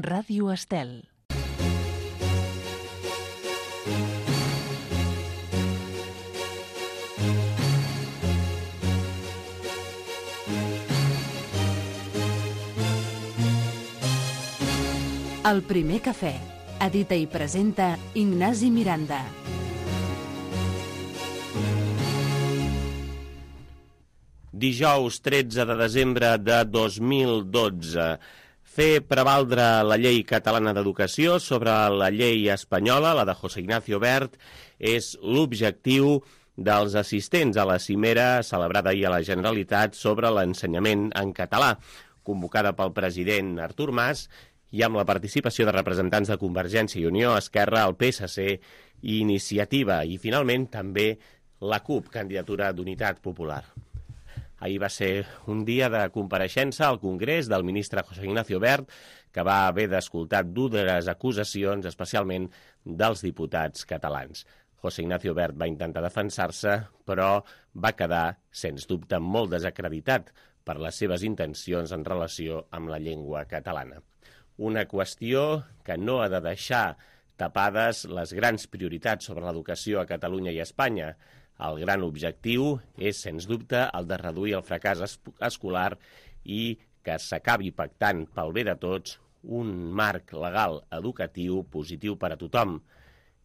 Ràdio Estel. El primer cafè. Edita i presenta Ignasi Miranda. Dijous 13 de desembre de 2012. Fer prevaldre la llei catalana d'educació sobre la llei espanyola, la de José Ignacio Wert, és l'objectiu dels assistents a la cimera celebrada ahir a la Generalitat sobre l'ensenyament en català, convocada pel president Artur Mas i amb la participació de representants de Convergència i Unió, Esquerra, el PSC i Iniciativa, i finalment també la CUP, candidatura d'Unitat Popular. Ahir va ser un dia de compareixença al Congrés del ministre José Ignacio Wert, que va haver d'escoltar dures acusacions, especialment dels diputats catalans. José Ignacio Wert va intentar defensar-se, però va quedar, sens dubte, molt desacreditat per les seves intencions en relació amb la llengua catalana. Una qüestió que no ha de deixar tapades les grans prioritats sobre l'educació a Catalunya i a Espanya. El gran objectiu és, sens dubte, el de reduir el fracàs escolar i que s'acabi pactant pel bé de tots un marc legal educatiu positiu per a tothom,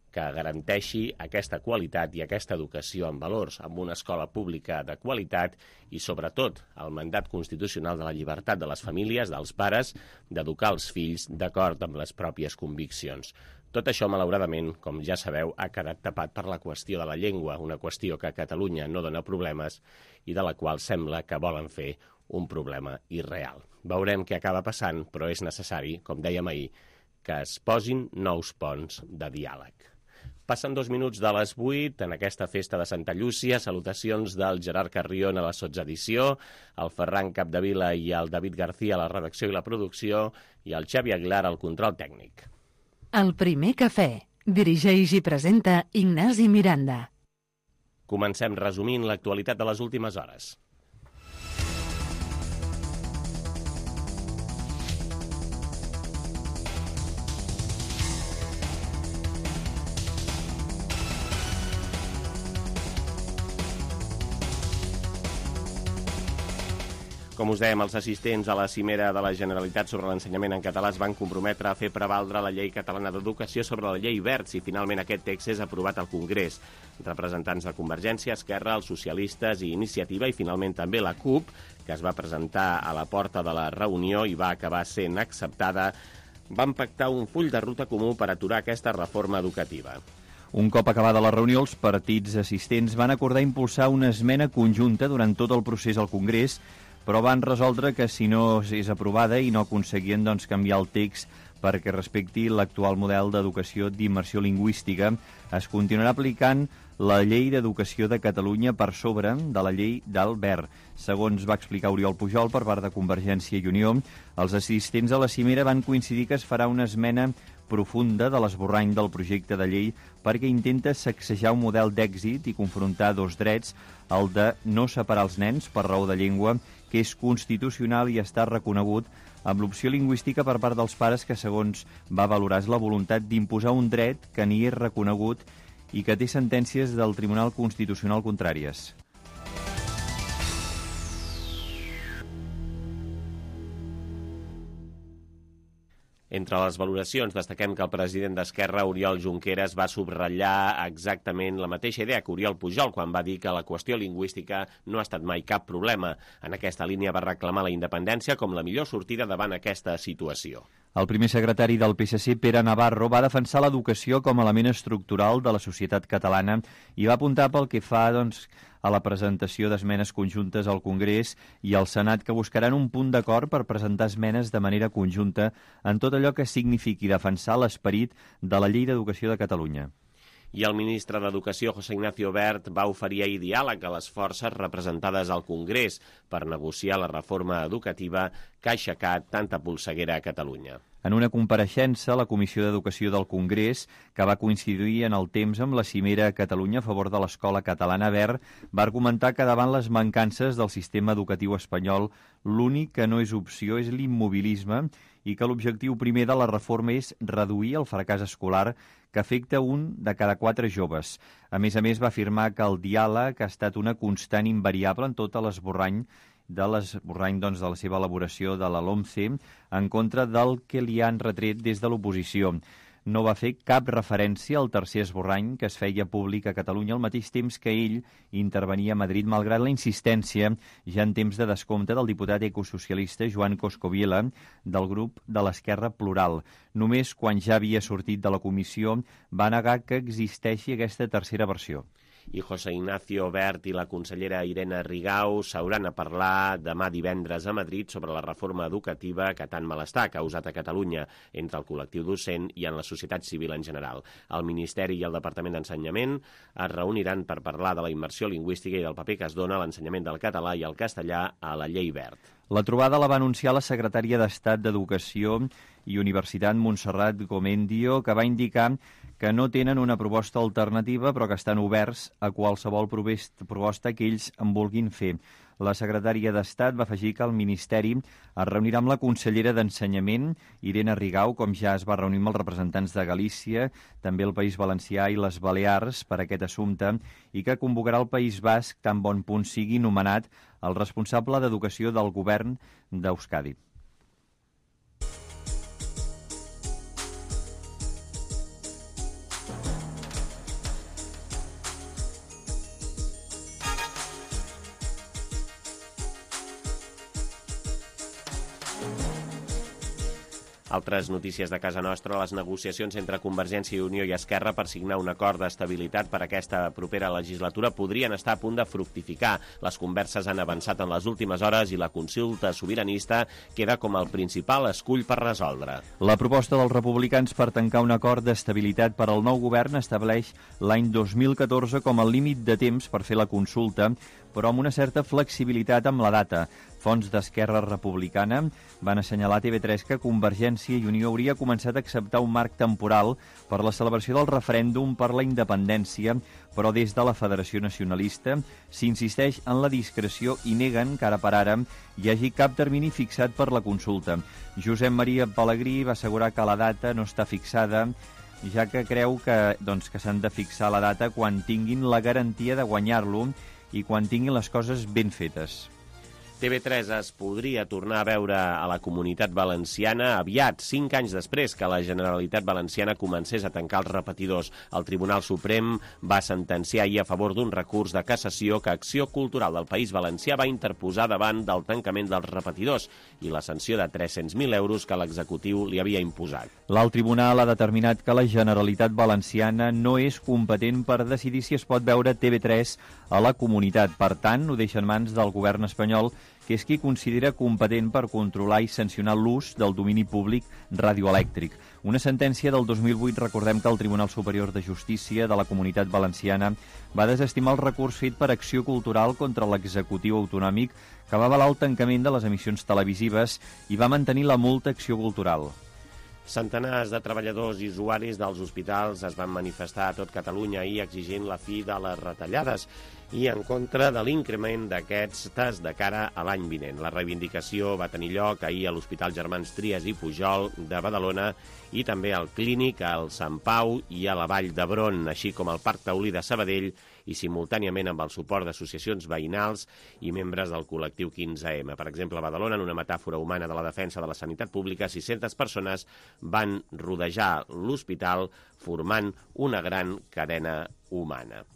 que garanteixi aquesta qualitat i aquesta educació en valors, amb una escola pública de qualitat i, sobretot, el mandat constitucional de la llibertat de les famílies, dels pares, d'educar els fills d'acord amb les pròpies conviccions. Tot això, malauradament, com ja sabeu, ha quedat tapat per la qüestió de la llengua, una qüestió que a Catalunya no dona problemes i de la qual sembla que volen fer un problema irreal. Veurem què acaba passant, però és necessari, com dèiem ahir, que es posin nous ponts de diàleg. Passen 2 minuts de les 8 en aquesta festa de Santa Llúcia. Salutacions del Gerard Carrion a la sotsedició, el Ferran Capdevila i el David García a la redacció i la producció i el Xavi Aguilar al control tècnic. El primer cafè. Dirigeix i presenta Ignasi Miranda. Comencem resumint l'actualitat de les últimes hores. Com us dèiem, els assistents a la cimera de la Generalitat sobre l'ensenyament en català es van comprometre a fer prevaldre la llei catalana d'educació sobre la llei Wert si finalment aquest text és aprovat al Congrés. Representants de Convergència, Esquerra, els socialistes i Iniciativa i finalment també la CUP, que es va presentar a la porta de la reunió i va acabar sent acceptada, van pactar un full de ruta comú per aturar aquesta reforma educativa. Un cop acabada la reunió, els partits assistents van acordar impulsar una esmena conjunta durant tot el procés al Congrés, però van resoldre que si no és aprovada i no aconseguien canviar el text perquè respecti l'actual model d'educació d'immersió lingüística, es continuarà aplicant la llei d'educació de Catalunya per sobre de la llei del Wert. Segons va explicar Oriol Pujol per part de Convergència i Unió, els assistents a la cimera van coincidir que es farà una esmena profunda de l'esborrany del projecte de llei perquè intenta sacsejar un model d'èxit i confrontar dos drets, el de no separar els nens per raó de llengua, que és constitucional i està reconegut, amb l'opció lingüística per part dels pares que, segons va valorar, és la voluntat d'imposar un dret que ni és reconegut i que té sentències del Tribunal Constitucional contràries. Entre les valoracions destaquem que el president d'Esquerra, Oriol Junqueras, va subratllar exactament la mateixa idea que Oriol Pujol quan va dir que la qüestió lingüística no ha estat mai cap problema. En aquesta línia va reclamar la independència com la millor sortida davant aquesta situació. El primer secretari del PSC, Pere Navarro, va defensar l'educació com a element estructural de la societat catalana i va apuntar pel que fa a la presentació d'esmenes conjuntes al Congrés i al Senat que buscaran un punt d'acord per presentar esmenes de manera conjunta en tot allò que signifiqui defensar l'esperit de la Llei d'Educació de Catalunya. I el ministre d'Educació, José Ignacio Wert, va oferir ahir diàleg a les forces representades al Congrés per negociar la reforma educativa que ha aixecat tanta polseguera a Catalunya. En una compareixença a la Comissió d'Educació del Congrés, que va coincidir en el temps amb la cimera a Catalunya a favor de l'escola catalana Wert, va argumentar que davant les mancances del sistema educatiu espanyol, l'únic que no és opció és l'immobilisme i que l'objectiu primer de la reforma és reduir el fracàs escolar que afecta un de cada 4 joves. A més, va afirmar que el diàleg ha estat una constant invariable en tot l'esborrany de la seva elaboració de la LOMCE en contra del que li han retret des de l'oposició. No va fer cap referència al tercer esborrany que es feia públic a Catalunya al mateix temps que ell intervenia a Madrid, malgrat la insistència ja en temps de descompte del diputat ecosocialista Joan Coscoviela del grup de l'Esquerra Plural. Només quan ja havia sortit de la comissió va negar que existeixi aquesta tercera versió. I José Ignacio Wert i la consellera Irene Rigau s'hauran a parlar demà divendres a Madrid sobre la reforma educativa que tant malestar ha causat a Catalunya entre el col·lectiu docent i en la societat civil en general. El Ministeri i el Departament d'Ensenyament es reuniran per parlar de la immersió lingüística i del paper que es dona a l'ensenyament del català i el castellà a la llei Wert. La trobada la va anunciar la secretària d'Estat d'Educació i Universitat Montserrat Gomendio, que va indicar que no tenen una proposta alternativa però que estan oberts a qualsevol proposta que ells en vulguin fer. La secretària d'Estat va afegir que el Ministeri es reunirà amb la consellera d'Ensenyament, Irene Rigau, com ja es va reunir amb els representants de Galícia, també el País Valencià i les Balears per aquest assumpte, i que convocarà el País Basc tan bon punt sigui nomenat el responsable d'Educació del govern d'Euskadi. Altres notícies de casa nostra, les negociacions entre Convergència i Unió i Esquerra per signar un acord d'estabilitat per aquesta propera legislatura podrien estar a punt de fructificar. Les converses han avançat en les últimes hores i la consulta sobiranista queda com el principal escull per resoldre. La proposta dels republicans per tancar un acord d'estabilitat per al nou govern estableix l'any 2014 com el límit de temps per fer la consulta, però amb una certa flexibilitat amb la data. Fonts d'Esquerra Republicana van assenyalar a TV3 que Convergència i Unió hauria començat a acceptar un marc temporal per la celebració del referèndum per la independència, però des de la Federació Nacionalista s'insisteix en la discreció i neguen que ara per ara hi hagi cap termini fixat per la consulta. Josep Maria Pelegrí va assegurar que la data no està fixada, ja que creu que s'han de fixar la data quan tinguin la garantia de guanyar-lo i quan tinguin les coses ben fetes. TV3 es podria tornar a veure a la Comunitat Valenciana aviat, 5 anys després que la Generalitat Valenciana comencés a tancar els repetidors. El Tribunal Suprem va sentenciar ahir a favor d'un recurs de cassació que Acció Cultural del País Valencià va interposar davant del tancament dels repetidors i la sanció de 300.000 euros que l'executiu li havia imposat. L'alt tribunal ha determinat que la Generalitat Valenciana no és competent per decidir si es pot veure TV3 a la comunitat. Per tant, ho deixa en mans del govern espanyol, que és qui considera competent per controlar i sancionar l'ús del domini públic radioelèctric. Una sentència del 2008, recordem que el Tribunal Superior de Justícia de la Comunitat Valenciana va desestimar el recurs fet per Acció Cultural contra l'executiu autonòmic que va avalar el tancament de les emissions televisives i va mantenir la multa Acció Cultural. Centenars de treballadors i usuaris dels hospitals es van manifestar a tot Catalunya ahir exigint la fi de les retallades i en contra de l'increment d'aquestes de cara a l'any vinent. La reivindicació va tenir lloc ahir a l'Hospital Germans Trias i Pujol de Badalona i també al Clínic, al Sant Pau i a la Vall d'Hebron, així com al Parc Taulí de Sabadell i simultàniament amb el suport d'associacions veïnals i membres del col·lectiu 15M. Per exemple, a Badalona, en una metàfora humana de la defensa de la sanitat pública, 600 persones van rodejar l'hospital formant una gran cadena humana.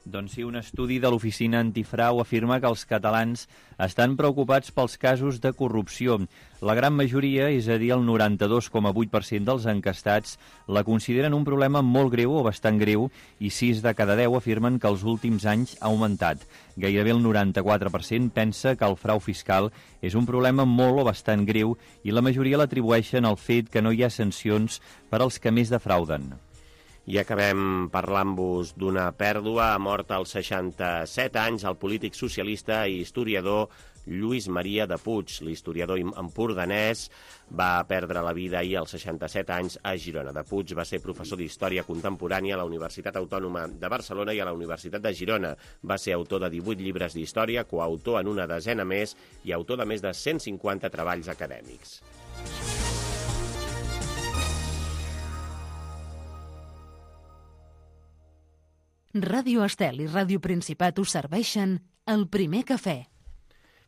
Doncs sí, un estudi de l'Oficina Antifrau afirma que els catalans estan preocupats pels casos de corrupció. La gran majoria, és a dir, el 92,8% dels encastats, la consideren un problema molt greu o bastant greu i 6 de cada 10 afirmen que els últims anys ha augmentat. Gairebé el 94% pensa que el frau fiscal és un problema molt o bastant greu i la majoria l'atribueixen al fet que no hi ha sancions per als que més defrauden. I acabem parlant-vos d'una pèrdua. Ha mort als 67 anys el polític socialista i historiador Lluís Maria de Puig. L'historiador empordanès va perdre la vida ahir als 67 anys a Girona. De Puig va ser professor d'Història Contemporània a la Universitat Autònoma de Barcelona i a la Universitat de Girona. Va ser autor de 18 llibres d'història, coautor en una desena més i autor de més de 150 treballs acadèmics. Ràdio Estel i Ràdio Principat us serveixen el primer cafè.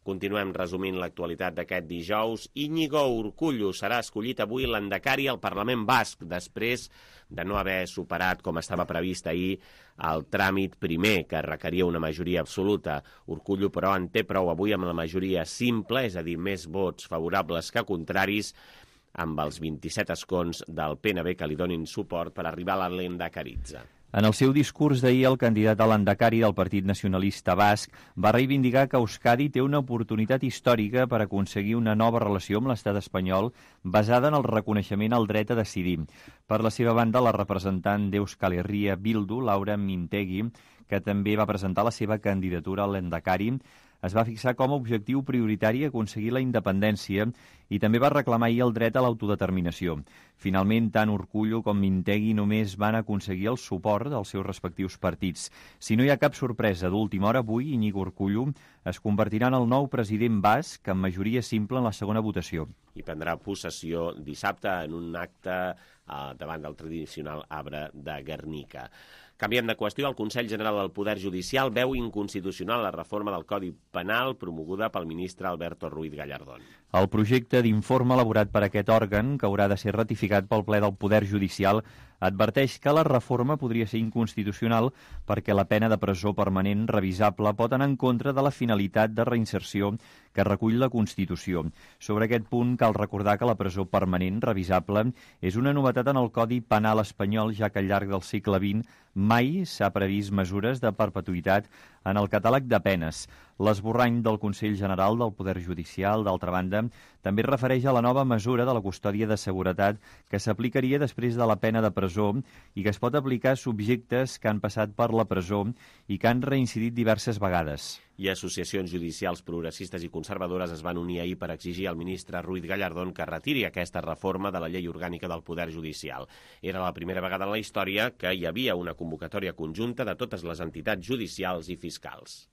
Continuem resumint l'actualitat d'aquest dijous. Íñigo Urkullu serà escollit avui l'endacari al Parlament Basc, després de no haver superat, com estava previst ahir, el tràmit primer, que requeria una majoria absoluta. Urkullu, però, en té prou avui amb la majoria simple, és a dir, més vots favorables que contraris, amb els 27 escons del PNB que li donin suport per arribar a l'endacaritza. En el seu discurs d'ahir, el candidat a l'endacari del Partit Nacionalista Basc va reivindicar que Euskadi té una oportunitat històrica per aconseguir una nova relació amb l'estat espanyol basada en el reconeixement al dret a decidir. Per la seva banda, la representant d'Euskal Herria Bildu, Laura Mintegi, que també va presentar la seva candidatura a l'endacari, es va fixar com a objectiu prioritari aconseguir la independència i també va reclamar ahir el dret a l'autodeterminació. Finalment, tant Urkullu com Mintegi només van aconseguir el suport dels seus respectius partits. Si no hi ha cap sorpresa d'última hora, avui Íñigo Urkullu es convertirà en el nou president basc amb majoria simple en la segona votació. I prendrà possessió dissabte en un acte davant del tradicional arbre de Guernica. Canviem de qüestió. El Consell General del Poder Judicial veu inconstitucional la reforma del Codi Penal promoguda pel ministre Alberto Ruiz Gallardón. El projecte d'informe elaborat per aquest òrgan, que haurà de ser ratificat pel ple del Poder Judicial, adverteix que la reforma podria ser inconstitucional perquè la pena de presó permanent revisable pot anar en contra de la finalitat de reinserció que recull la Constitució. Sobre aquest punt, cal recordar que la presó permanent revisable és una novetat en el Codi Penal espanyol, ja que al llarg del segle XX mai s'ha previst mesures de perpetuïtat en el catàleg de penes. L'esborrany del Consell General del Poder Judicial, d'altra banda, també es refereix a la nova mesura de la custòdia de seguretat que s'aplicaria després de la pena de presó i que es pot aplicar a subjectes que han passat per la presó i que han reincidit diverses vegades. I associacions judicials progressistes i conservadores es van unir ahir per exigir al ministre Ruiz Gallardón que retiri aquesta reforma de la llei orgànica del Poder Judicial. Era la primera vegada en la història que hi havia una convocatòria conjunta de totes les entitats judicials i fiscals.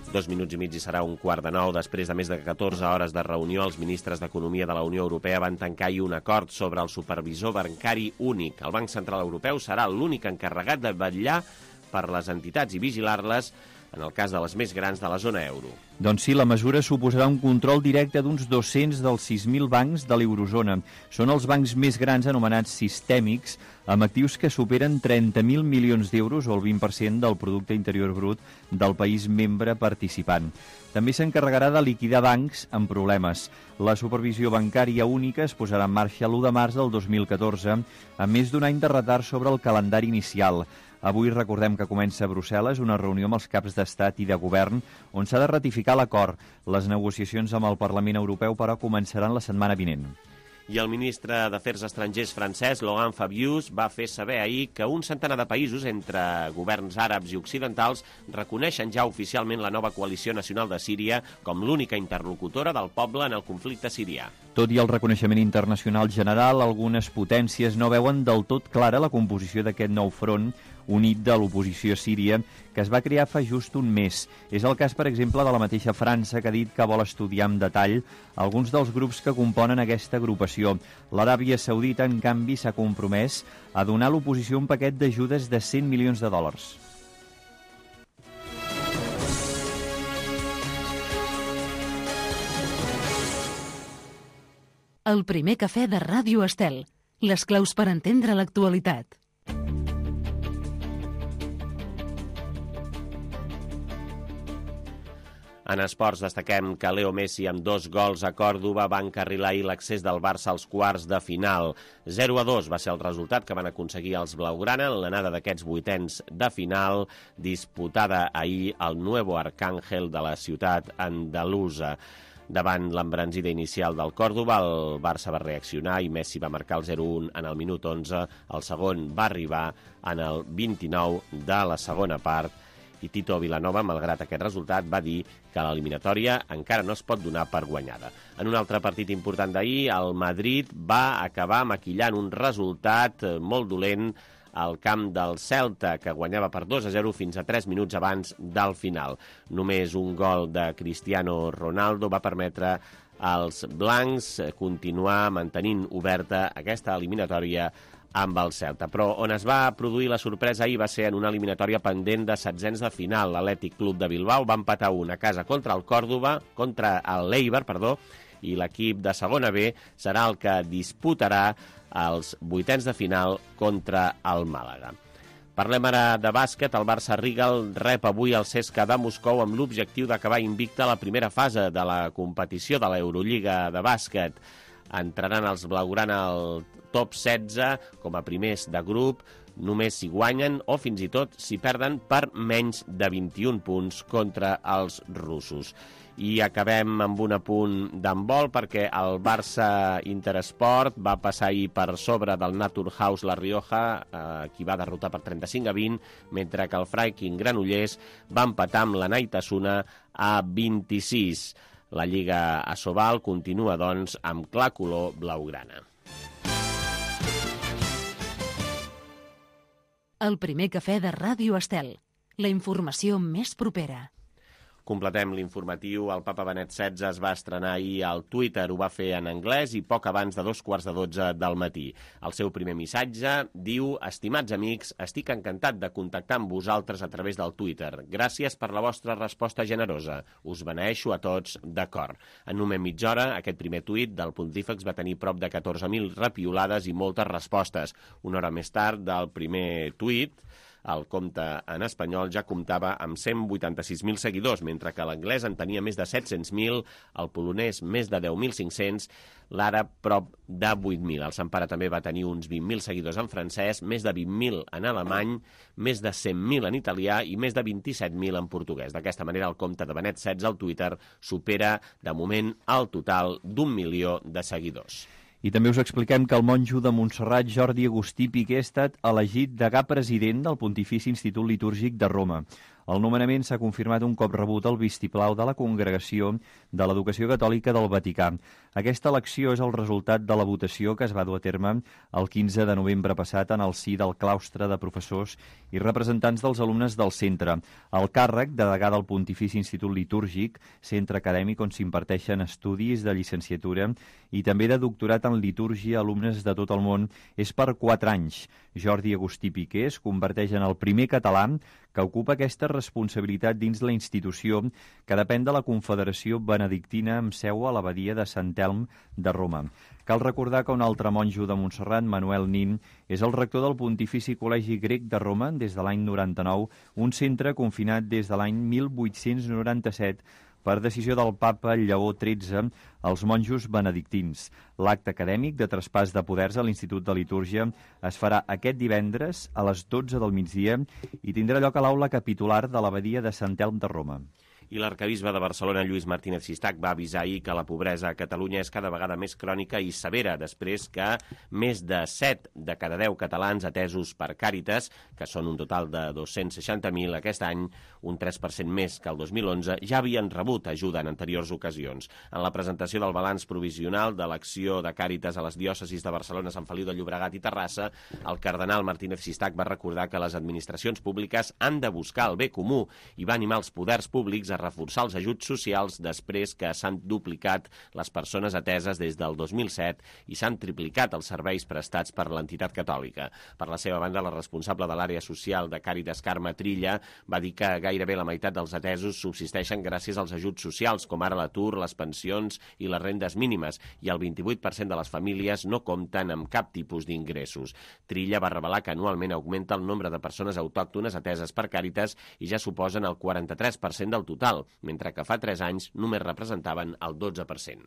Dos minuts i mig i serà 8:45. Després de més de 14 hores de reunió, els ministres d'Economia de la Unió Europea van tancar un acord sobre el supervisor bancari únic. El Banc Central Europeu serà l'únic encarregat de vetllar per les entitats i vigilar-les en el cas de les més grans de la zona euro. Doncs sí, la mesura suposarà un control directe d'uns 200 dels 6.000 bancs de l'eurozona. Són els bancs més grans anomenats sistèmics, amb actius que superen 30.000 milions d'euros o el 20% del producte interior brut del país membre participant. També s'encarregarà de liquidar bancs amb problemes. La supervisió bancària única es posarà en marxa l'1 de març del 2014, amb més d'un any de retard sobre el calendari inicial. Avui recordem que comença a Brussel·les una reunió amb els caps d'estat i de govern on s'ha de ratificar l'acord. Les negociacions amb el Parlament Europeu, però, començaran la setmana vinent. I el ministre d'Afers Estrangers francès, Laurent Fabius, va fer saber ahir que un centenar de països, entre governs àrabs i occidentals, reconeixen ja oficialment la nova coalició nacional de Síria com l'única interlocutora del poble en el conflicte sirià. Tot i el reconeixement internacional general, algunes potències no veuen del tot clara la composició d'aquest nou front unit de l'oposició síria, que es va crear fa just un mes. És el cas, per exemple, de la mateixa França, que ha dit que vol estudiar amb detall alguns dels grups que componen aquesta agrupació. L'Aràbia Saudita, en canvi, s'ha compromès a donar a l'oposició un paquet d'ajudes de 100 milions de dòlars. El primer cafè de Ràdio Estel. Les claus per entendre l'actualitat. En esports destaquem que Leo Messi, amb 2 gols a Còrdova, va encarrilar ahir l'accés del Barça als quarts de final. 0-2 va ser el resultat que van aconseguir els blaugrana en l'anada d'aquests vuitens de final, disputada ahir al Nuevo Arcángel de la ciutat andalusa. Davant l'embranzida inicial del Còrdova, el Barça va reaccionar i Messi va marcar el 0-1 en el minut 11. El segon va arribar en el 29 de la segona part I Tito Vilanova, malgrat aquest resultat, va dir que l'eliminatòria encara no es pot donar per guanyada. En un altre partit important d'ahir, el Madrid va acabar maquillant un resultat molt dolent al camp del Celta, que guanyava per 2-0 fins a 3 minuts abans del final. Només un gol de Cristiano Ronaldo va permetre als blancs continuar mantenint oberta aquesta eliminatòria amb el Celta. Però on es va produir la sorpresa ahir va ser en una eliminatòria pendent de setzents de final. L'Atlètic Club de Bilbao va empatar 1 a casa contra l'Eibar, i l'equip de segona B serà el que disputarà els vuitens de final contra el Màlaga. Parlem ara de bàsquet. El Barça Rigal rep avui el CSKA de Moscou amb l'objectiu d'acabar invicta a la primera fase de la competició de l'Eurolliga de bàsquet. Entraran els blaugrana al top 16 com a primers de grup, només si guanyen o fins i tot si perden per menys de 21 punts contra els russos. I acabem amb un apunt d'handbol perquè el Barça Interesport va passar ahir per sobre del Naturhaus La Rioja, qui va derrotar per 35-20, mentre que el Freiking Granollers va empatar amb la Naitasuna a 26. La Lliga Asobal continua, doncs, amb clar color blaugrana. El primer cafè de Ràdio Estel. La informació més propera. Completem l'informatiu. El papa Benet XVI es va estrenar ahir al Twitter, ho va fer en anglès i poc abans de 2:15 del matí. El seu primer missatge diu: estimats amics, estic encantat de contactar amb vosaltres a través del Twitter. Gràcies per la vostra resposta generosa. Us beneeixo a tots de cor. En només mitja hora, aquest primer tuit del pontífex va tenir prop de 14.000 repiolades i moltes respostes. Una hora més tard del primer tuit, el compte en espanyol ja comptava amb 186.000 seguidors, mentre que l'anglès en tenia més de 700.000, el polonès més de 10.500, l'àrab prop de 8.000. El Sant Pare també va tenir uns 20.000 seguidors en francès, més de 20.000 en alemany, més de 100.000 en italià i més de 27.000 en portuguès. D'aquesta manera, el compte de Benet XVI al Twitter supera, de moment, el total d'1 milió de seguidors. I també us expliquem que el monjo de Montserrat, Jordi Agustí Piqué, ha estat elegit degà president del Pontifici Institut Litúrgic de Roma. El nomenament s'ha confirmat un cop rebut el vistiplau de la Congregació de l'Educació Catòlica del Vaticà. Aquesta elecció és el resultat de la votació que es va dur a terme el 15 de novembre passat en el si del claustre de professors i representants dels alumnes del centre. El càrrec de degà del Pontifici Institut Litúrgic, centre acadèmic on s'imparteixen estudis de llicenciatura i també de doctorat en litúrgia a alumnes de tot el món, és per 4 anys. Jordi Agustí Piqué es converteix en el primer català que ocupa aquesta responsabilitat dins la institució que depèn de la Confederació Benedictina amb seu a l'abadia de Sant Elm de Roma. Cal recordar que un altre monjo de Montserrat, Manuel Nin, és el rector del Pontifici Col·legi Grec de Roma des de l'any 99, un centre confinat des de l'any 1897 per decisió del papa Lleó XIII als monjos benedictins. L'acte acadèmic de traspàs de poders a l'Institut de Litúrgia es farà aquest divendres a les 12 del migdia i tindrà lloc a l'aula capitular de l'abadia de Sant Elm de Roma. I l'arquebisbe de Barcelona, Lluís Martínez Sistac, va avisar ahir que la pobresa a Catalunya és cada vegada més crònica i severa, després que més de 7 de cada 10 catalans atesos per Càritas, que són un total de 260.000 aquest any, un 3% més que el 2011, ja havien rebut ajuda en anteriors ocasions. En la presentació del balanç provisional de l'acció de Càritas a les diòcesis de Barcelona, Sant Feliu de Llobregat i Terrassa, el cardenal Martínez Sistac va recordar que les administracions públiques han de buscar el bé comú i va animar els poders públics a reforçar els ajuts socials després que s'han duplicat les persones ateses des del 2007 i s'han triplicat els serveis prestats per l'entitat catòlica. Per la seva banda, la responsable de l'àrea social de Càritas, Carme Trilla, va dir que gairebé la meitat dels atesos subsisteixen gràcies als ajuts socials, com ara l'atur, les pensions i les rendes mínimes, i el 28% de les famílies no compten amb cap tipus d'ingressos. Trilla va revelar que anualment augmenta el nombre de persones autòctones ateses per Càritas i ja suposen el 43% del total, mentre que fa 3 anys només representaven el 12%.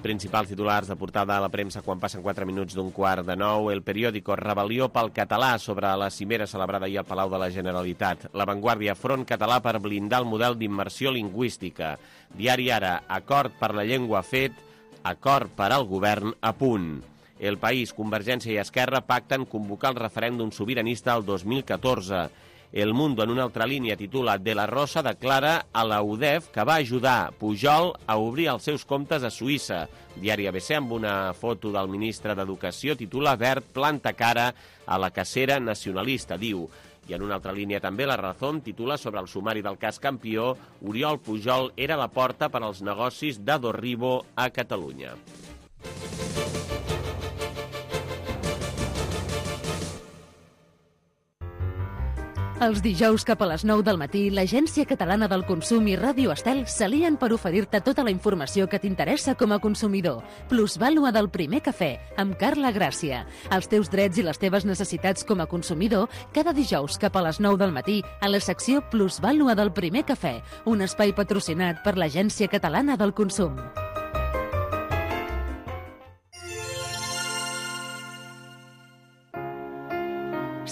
Principals titulars de portada a la premsa quan passen 4 minuts d'un quart de 9. El periòdico Rebel·lió pel català sobre la cimera celebrada ahir al Palau de la Generalitat. La Vanguardia, front català per blindar el model d'immersió lingüística. Diari Ara, acord per la llengua fet, acord per al govern a punt. El País, Convergència i Esquerra pacten convocar el referèndum sobiranista el 2014. El Mundo, en una altra línia, titula De la Rosa declara a la UDEF que va ajudar Pujol a obrir els seus comptes a Suïssa. Diari ABC, amb una foto del ministre d'Educació, titula Wert planta cara a la cacera nacionalista, diu. I en una altra línia també, La Razón titula sobre el sumari del cas Campió, Oriol Pujol era la porta per als negocis de Dorribo a Catalunya. Els dijous cap a les 9 del matí, l'Agència Catalana del Consum i Ràdio Estel s'alien per oferir-te tota la informació que t'interessa com a consumidor. Plusvàlua del primer cafè, amb Carla Gràcia. Els teus drets i les teves necessitats com a consumidor, cada dijous cap a les 9 del matí, a la secció Plusvàlua del primer cafè, un espai patrocinat per l'Agència Catalana del Consum.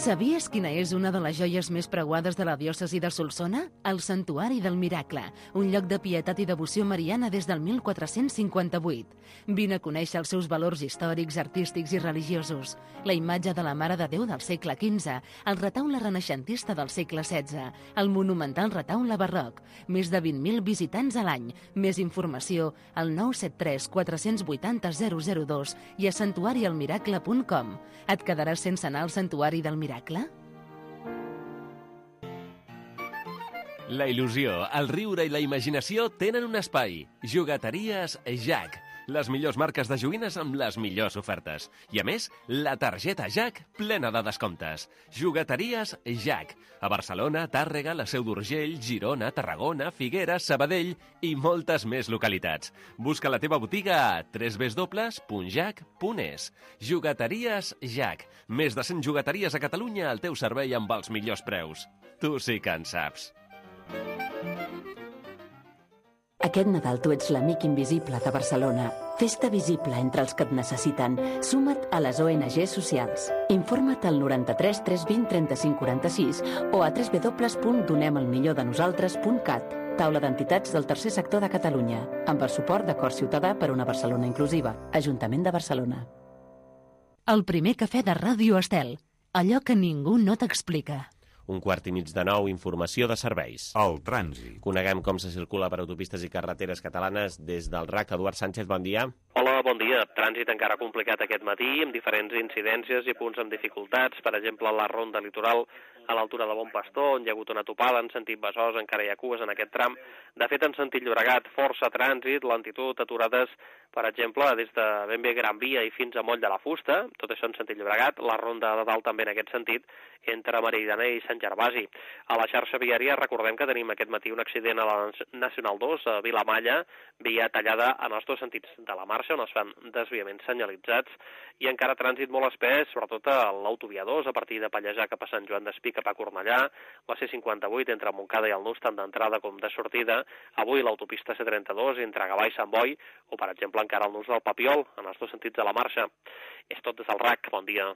Sabies quina és una de les joies més preuades de la diòcesi de Solsona? El Santuari del Miracle, un lloc de pietat i devoció mariana des del 1458. Vine a conèixer els seus valors històrics, artístics i religiosos. La imatge de la Mare de Déu del segle XV, el retaule renaixentista del segle XVI, el monumental retaule barroc, més de 20.000 visitants a l'any. Més informació al 973 480 002 i a santuarialmiracle.com. Et quedaràs sense anar al Santuari del Miracle? La il·lusió, el riure i la imaginació tenen un espai. Jugateries Jack. Les millors marques de joguines amb les millors ofertes. I a més, la targeta Jack plena de descomptes. Jugateries Jack. A Barcelona, Tàrrega, la Seu d'Urgell, Girona, Tarragona, Figueres, Sabadell i moltes més localitats. Busca la teva botiga a www.jack.es. Jugateries Jack. Més de 100 jugateries a Catalunya al teu servei amb els millors preus. Tu sí que en saps. Aquest Nadal tu ets l'amic invisible de Barcelona. Fes-te visible entre els que et necessiten. Suma't a les ONG socials. Informa't al 93 320 35 46 o a www.donemelmillordenosaltres.cat. Taula d'entitats del tercer sector de Catalunya, amb el suport d'Acord Ciutadà per una Barcelona inclusiva. Ajuntament de Barcelona. El primer cafè de Ràdio Estel. Allò que ningú no t'explica. 8:45, informació de serveis. El trànsit. Coneguem com se circula per autopistes i carreteres catalanes des del RAC. Eduard Sánchez, bon dia. Hola, bon dia. Trànsit encara complicat aquest matí, amb diferents incidències i punts amb dificultats. Per exemple, la ronda litoral a l'altura de Bon Pastor, on hi ha hagut una topada en sentit Besòs, encara hi ha cues en aquest tram. De fet, en sentit Llobregat, força trànsit, lentitud, aturades, per exemple, des de ben bé Gran Via i fins a Moll de la Fusta, tot això en sentit Llobregat, la ronda de dalt també en aquest sentit, entre Meridiana i Sant Gervasi. A la xarxa viària recordem que tenim aquest matí un accident a la Nacional 2, a Vilamalla, via tallada en els dos sentits de la marxa, on es fan desviaments senyalitzats, i encara trànsit molt espès, sobretot a l'autovia 2, a partir de Pallejà cap a Sant Joan d'Espí, cap a Cornellà, la C58 entre Montcada i el Nus, tant d'entrada com de sortida, avui l'autopista C32 entre Gavà i Sant Boi, o per exemple encara el Nus del Papiol, en els dos sentits de la marxa. És tot des del RAC, bon dia.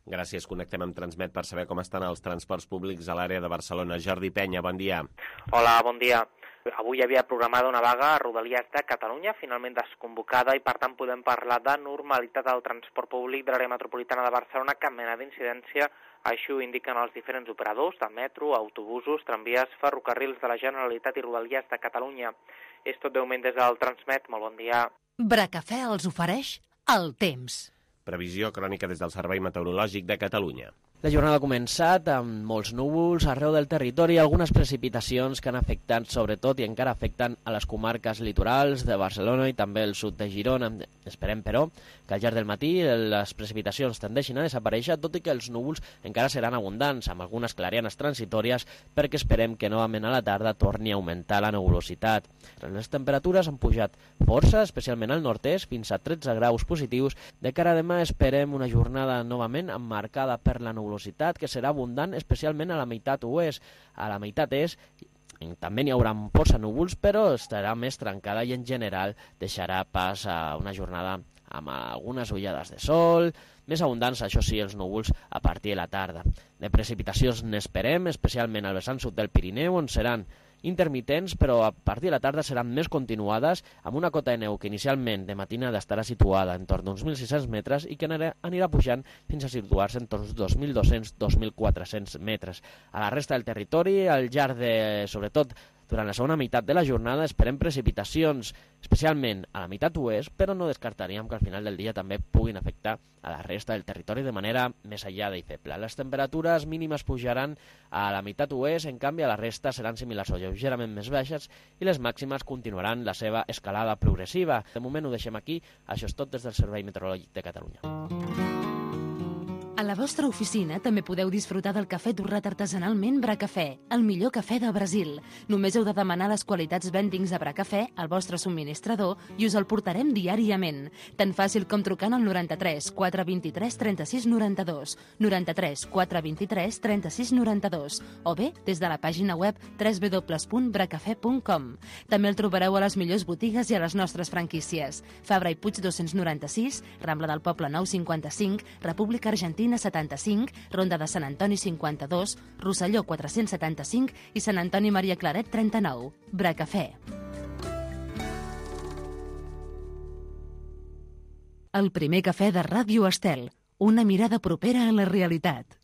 Gràcies, connectem amb Transmet per saber com estan els transports públics a l'àrea de Barcelona. Jordi Penya, bon dia. Hola, bon dia. Avui hi havia programada una vaga a Rodalies de Catalunya, finalment desconvocada, i per tant podem parlar de normalitat del transport públic de l'àrea metropolitana de Barcelona, cap mena d'incidència. Així ho indiquen els diferents operadors de metro, autobusos, tramvies, ferrocarrils de la Generalitat i Rodalies de Catalunya. És tot breument des del Transmet. Molt bon dia. Bracafè els ofereix el temps. Previsió crònica des del Servei Meteorològic de Catalunya. La jornada ha començat amb molts núvols arreu del territori i algunes precipitacions que han afectat sobretot i encara afecten a les comarques litorals de Barcelona i també el sud de Girona. Esperem, però, que al llarg del matí les precipitacions tendeixin a desaparèixer, tot i que els núvols encara seran abundants, amb algunes clarianes transitòries, perquè esperem que novament a la tarda torni a augmentar la nebulositat. Les temperatures han pujat força, especialment al nord-est, fins a 13 graus positius. De cara a demà esperem una jornada novament emmarcada per la nebulositat, que serà abundant especialment a la meitat oest. A la meitat est També n'hi haurà força núvols, però estarà més trencada i en general deixarà pas a una jornada amb algunes ullades de sol, més abundants, això sí, els núvols a partir de la tarda. De precipitacions n'esperem, especialment al vessant sud del Pirineu, on seran intermitents, però a partir de la tarda seran més continuades, amb una cota de neu que inicialment de matinada estarà situada en torn d'uns 1.600 metres i que anirà pujant fins a situar-se en torn d'uns 2.200-2.400 metres. A la resta del territori, al llarg de, sobretot, durant la segona meitat de la jornada esperem precipitacions, especialment a la meitat oest, però no descartaríem que al final del dia també puguin afectar a la resta del territori de manera més aïllada i feble. Les temperatures mínimes pujaran a la meitat oest, en canvi a la resta seran similars o lleugerament més baixes i les màximes continuaran la seva escalada progressiva. De moment ho deixem aquí, això és tot des del Servei Meteorològic de Catalunya. A la vostra oficina també podeu disfrutar del cafè torrat artesanalment Bracafè, el millor cafè del Brasil. Només heu de demanar les qualitats vendings de Bracafè al vostre subministrador i us el portarem diàriament. Tan fàcil com trucant al 93 423 36 92, 93 423 36 92 o bé des de la pàgina web www.bracafè.com. També el trobareu a les millors botigues i a les nostres franquícies. Fabra i Puig 296, Rambla del Poble Nou 55, República Argentina 75, Ronda de Sant Antoni 52, Rosselló 475 i Sant Antoni Maria Claret 39. Bracafè. El primer cafè de Ràdio Estel. Una mirada propera a la realitat.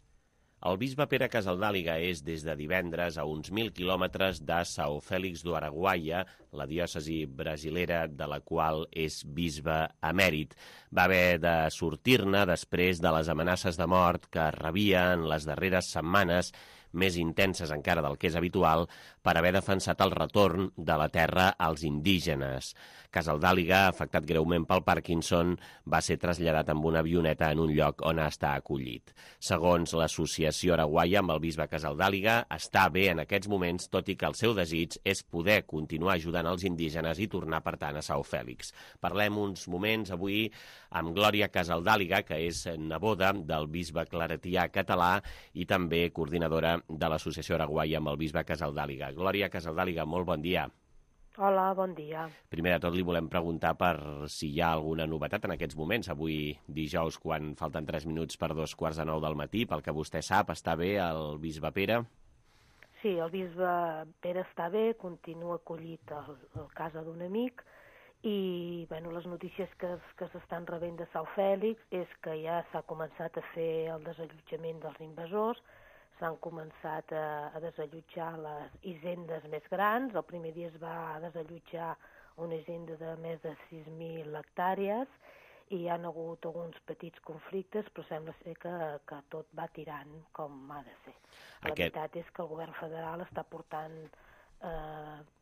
El bisbe Pere Casaldàliga és des de divendres a uns 1.000 quilòmetres de São Félix do Araguaia, la diòcesi brasilera de la qual és bisbe emèrit. Va haver de sortir-ne després de les amenaces de mort que rebia en les darreres setmanes, més intenses encara del que és habitual, per haver defensat el retorn de la terra als indígenes. Casaldàliga, afectat greument pel Parkinson, va ser traslladat amb una avioneta en un lloc on està acollit. Segons l'Associació Araguaia amb el bisbe Casaldàliga, està bé en aquests moments, tot i que el seu desig és poder continuar ajudant els indígenes i tornar, per tant, a São Félix. Parlem uns moments avui amb Glòria Casaldàliga, que és neboda del bisbe claretià català i també coordinadora de l'Associació Araguaia amb el bisbe Casaldàliga. Glòria Casaldàliga, molt bon dia. Hola, bon dia. Primer de tot li volem preguntar per si hi ha alguna novetat en aquests moments. Avui dijous, quan falten 3 minuts per 2:15 del matí, pel que vostè sap, està bé el bisbe Pere? Sí, el bisbe Pere està bé, continua acollit a casa d'un amic i les notícies que s'estan rebent de São Félix és que ja s'ha començat a fer el desallotjament dels invasors, s'han començat a desallotjar les hisendes més grans. El primer dia es va desallotjar una hisenda de més de 6.000 hectàrees i hi ha hagut alguns petits conflictes, però sembla ser que tot va tirant com ha de ser. La veritat és que el govern federal està portant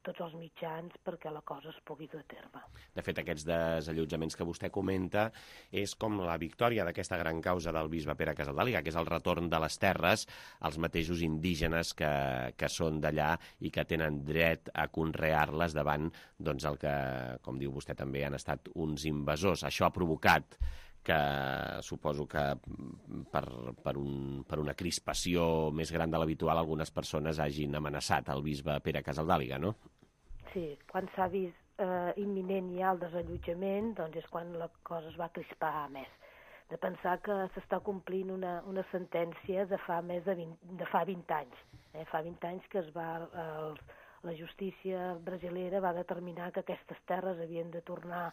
tots els mitjans perquè la cosa es pugui dur a terme. De fet, aquests desallotjaments que vostè comenta és com la victòria d'aquesta gran causa del bisbe Pere Casaldàliga, que és el retorn de les terres als mateixos indígenes que són d'allà i que tenen dret a conrear-les davant el que, com diu vostè també, han estat uns invasors. Això ha provocat que suposo que per una crispació més gran de l'habitual algunes persones hagin amenaçat el bisbe Pere Casaldàliga, no? Sí, quan s'ha vist imminent ja el desallotjament, doncs és quan la cosa es va crispar més. De pensar que s'està complint una sentència de fa 20 anys. Fa 20 anys que la justícia brasilera va determinar que aquestes terres havien de tornar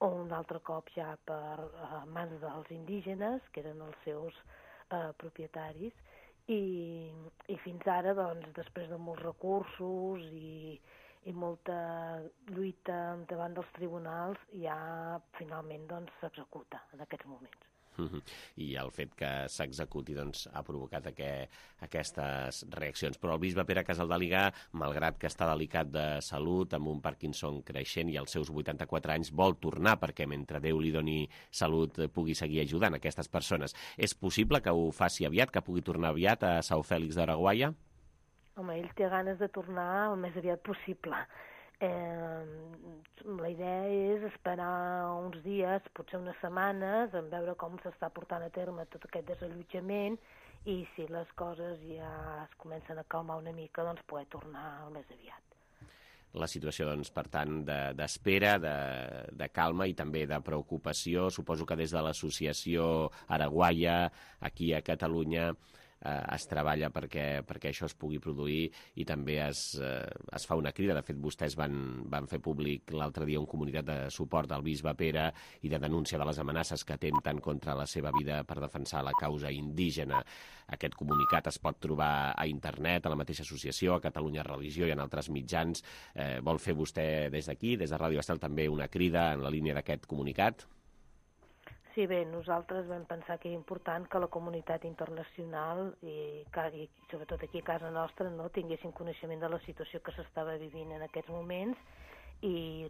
un altre cop ja per mans dels indígenes, que eren els seus propietaris, i fins ara, doncs, després de molts recursos i molta lluita davant dels tribunals, ja finalment s'executa en aquests moments. I el fet que s'executi ha provocat aquestes reaccions. Però el bisbe Pere Casaldàliga, malgrat que està delicat de salut, amb un Parkinson creixent i als seus 84 anys, vol tornar perquè mentre Déu li doni salut pugui seguir ajudant aquestes persones. És possible que ho faci aviat, que pugui tornar aviat a São Félix d'Araguaia? Home, ell té ganes de tornar el més aviat possible. La idea és esperar uns dies, potser unes setmanes, en veure com s'està portant a terme tot aquest desallotjament i si les coses ja es comencen a calmar una mica, doncs poder tornar el més aviat. La situació, doncs, per tant, d'espera, de calma i també de preocupació. Suposo que des de l'associació Araguaia, aquí a Catalunya, es treballa perquè això es pugui produir i també es fa una crida. De fet, vostès van fer públic l'altre dia un comunicat de suport al bisbe Pere i de denúncia de les amenaces que atempten contra la seva vida per defensar la causa indígena. Aquest comunicat es pot trobar a internet, a la mateixa associació, a Catalunya Religió i en altres mitjans. Vol fer vostè des d'aquí, des de Ràdio Estel, també una crida en la línia d'aquest comunicat? Sí, bé, nosaltres vam pensar que era important que la comunitat internacional i sobretot aquí a casa nostra no tinguessin coneixement de la situació que s'estava vivint en aquests moments i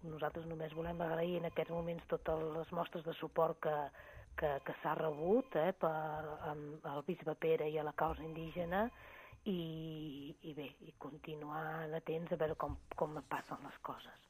nosaltres només volem agrair en aquests moments totes les mostres de suport que s'ha rebut al bisbe Pere i a la causa indígena i continuar atents a veure com passen les coses.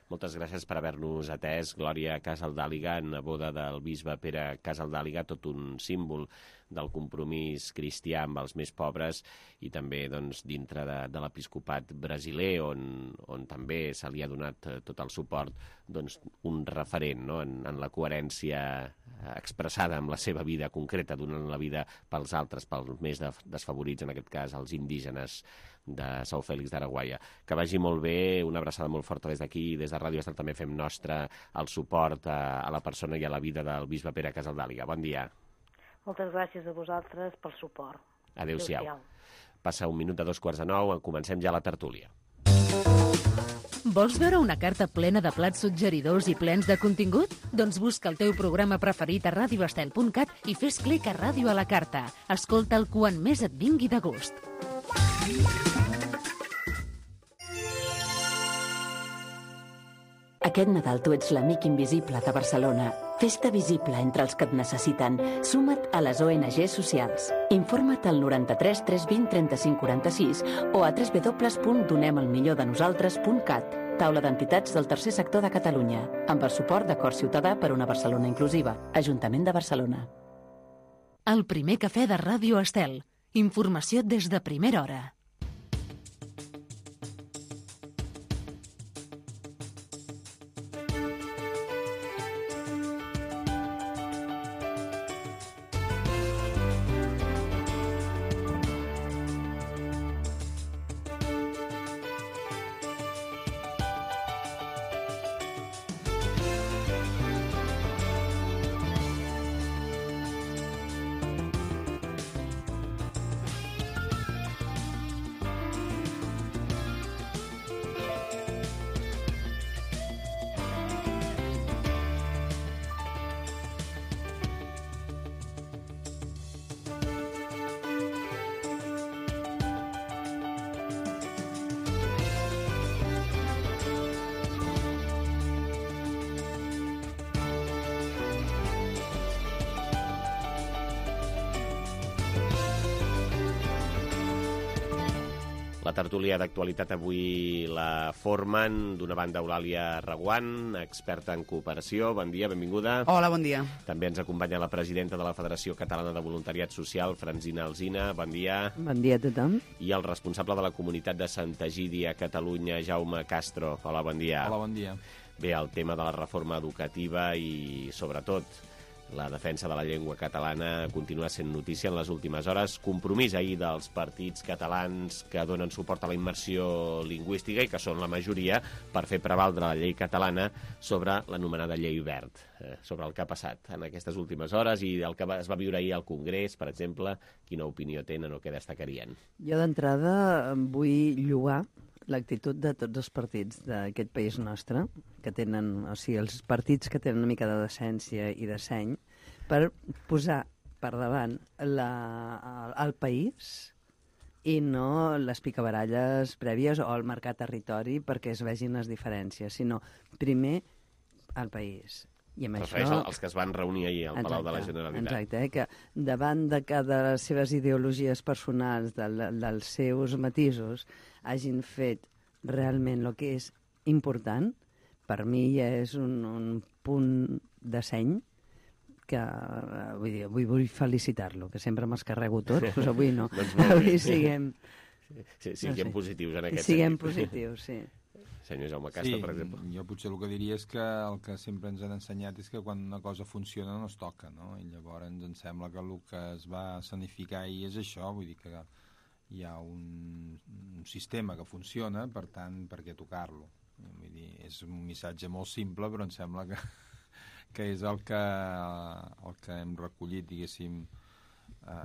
Moltes gràcies per haver-nos atès. Glòria Casaldàliga, neboda del bisbe Pere Casaldàliga, tot un símbol del compromís cristià amb els més pobres i també doncs, dintre de l'episcopat brasiler, on també se li ha donat tot el suport, doncs, un referent, no? en la coherència expressada amb la seva vida concreta, donant la vida pels altres, pels més desfavorits, en aquest cas els indígenes de São Félix d'Araguaia. Que vagi molt bé, una abraçada molt forta des d'aquí, des de Ràdio Estel també fem nostre el suport a la persona i a la vida del bisbe Pere Casaldàliga. Bon dia. Moltes gràcies a vosaltres pel suport. Adéu-siau. Passa 1 minut de 9:02, comencem ja la tertúlia. Vols veure una carta plena de plats suggeridors i plens de contingut? Doncs busca el teu programa preferit a radioestel.cat i fes clic a Ràdio a la Carta. Escolta'l quan més et vingui de gust. Aquest Nadal tu ets l'amic invisible de Barcelona. Fes-te visible entre els que et necessiten. Suma't a les ONG socials. Informa't al 93 320 35 46 o a www.donemelmillordenosaltres.cat. Taula d'entitats del tercer sector de Catalunya. Amb el suport d'Acord Ciutadà per una Barcelona inclusiva. Ajuntament de Barcelona. El primer cafè de Ràdio Estel. Informació des de primera hora. La tertúlia d'actualitat avui la formen, d'una banda, Eulàlia Reguant, experta en cooperació. Bon dia, benvinguda. Hola, bon dia. També ens acompanya la presidenta de la Federació Catalana de Voluntariat Social, Francina Alsina. Bon dia. Bon dia a tothom. I el responsable de la comunitat de Santa Egídia a Catalunya, Jaume Castro. Hola, bon dia. Hola, bon dia. Bé, el tema de la reforma educativa i, sobretot, la defensa de la llengua catalana continua sent notícia en les últimes hores. Compromís ahir dels partits catalans que donen suport a la immersió lingüística i que són la majoria per fer prevaldre la llei catalana sobre l'anomenada llei Wert, sobre el que ha passat en aquestes últimes hores i el que es va viure ahir al Congrés, per exemple. Quina opinió tenen o què destacarien? Jo d'entrada vull lloar l'actitud de tots els partits d'aquest país nostre, que tenen, o sigui, els partits que tenen una mica de decència i de seny, per posar per davant el país i no les picabaralles prèvies o el marcar territori perquè es vegin les diferències, sinó primer el país. I amb això... els que es van reunir ahir al Palau de la Generalitat. Exacte, que davant de les seves ideologies personals, dels seus matisos, hagin fet realment el que és important, per mi ja és un punt de seny que vull felicitar-lo, que sempre m'escarrego tot, doncs avui no. Avui siguem positius en aquest sentit. Siguem positius, sí. Senyor Jaume Casta, per exemple. Jo potser el que diria és que el que sempre ens han ensenyat és que quan una cosa funciona no es toca, no? I llavors ens sembla que el que es va escenificar ahir és això, vull dir que hi ha un sistema que funciona, per tant, per què tocar-lo? Vull dir, és un missatge molt simple, però em sembla que és el que hem recollit, diguéssim,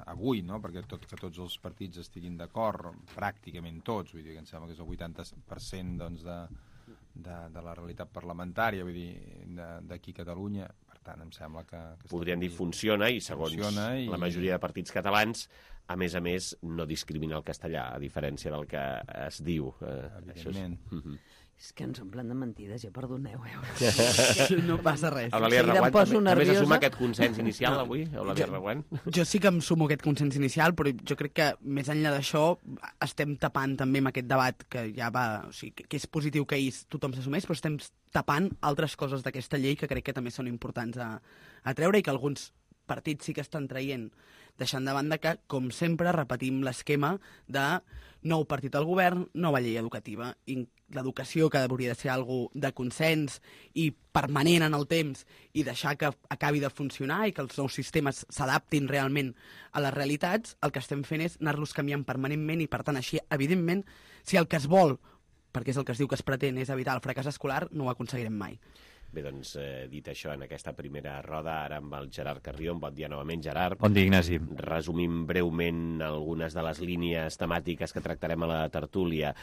avui, no? Perquè que tots els partits estiguin d'acord, pràcticament tots, vull dir que em sembla que és el 80% doncs, de la realitat parlamentària, vull dir, d'aquí a Catalunya, per tant, em sembla que podrien dir funciona, i segons la majoria de partits catalans, a més, no discrimina el castellà, a diferència del que es diu. Evidentment. És que ens omplen de mentides, ja perdoneu. No passa res. Eulàlia Reguant, també se suma aquest consens inicial avui, Eulàlia Reguant? Jo sí que em sumo aquest consens inicial, però jo crec que més enllà d'això estem tapant també amb aquest debat que ja va... O sigui, que és positiu que ahir tothom s'assumeix, però estem tapant altres coses d'aquesta llei que crec que també són importants a treure i que alguns partits sí que estan traient, deixant de banda que, com sempre, repetim l'esquema de nou partit al govern, nova llei educativa. I l'educació, que hauria de ser algo de consens i permanent en el temps i deixar que acabi de funcionar i que els nous sistemes s'adaptin realment a les realitats, el que estem fent és anar-los canviant permanentment i, per tant, així, evidentment, si el que es vol, perquè és el que es diu que es pretén, és evitar el fracàs escolar, no ho aconseguirem mai. Bé, doncs, dit això, en aquesta primera roda, ara amb el Gerard Carrió. Bon dia novament, Gerard. Bon dia, Ignasi. Resumim breument algunes de les línies temàtiques que tractarem a la tertúlia.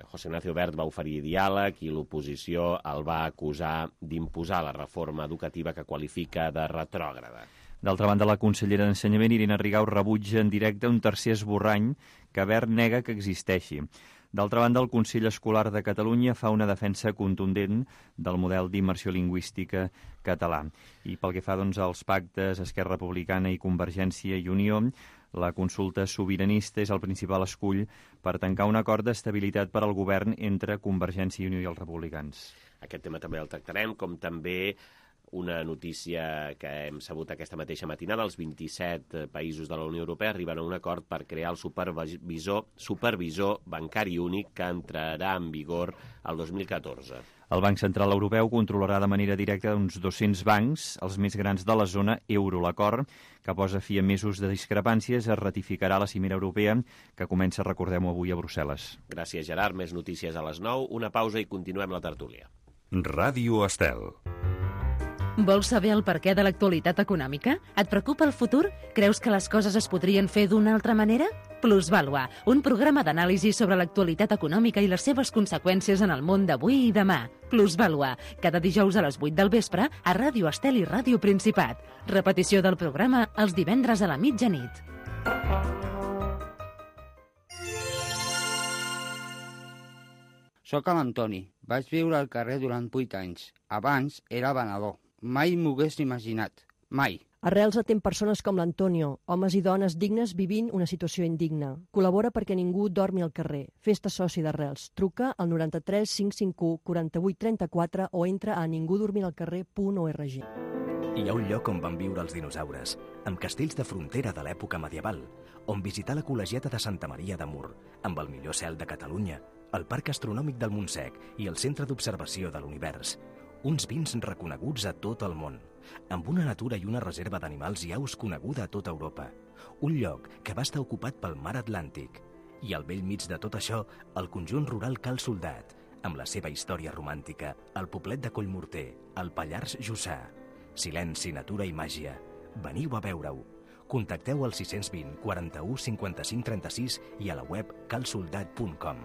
José Ignacio Wert va oferir diàleg i l'oposició el va acusar d'imposar la reforma educativa que qualifica de retrògrada. D'altra banda, la consellera d'Ensenyament, Irene Rigau, rebutja en directe un tercer esborrany que Wert nega que existeixi. D'altra banda, el Consell Escolar de Catalunya fa una defensa contundent del model d'immersió lingüística català. I pel que fa als pactes Esquerra Republicana i Convergència i Unió, la consulta sobiranista és el principal escull per tancar un acord d'estabilitat per al govern entre Convergència i Unió i els republicans. Aquest tema també el tractarem, com també una notícia que hem sabut aquesta mateixa matinada. Els 27 països de la Unió Europea arriben a un acord per crear el supervisor bancari únic que entrarà en vigor el 2014. El Banc Central Europeu controlarà de manera directa uns 200 bancs, els més grans de la zona euro. L'acord, que posa fi a mesos de discrepàncies, es ratificarà a la cimera europea, que comença, recordem-ho, avui a Brussel·les. Gràcies, Gerard. Més notícies a les 9. Una pausa i continuem la tertúlia. Ràdio Estel. Vols saber el perquè de l'actualitat econòmica? Et preocupa el futur? Creus que les coses es podrien fer d'una altra manera? Plusvàlua, un programa d'anàlisi sobre l'actualitat econòmica i les seves conseqüències en el món d'avui i demà. Plusvàlua, cada dijous a les 8 del vespre a Ràdio Estel i Ràdio Principat. Repetició del programa els divendres a la mitjanit. Soc l'Antoni. Vaig viure al carrer durant 8 anys. Abans era venedor. Mai m'ho hagués imaginat. Mai. Arrels atén persones com l'Antonio, homes i dones dignes vivint una situació indigna. Col·labora perquè ningú dormi al carrer. Fes-te soci d'Arrels. Truca al 93 551 48 34 o entra a ningudormiralcarrer.org. Hi ha un lloc on van viure els dinosaures, amb castells de frontera de l'època medieval, on visitar la col·legiata de Santa Maria de Mur, amb el millor cel de Catalunya, el Parc Astronòmic del Montsec i el Centre d'Observació de l'Univers. Uns vins reconeguts a tot el món, amb una natura i una reserva d'animals i aus coneguda a tota Europa. Un lloc que va estar ocupat pel mar Atlàntic. I al bell mig de tot això, el conjunt rural Cal Soldat, amb la seva història romàntica, el poblet de Collmorter, el Pallars Jussà. Silenci, natura i màgia. Veniu a veure-ho. Contacteu al 620 41 55 36 i a la web calsoldat.com.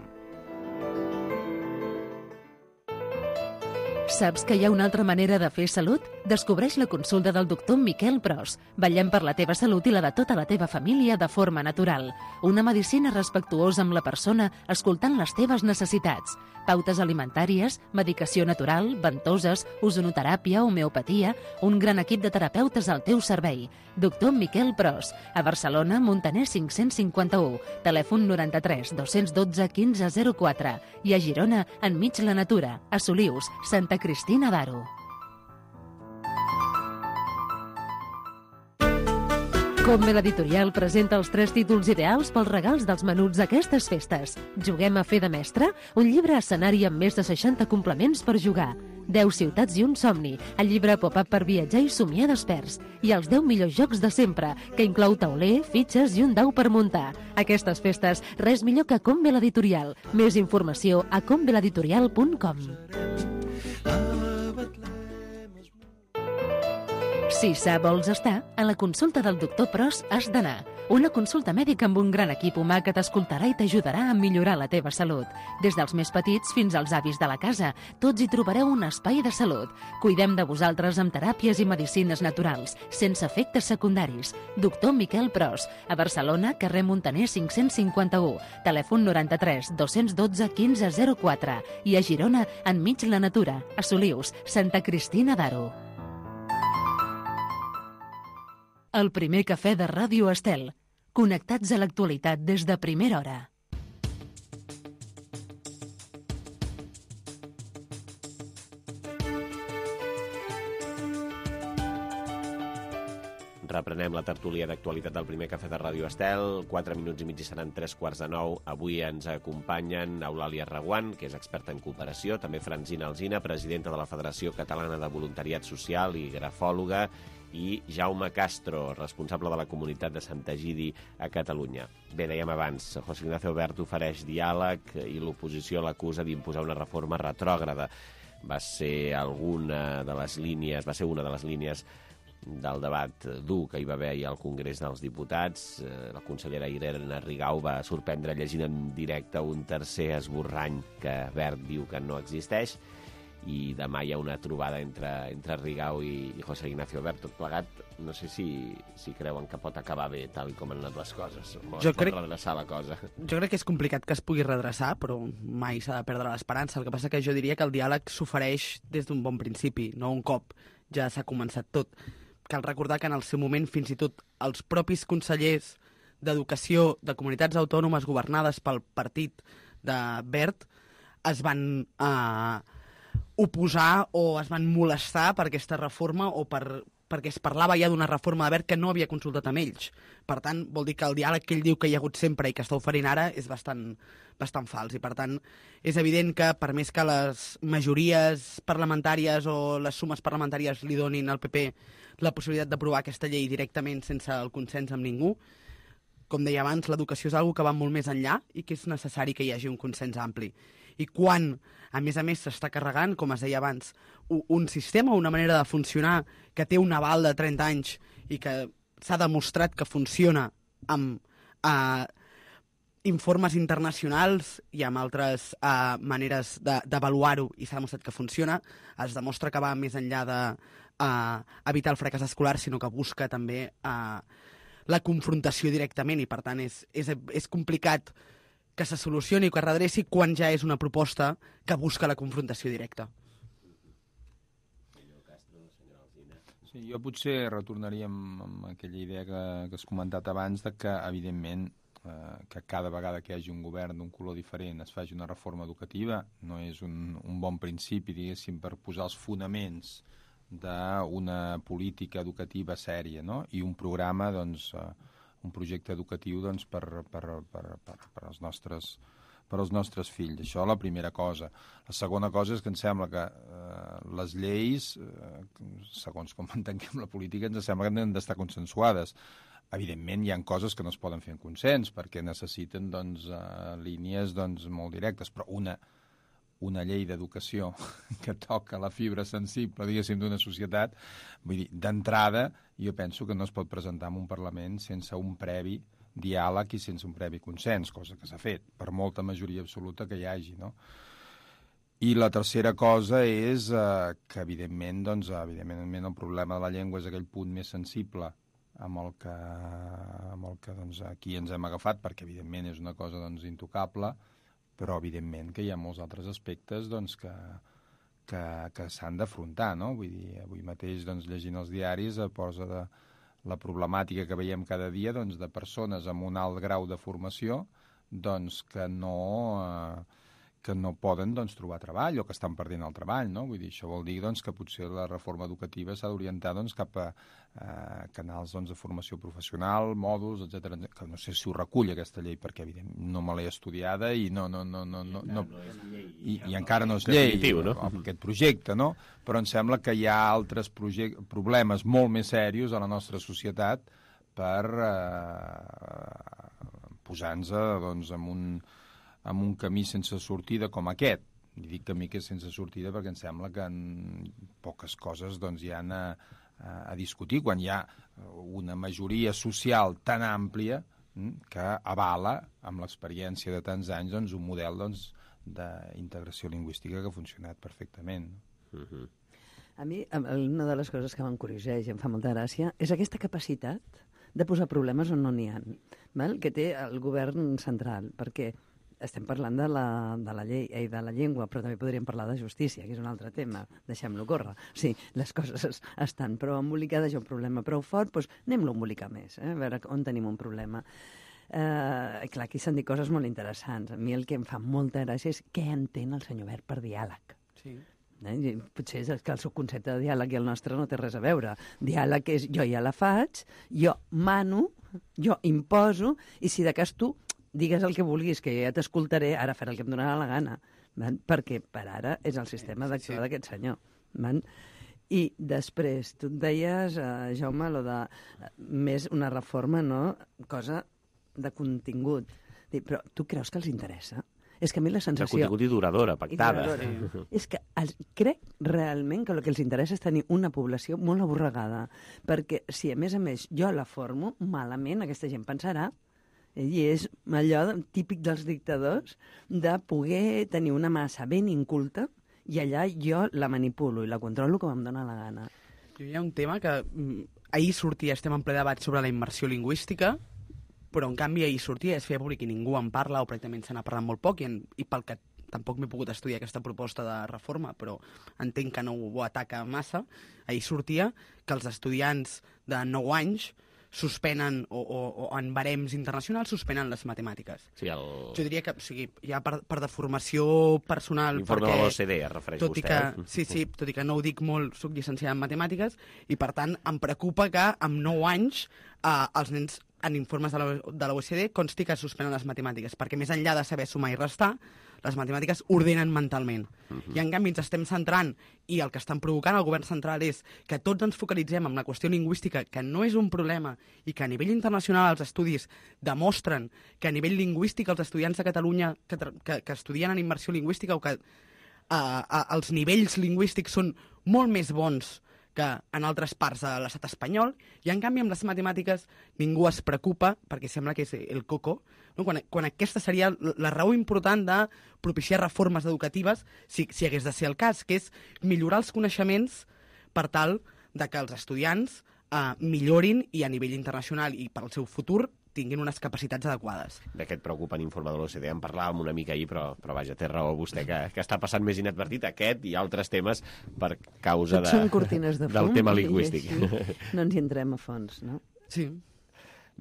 Saps que hi ha una altra manera de fer salut? Descobreix la consulta del doctor Miquel Pros. Vetllem per la teva salut i la de tota la teva família de forma natural. Una medicina respectuosa amb la persona, escoltant les teves necessitats. Pautes alimentàries, medicació natural, ventoses, ozonoteràpia, homeopatia... Un gran equip de terapeutes al teu servei. Doctor Miquel Pros. A Barcelona, Montaner 551. Telèfon 93 212 1504. I a Girona, enmig la natura. A Solius, Santa Cristina d'Aro. Combe l'editorial presenta els 3 títols ideals pels regals dels menuts d'aquestes festes. Juguem a fer de mestre? Un llibre escenari amb més de 60 complements per jugar. 10 ciutats i un somni, el llibre pop-up per viatjar i somiar desperts. I els 10 millors jocs de sempre, que inclou tauler, fitxes i un dau per muntar. Aquestes festes, res millor que Combe l'editorial. Més informació a combeleditorial.com. Si sa vols estar, a la consulta del doctor Pros has d'anar. Una consulta mèdica amb un gran equip humà que t'escoltarà i t'ajudarà a millorar la teva salut. Des dels més petits fins als avis de la casa, tots hi trobareu un espai de salut. Cuidem de vosaltres amb teràpies i medicines naturals, sense efectes secundaris. Doctor Miquel Pros, a Barcelona, carrer Montaner 551, telèfon 93 212 1504 i a Girona, enmig la natura, a Solius, Santa Cristina d'Aro. El primer cafè de Ràdio Estel. Connectats a l'actualitat des de primera hora. Reprenem la tertúlia d'actualitat del primer cafè de Ràdio Estel. 4 minuts i mig i seran 3:15. Avui ens acompanyen Eulàlia Reguant, que és experta en cooperació, també Francina Alsina, presidenta de la Federació Catalana de Voluntariat Social i grafòloga, i Jaume Castro, responsable de la comunitat de Sant Egidi a Catalunya. Bé, dèiem abans, José Ignacio Wert ofereix diàleg i l'oposició l'acusa d'imposar una reforma retrògrada. Va ser una de les línies del debat dur que hi va haver ahir al Congrés dels Diputats. La consellera Irene Rigau va sorprendre llegint en directe un tercer esborrany que Wert diu que no existeix, i demà hi ha una trobada entre Rigau i José Ignacio Wert. Tot plegat, no sé si creuen que pot acabar bé tal com han anat les coses. Pot redreçar la cosa. Jo crec que és complicat que es pugui redreçar, però mai s'ha de perdre l'esperança. El que passa que jo diria que el diàleg s'ofereix des d'un bon principi, no un cop ja s'ha començat tot. Cal recordar que en el seu moment fins i tot els propis consellers d'Educació de comunitats autònomes governades pel partit de Wert es van oposar o es van molestar per aquesta reforma o perquè es parlava ja d'una reforma de Wert que no havia consultat amb ells. Per tant, vol dir que el diàleg que ell diu que hi ha hagut sempre i que està oferint ara és bastant fals. I per tant, és evident que per més que les majories parlamentàries o les sumes parlamentàries li donin al PP la possibilitat d'aprovar aquesta llei directament sense el consens amb ningú, com deia abans, l'educació és una que va molt més enllà i que és necessari que hi hagi un consens ampli. I quan, a més, s'està carregant, com es deia abans, un sistema, una manera de funcionar que té un aval de 30 anys i que s'ha demostrat que funciona amb informes internacionals i amb altres maneres d'avaluar-ho i s'ha demostrat que funciona, es demostra que va més enllà d'evitar el fracàs escolar, sinó que busca també la confrontació directament i, per tant, és complicat que se solucioni o que es redreci quan ja és una proposta que busca la confrontació directa. Sí, jo potser retornaria amb aquella idea que has comentat abans de que, evidentment, que cada vegada que hi hagi un govern d'un color diferent es faci una reforma educativa no és un bon principi, diguéssim, per posar els fonaments d'una política educativa sèria, no? I un programa, doncs, un projecte educatiu, doncs, per als nostres fills. Això la primera cosa. La segona cosa és que em sembla que les lleis, segons com entenguem la política, ens sembla que han d'estar consensuades. Evidentment, hi ha coses que no es poden fer en consens, perquè necessiten, doncs, línies, doncs, molt directes, però una llei d'educació que toca la fibra sensible, diguéssim, d'una societat, vull dir, d'entrada, jo penso que no es pot presentar en un Parlament sense un previ diàleg i sense un previ consens, cosa que s'ha fet, per molta majoria absoluta que hi hagi, no? I la tercera cosa és que, evidentment, doncs, el problema de la llengua és aquell punt més sensible amb el que doncs, aquí ens hem agafat, perquè, evidentment, és una cosa, doncs, intocable, però, evidentment, que hi ha molts altres aspectes, doncs, que s'han d'afrontar, no? Vull dir, avui mateix, doncs, llegint els diaris, posa la problemàtica que veiem cada dia, doncs, de persones amb un alt grau de formació, doncs, que que no poden doncs, trobar treball o que estan perdent el treball, no? Vull dir, això vol dir doncs, que potser la reforma educativa s'ha d'orientar doncs, cap a canals doncs, de formació professional, mòduls, etc. Que no sé si ho recull aquesta llei, perquè evidentment no me l'he estudiada i i encara no és llei aquest projecte, no? Però em sembla que hi ha altres problemes molt més serios a la nostra societat per posar-nos doncs, en un camí sense sortida com aquest. I dic camí que és sense sortida perquè em sembla que en poques coses doncs, hi ha a discutir, quan hi ha una majoria social tan àmplia que avala, amb l'experiència de tants anys, doncs, un model doncs, d'integració lingüística que ha funcionat perfectament. A mi, una de les coses que m'encurioseja i em fa molta gràcia és aquesta capacitat de posar problemes on no n'hi ha, que té el govern central, perquè estem parlant de la llei i de la llengua, però també podríem parlar de justícia, que és un altre tema, deixem-lo córrer. Sí, les coses estan prou embolicades, hi ha un problema prou fort, doncs anem-lo a embolicar més, a veure on tenim un problema. Clar, aquí s'han dit coses molt interessants. A mi el que em fa molta gràcia és què entén el senyor Wert per diàleg. Sí. Potser és que el seu concepte de diàleg i el nostre no té res a veure. Diàleg és jo ja la faig, jo mano, jo imposo, i si de cas tu digues el que vulguis, que ja t'escoltaré, ara faré el que em donarà la gana, perquè per ara és el sistema d'actuar d'aquest senyor. I després, tu et deies, Jaume, més una reforma, no? Cosa de contingut. Però tu creus que els interessa? És que a mi la sensació... De contingut i duradora, pactada. És que crec realment que el que els interessa és tenir una població molt aborregada, perquè si a més jo la formo, malament aquesta gent pensarà. I és allò típic dels dictadors de poder tenir una massa ben inculta i allà jo la manipulo i la controlo com em dóna la gana. Hi ha un tema que ahir sortia, estem en ple debat sobre la immersió lingüística, però en canvi ahir sortia, es feia públic i ningú en parla, o pràcticament se n'ha parlat molt poc, i pel que tampoc m'he pogut estudiar aquesta proposta de reforma, però entenc que no ho ataca massa, ahir sortia que els estudiants de 9 anys suspenen, o en barems internacionals, suspenen les matemàtiques. Sí, jo diria que, o sigui, ja per deformació personal... L'informe de l'OCDE es refereix vostè. Sí, tot i que no ho dic molt, soc llicenciat en matemàtiques, i per tant em preocupa que amb 9 anys els nens en informes de l'OCDE consti que suspenen les matemàtiques, perquè més enllà de saber sumar i restar, les matemàtiques ordenen mentalment. I en canvi ens estem centrant, i el que estan provocant el govern central és que tots ens focalitzem en la qüestió lingüística, que no és un problema, i que a nivell internacional els estudis demostren que a nivell lingüístic els estudiants de Catalunya que estudien en immersió lingüística o que els nivells lingüístics són molt més bons que en altres parts de l'estat espanyol, i en canvi amb les matemàtiques ningú es preocupa, perquè sembla que és el coco, no? Quan aquesta seria la raó important de propiciar reformes educatives, si hagués de ser el cas, que és millorar els coneixements per tal de que els estudiants millorin i a nivell internacional i per al seu futur tinguin unes capacitats adequades. D'aquest preocupant informe de l'OCDE en parlàvem una mica ahir, però vaja, té raó vostè que està passant més inadvertit aquest i altres temes per causa són cortines de fum, del tema lingüístic. No ens hi entrem a fons, no? Sí.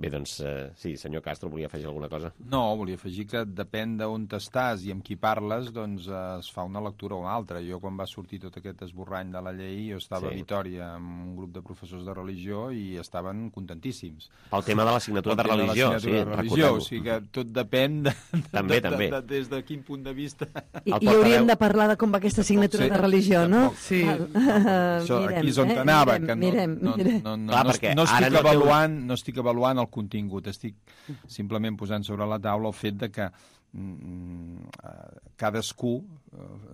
Bé, doncs, sí, senyor Castro, volia afegir alguna cosa? No, volia afegir que depèn d'on estàs i amb qui parles, doncs es fa una lectura o una altra. Jo, quan va sortir tot aquest esborrany de la llei, jo estava a Vitòria amb un grup de professors de religió i estaven contentíssims. El tema de l'assignatura de religió, sí, recordem-ho. O sigui que tot depèn també. Des de quin punt de vista... I hauríem de parlar de com va aquesta assignatura de religió, no? Sí. Aquí és on anava, que no estic avaluant el contingut, estic simplement posant sobre la taula el fet de que cadascú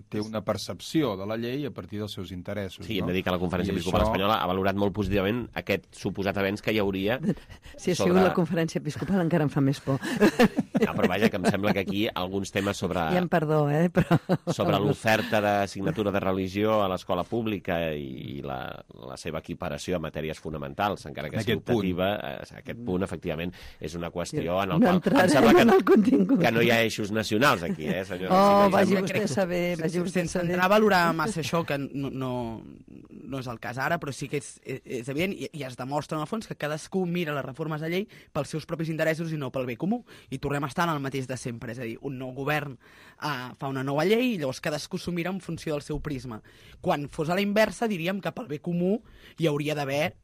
té una percepció de la llei a partir dels seus interessos. Sí, hem de dir que la Conferència Episcopal Espanyola ha valorat molt positivament aquest suposat avenç que hi hauria... Si ha sigut la Conferència Episcopal encara em fa més por. No, però vaja, que em sembla que aquí alguns temes sobre... Ja em perdó, però... Sobre l'oferta d'assignatura de religió a l'escola pública i la seva equiparació a matèries fonamentals, encara que sigui optativa, aquest punt, efectivament, és una qüestió en el qual... Em sembla que no hi ha eixos nacionals aquí, senyora? Vagi vostè a saber, sense entrar a valorar massa això, que no no és el cas ara, però sí que és evident i es demostra en el fons que cadascú mira les reformes de llei pels seus propis interessos i no pel bé comú. I tornem a estar en el mateix de sempre, és a dir, un nou govern fa una nova llei i llavors cadascú s'ho mira en funció del seu prisma. Quan fos a la inversa, diríem que pel bé comú hi hauria d'haver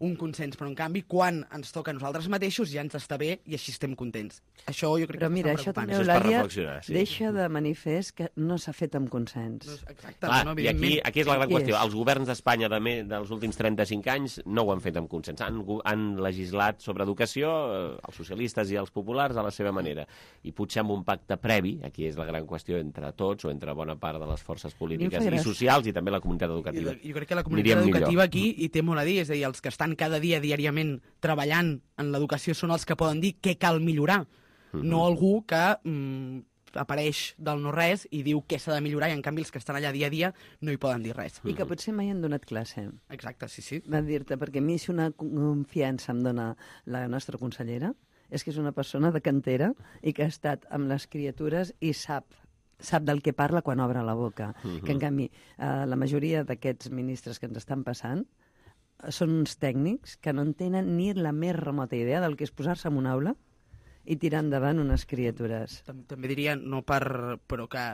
un consens, però en canvi quan ens toca a nosaltres mateixos ja ens està bé i així estem contents. Això jo crec però que mira, està això preocupant. també, Eulàlia, deixa de manifest que no s'ha fet amb consens. Exacte, Clar, no, i aquí és la gran qüestió. Els governs d'Espanya dels últims 35 anys no ho han fet amb consens. Han legislat sobre educació, els socialistes i els populars, a la seva manera. I potser amb un pacte previ, aquí és la gran qüestió entre tots o entre bona part de les forces polítiques i socials i també la comunitat educativa. Jo crec que la comunitat educativa aquí hi té molt a dir, és a dir, els que estan cada dia, diàriament, treballant en l'educació són els que poden dir què cal millorar, no algú que apareix del no-res i diu què s'ha de millorar i en canvi els que estan allà dia a dia no hi poden dir res. I que potser mai han donat classe. Exacte, sí. Va dir-te, perquè a mi si una confiança em dona la nostra consellera és que és una persona de cantera i que ha estat amb les criatures i sap del que parla quan obre la boca. Que en canvi la majoria d'aquests ministres que ens estan passant són uns tècnics que no en tenen ni la més remota idea del que és posar-se en una aula i tirar endavant unes criatures. També diria, però que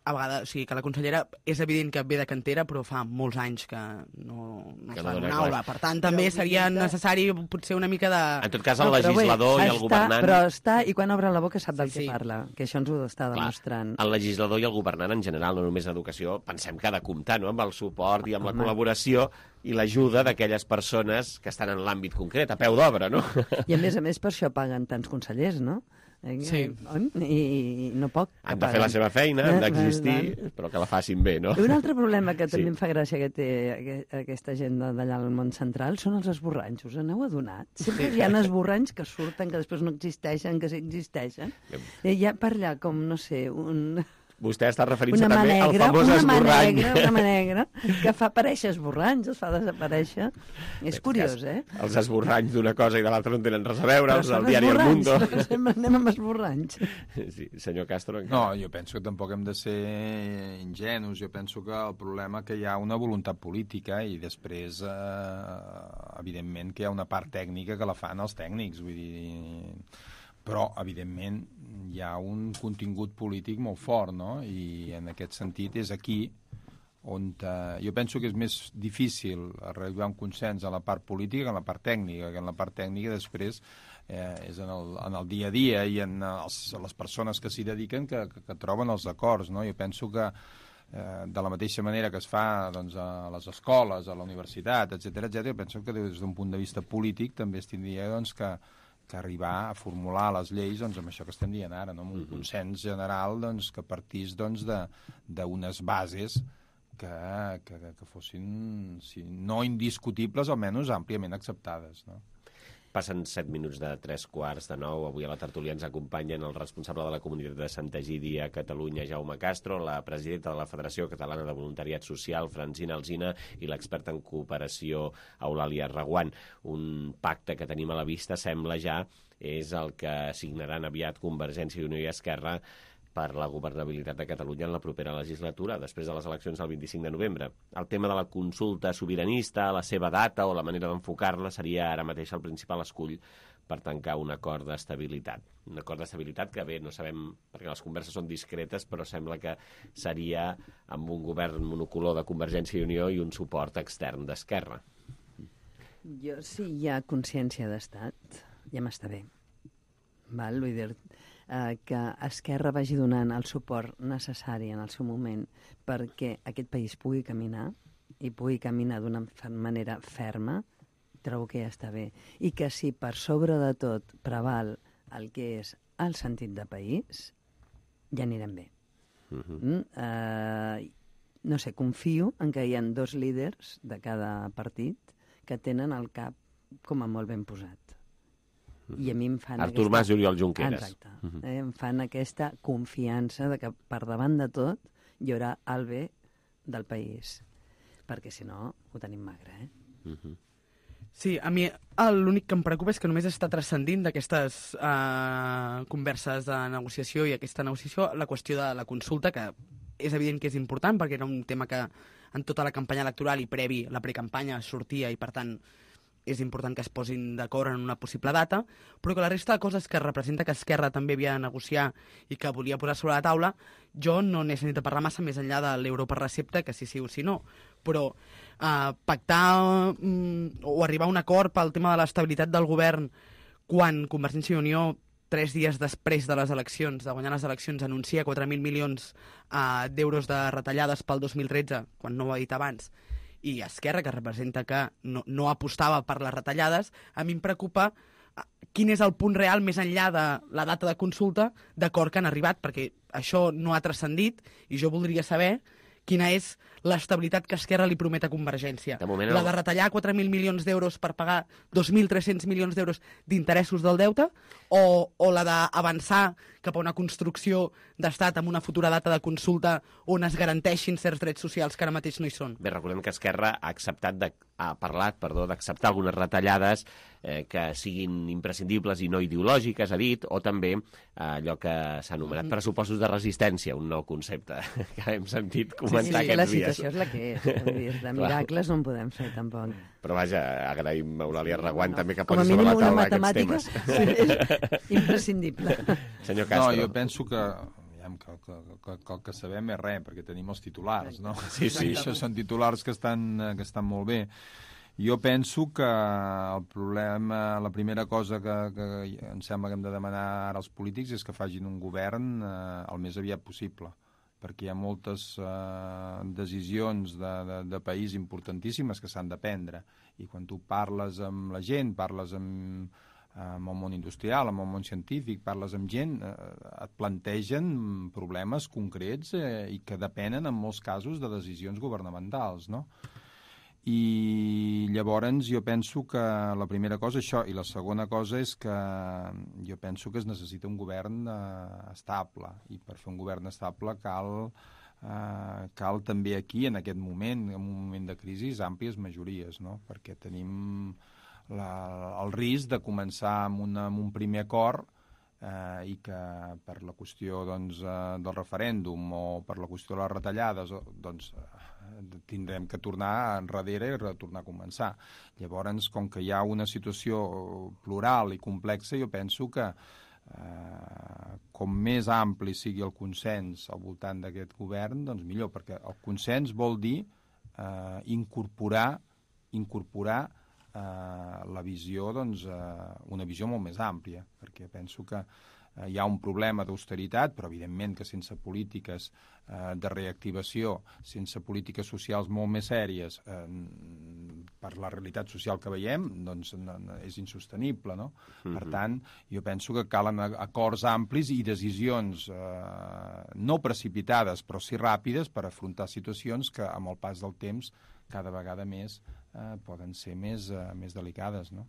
a vegades, o sigui, que la consellera és evident que ve de cantera, però fa molts anys que no està en una aula. Per tant, també seria necessari potser una mica de... En tot cas, el legislador i el governant... Però està, i quan obre la boca sap del que parla, que això ens ho està demostrant. El legislador i el governant en general, no només en educació, pensem que ha de comptar amb el suport i amb la col·laboració i l'ajuda d'aquelles persones que estan en l'àmbit concret, a peu d'obra, no? I a més per això paguen tants consellers, no? Sí. I no poc. Han de fer la seva feina, han d'existir, però que la facin bé, no? I un altre problema que també em fa gràcia que té aquesta gent d'allà al món central són els esborranys. Us n'heu adonat? Sempre hi ha esborranys que surten, que després no existeixen, que sí existeixen. I hi ha per allà com, no sé, Vostè està referint-se també al famós esborrany. Una mà negra, que fa aparèixer esborranys, els fa desaparèixer. És curiós, eh? Els esborranys d'una cosa i de l'altra no tenen res a veure, els del diari El Mundo. Sempre anem amb esborranys. Sí, senyor Castro. No, jo penso que tampoc hem de ser ingenus. Jo penso que el problema que hi ha una voluntat política i després, evidentment, que hi ha una part tècnica que la fan els tècnics, vull dir... Però, evidentment, hi ha un contingut polític molt fort, no? I en aquest sentit és aquí on jo penso que és més difícil arribar a un consens en la part política que en la part tècnica, que en la part tècnica després és en el dia a dia i en les persones que s'hi dediquen que troben els acords, no? Jo penso que de la mateixa manera que es fa doncs, a les escoles, a la universitat, etc., jo penso que des d'un punt de vista polític també es tindria doncs, que arribar a formular les lleis doncs, amb això que estem dient ara, no? Amb un consens general doncs, que partís doncs, d'unes bases que fossin, si no indiscutibles, almenys àmpliament acceptades, no? Passen 7 minuts de 3:45. Avui a la tertúlia ens acompanyen el responsable de la comunitat de Sant Egidi a Catalunya, Jaume Castro, la presidenta de la Federació Catalana de Voluntariat Social, Francina Alsina, i l'experta en cooperació, Eulàlia Reguant. Un pacte que tenim a la vista, sembla ja, és el que signaran aviat Convergència i Unió i Esquerra per la governabilitat de Catalunya en la propera legislatura, després de les eleccions del 25 de novembre. El tema de la consulta sobiranista, la seva data o la manera d'enfocar-la seria ara mateix el principal escull per tancar un acord d'estabilitat. Un acord d'estabilitat que bé, no sabem, perquè les converses són discretes, però sembla que seria amb un govern monocolor de Convergència i Unió i un suport extern d'Esquerra. Jo, si hi ha consciència d'estat, ja m'està bé. Val? Vull dir, que Esquerra vagi donant el suport necessari en el seu moment perquè aquest país pugui caminar i pugui caminar d'una manera ferma, trobo que ja està bé. I que si per sobre de tot preval el que és el sentit de país, ja anirem bé. No sé, confio en que hi ha 2 líders de cada partit que tenen el cap com a molt ben posat. I a mi em fan Artur Mas i Oriol Junqueras. Exacte. Em fan aquesta confiança de que per davant de tot hi haurà el bé del país. Perquè si no, ho tenim magre, Sí, a mi l'únic que em preocupa és que només està transcendint d'aquestes converses de negociació i aquesta negociació la qüestió de la consulta, que és evident que és important perquè era un tema que en tota la campanya electoral i previ la precampanya sortia i, per tant, és important que es posin d'acord en una possible data, però que la resta de coses que representa que Esquerra també havia de negociar i que volia posar sobre la taula, jo no n'he sentit a parlar massa més enllà de l'euro per recepta, que sí o sí no, però pactar o arribar a un acord pel tema de l'estabilitat del govern quan Convergència i Unió 3 dies després de les eleccions, de guanyar les eleccions, anuncia 4.000 milions d'euros de retallades pel 2013, quan no ho ha dit abans, i Esquerra, que representa que no apostava per les retallades, a mi em preocupa quin és el punt real més enllà de la data de consulta d'acord que han arribat, perquè això no ha transcendit i jo voldria saber quina és l'estabilitat que Esquerra li promet a Convergència. La de retallar 4.000 milions d'euros per pagar 2.300 milions d'euros d'interessos del deute o la d'avançar cap a una construcció d'estat amb una futura data de consulta on es garanteixin certs drets socials que ara mateix no hi són. Bé, recordem que Esquerra ha parlat d'acceptar algunes retallades que siguin imprescindibles i no ideològiques, ha dit, o també allò que s'ha anomenat pressupostos de resistència, un nou concepte que hem sentit comentar aquests dies. La situació és la que és. De miracles no en podem fer, tampoc. Però vaja, agraïm a Eulàlia Reguant també que posi sobre la taula aquests temes. És imprescindible. Senyor Castro. No, jo penso que el que sabem és res, perquè tenim els titulars, no? Sí. Això són titulars que estan molt bé. Jo penso que el problema, la primera cosa que em sembla que hem de demanar ara als polítics és que facin un govern el més aviat possible, perquè hi ha moltes decisions de país importantíssimes que s'han de prendre, i quan tu parles amb la gent, parles amb el món industrial, amb el món científic, parles amb gent, et plantegen problemes concrets i que depenen en molts casos de decisions governamentals, no? I llavors jo penso que la primera cosa és això, i la segona cosa és que jo penso que es necessita un govern estable, i per fer un govern estable cal també aquí, en aquest moment, en un moment de crisi, àmplies majories, no? Perquè tenim el risc de començar amb un primer acord i que per la qüestió del referèndum o per la qüestió de les retallades tindrem que tornar enrere i retornar a començar. Llavors, com que hi ha una situació plural i complexa, jo penso que com més ampli sigui el consens al voltant d'aquest govern, doncs millor, perquè el consens vol dir incorporar la visió, una visió molt més àmplia, perquè penso que hi ha un problema d'austeritat, però evidentment que sense polítiques de reactivació, sense polítiques socials molt més sèries, per la realitat social que veiem, doncs és insostenible, no? Per tant, jo penso que calen acords amplis i decisions no precipitades, però sí ràpides, per afrontar situacions que amb el pas del temps cada vegada més poden ser més delicades, no?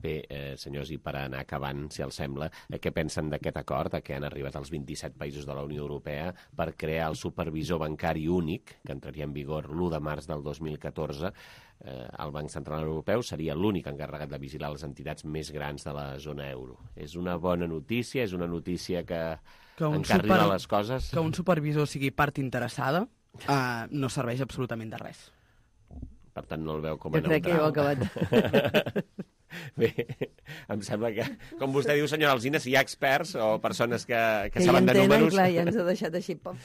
Bé, senyors, i per anar acabant, si els sembla, què pensen d'aquest acord que han arribat els 27 països de la Unió Europea per crear el supervisor bancari únic, que entraria en vigor l'1 de març del 2014? El Banc Central Europeu seria l'únic encarregat de vigilar les entitats més grans de la zona euro. És una bona notícia? És una notícia que encarrila les coses? Que un supervisor sigui part interessada no serveix absolutament de res. Per tant, no el veu com a neutral. Jo crec que ho ha acabat. Bé, em sembla que, com vostè diu, senyora Alsina, si hi ha experts o persones que saben de números... Clar, ja ens ha deixat així, pop.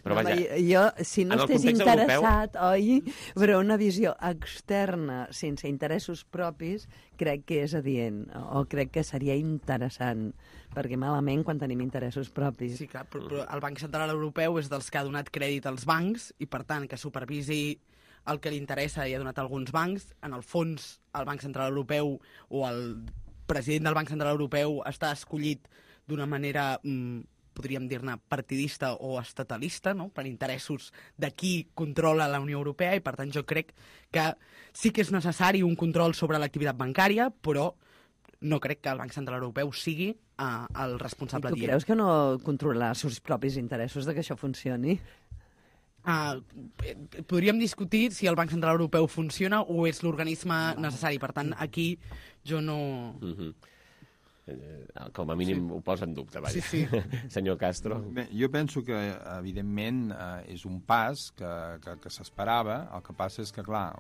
Però vaja, jo, si no estàs interessat, oi, però una visió externa, sense interessos propis, crec que és adient, o crec que seria interessant, perquè malament quan tenim interessos propis. Sí, clar, però el Banc Central Europeu és dels que ha donat crèdit als bancs, i per tant que supervisi el que li interessa i ha donat alguns bancs. En el fons, el Banc Central Europeu o el president del Banc Central Europeu està escollit d'una manera, podríem dir-ne, partidista o estatalista, no? Per interessos de qui controla la Unió Europea, i per tant jo crec que sí que és necessari un control sobre l'activitat bancària, però no crec que el Banc Central Europeu sigui el responsable dient. I tu creus que no controla els seus propis interessos de que això funcioni? Podríem discutir si el Banc Central Europeu funciona o és l'organisme necessari. Per tant, aquí jo no... Com a mínim ho posa en dubte, vaja. Sí. Senyor Castro. Bé, jo penso que, evidentment, és un pas que s'esperava. El que passa és que, clar,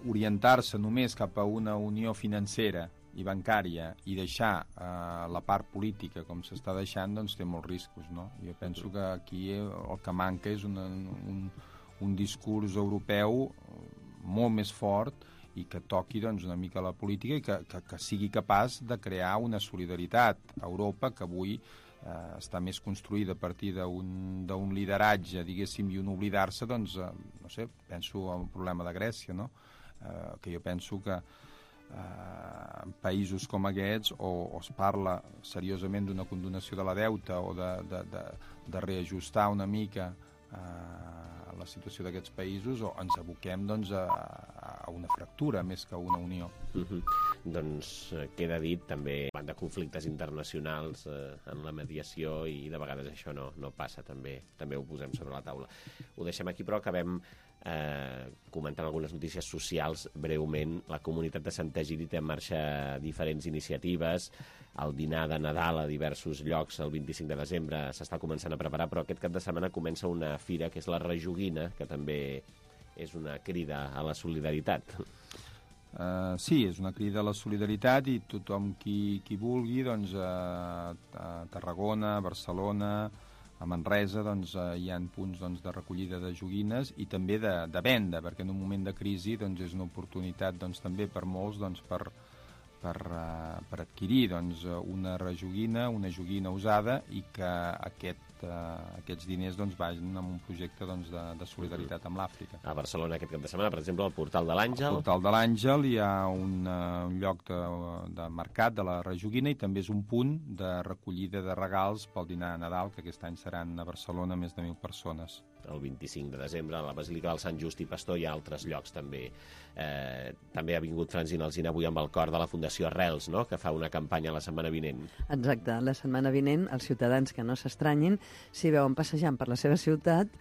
orientar-se només cap a una unió financera i bancària i deixar la part política com s'està deixant, doncs té molts riscos, no? Jo penso que aquí el que manca és un discurs europeu molt més fort i que toqui doncs, una mica la política i que sigui capaç de crear una solidaritat a Europa que avui està més construïda a partir d'un lideratge, diguéssim, i un oblidar-se, doncs, no sé, penso en el problema de Grècia, no? Que jo penso que en països com aquests o es parla seriosament d'una condonació de la deuta o de reajustar una mica la situació d'aquests països, o ens aboquem doncs, a una fractura més que a una unió. Doncs queda dit també de conflictes internacionals en la mediació, i de vegades això no passa, també ho posem sobre la taula. Ho deixem aquí, però acabem comentant algunes notícies socials breument. La comunitat de Sant Egidi té en marxa diferents iniciatives. El dinar de Nadal a diversos llocs el 25 de desembre s'està començant a preparar, però aquest cap de setmana comença una fira que és la Rejoguina, que també és una crida a la solidaritat. Sí, és una crida a la solidaritat, i tothom qui vulgui, doncs, a Tarragona, a Barcelona, a Manresa, doncs, hi ha punts de recollida de joguines i també de venda, perquè en un moment de crisi doncs, és una oportunitat també per molts per adquirir una rejoguina, una joguina usada, i que aquests diners vagin en un projecte de solidaritat amb l'Àfrica. A Barcelona aquest cap de setmana, per exemple, al Portal de l'Àngel. Al Portal de l'Àngel hi ha un lloc de mercat de la rejoguina, i també és un punt de recollida de regals pel dinar de Nadal, que aquest any seran a Barcelona més de 1.000 persones. El 25 de desembre a la Basílica del Sant Just i Pastor, hi ha altres llocs també. També ha vingut Francina Alsina avui amb el cor de la Fundació Arrels, no?, que fa una campanya la setmana vinent. Exacte, la setmana vinent els ciutadans que no s'estranyin si veuen passejant per la seva ciutat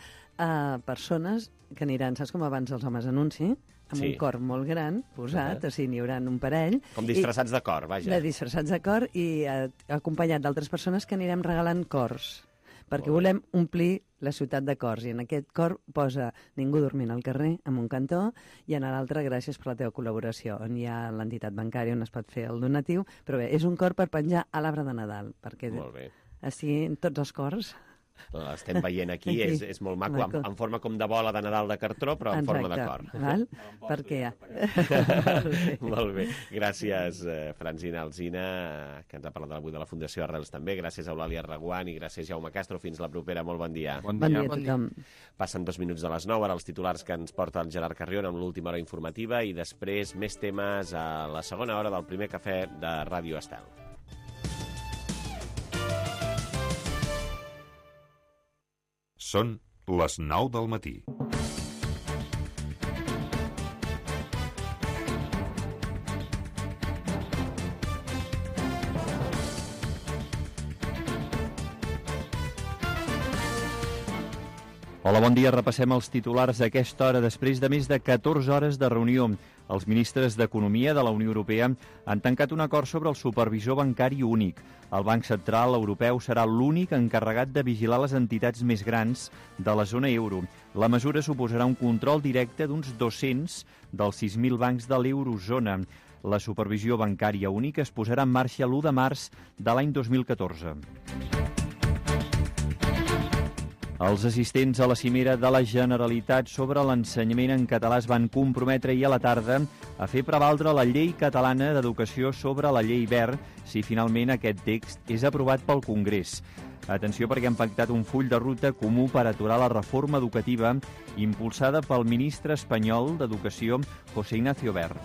persones que aniran, saps com abans els homes anunci? Amb un cor molt gran posat, o sigui, n'hi haurà un parell. Com disfressats de cor, vaja. De disfressats de cor, i acompanyat d'altres persones que anirem regalant cors, perquè volem omplir la ciutat de cors, i en aquest cor posa ningú dormint al carrer, en un cantó, i en l'altre gràcies per la teva col·laboració, on hi ha l'entitat bancària on es pot fer el donatiu, però bé, és un cor per penjar a l'arbre de Nadal, perquè estiguin tots els cors. L'estem veient aquí, és molt maco, en forma com de bola de Nadal de cartró, però en forma de cor. Perquè ja. Molt bé. Gràcies, Francina Alsina, que ens ha parlat avui de la Fundació Arrels també. Gràcies a Eulàlia Reguant i gràcies Jaume Castro. Fins la propera. Molt bon dia. Bon dia a tothom. Passen 2 minuts de les 9, ara els titulars que ens porta el Gerard Carrion amb l'última hora informativa, i després més temes a la segona hora del primer cafè de Ràdio Estel. Són les 9 del matí. Hola, bon dia. Repassem els titulars d'aquesta hora. Després de més de 14 hores de reunió, els ministres d'Economia de la Unió Europea han tancat un acord sobre el supervisor bancari únic. El Banc Central Europeu serà l'únic encarregat de vigilar les entitats més grans de la zona euro. La mesura suposarà un control directe d'uns 200 dels 6.000 bancs de l'eurozona. La supervisió bancària única es posarà en marxa l'1 de març de l'any 2014. Els assistents a la cimera de la Generalitat sobre l'ensenyament en català es van comprometre ahir a la tarda a fer prevaldre la llei catalana d'educació sobre la llei Wert si finalment aquest text és aprovat pel Congrés. Atenció, perquè han pactat un full de ruta comú per aturar la reforma educativa impulsada pel ministre espanyol d'Educació, José Ignacio Wert.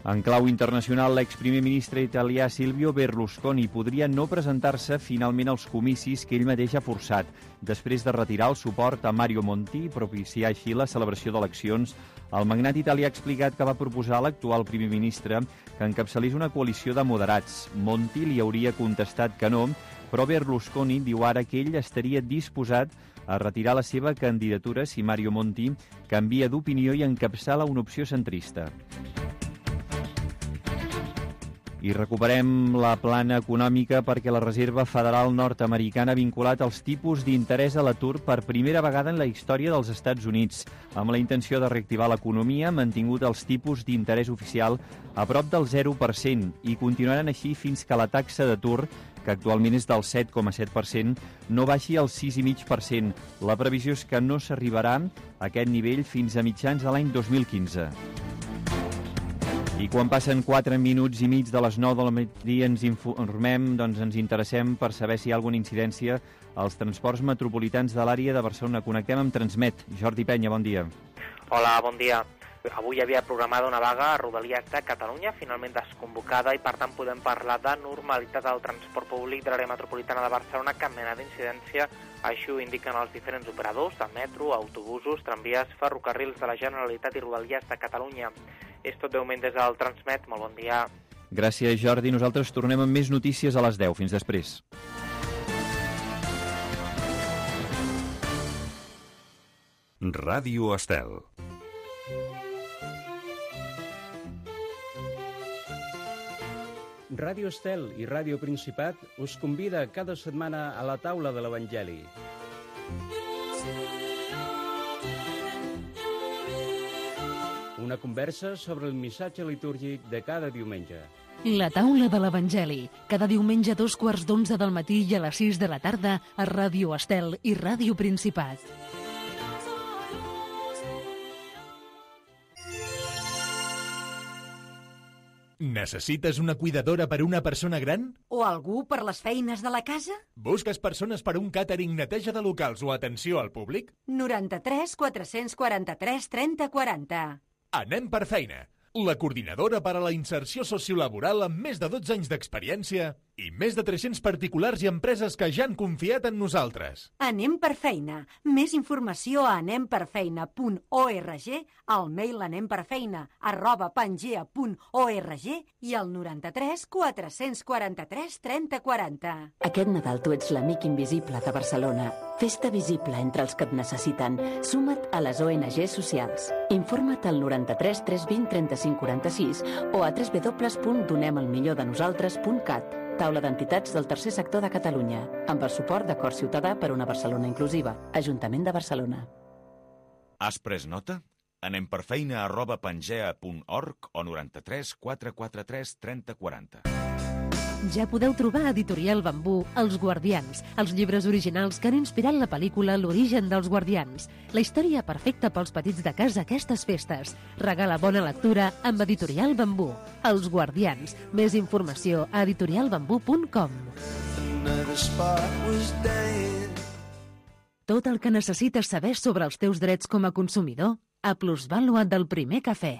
En clau internacional, l'exprimer ministre italià Silvio Berlusconi podria no presentar-se finalment als comicis que ell mateix ha forçat, després de retirar el suport a Mario Monti i propiciar així la celebració d'eleccions. El magnat italià ha explicat que va proposar a l'actual primer ministre que encapçalés una coalició de moderats. Monti li hauria contestat que no, però Berlusconi diu ara que ell estaria disposat a retirar la seva candidatura si Mario Monti canvia d'opinió i encapçala una opció centrista. I recuperem la plana econòmica perquè la Reserva Federal nord-americana ha vinculat els tipus d'interès a l'atur per primera vegada en la història dels Estats Units. Amb la intenció de reactivar l'economia, ha mantingut els tipus d'interès oficial a prop del 0% i continuaran així fins que la taxa d'atur, que actualment és del 7,7%, no baixi al 6,5%. La previsió és que no s'arribarà a aquest nivell fins a mitjans de l'any 2015. I quan passen 4 minuts i mig de les 9 del matí ens informem, ens interessem per saber si hi ha alguna incidència als transports metropolitans de l'àrea de Barcelona. Connectem amb Transmet. Jordi Penya, bon dia. Hola, bon dia. Avui hi havia programada una vaga a Rodalies de Catalunya, finalment desconvocada, i per tant podem parlar de normalitat del transport públic de l'àrea metropolitana de Barcelona, cap mena d'incidència. Així ho indiquen els diferents operadors de metro, autobusos, tramvies, ferrocarrils de la Generalitat i Rodalies de Catalunya. És tot de moment des del Transmet. Molt bon dia. Gràcies, Jordi. Nosaltres tornem amb més notícies a les 10. Fins després. Ràdio Estel. Ràdio Estel i Ràdio Principat us convida cada setmana a la taula de l'Evangeli. Una conversa sobre el missatge litúrgic de cada diumenge. La taula de l'Evangeli, cada diumenge a 2:15 del matí i a les 6 de la tarda a Ràdio Estel i Ràdio Principat. Necessites una cuidadora per a una persona gran? O algú per les feines de la casa? Busques persones per a un càtering, neteja de locals o atenció al públic? 93 443 30 40. Anem per feina. La coordinadora per a la inserció sociolaboral amb més de 12 anys d'experiència i més de 300 particulars i empreses que ja han confiat en nosaltres. Anem per feina. Més informació a anemperfeina.org, al mail anemperfeina@pangea.org i al 93 443 30 40. Aquest Nadal tu ets l'amic invisible de Barcelona. Fes-te visible entre els que et necessiten. Suma't a les ONG socials. Informa't al 93 320 35 46 o a www.donemelmillordenosaltres.cat. Taula d'entitats del tercer sector de Catalunya, amb el suport d'Acord Ciutadà per una Barcelona inclusiva. Ajuntament de Barcelona. Has pres nota? Anem per feina@pangea.org o 93 443 30 40. Ja podeu trobar a Editorial Bambú Els Guardians, els llibres originals que han inspirat la pel·lícula L'origen dels guardians. La història perfecta pels petits de casa aquestes festes. Regala bona lectura amb Editorial Bambú. Els Guardians. Més informació a editorialbambú.com. Tot el que necessites saber sobre els teus drets com a consumidor a Plusvàlua del Primer Cafè.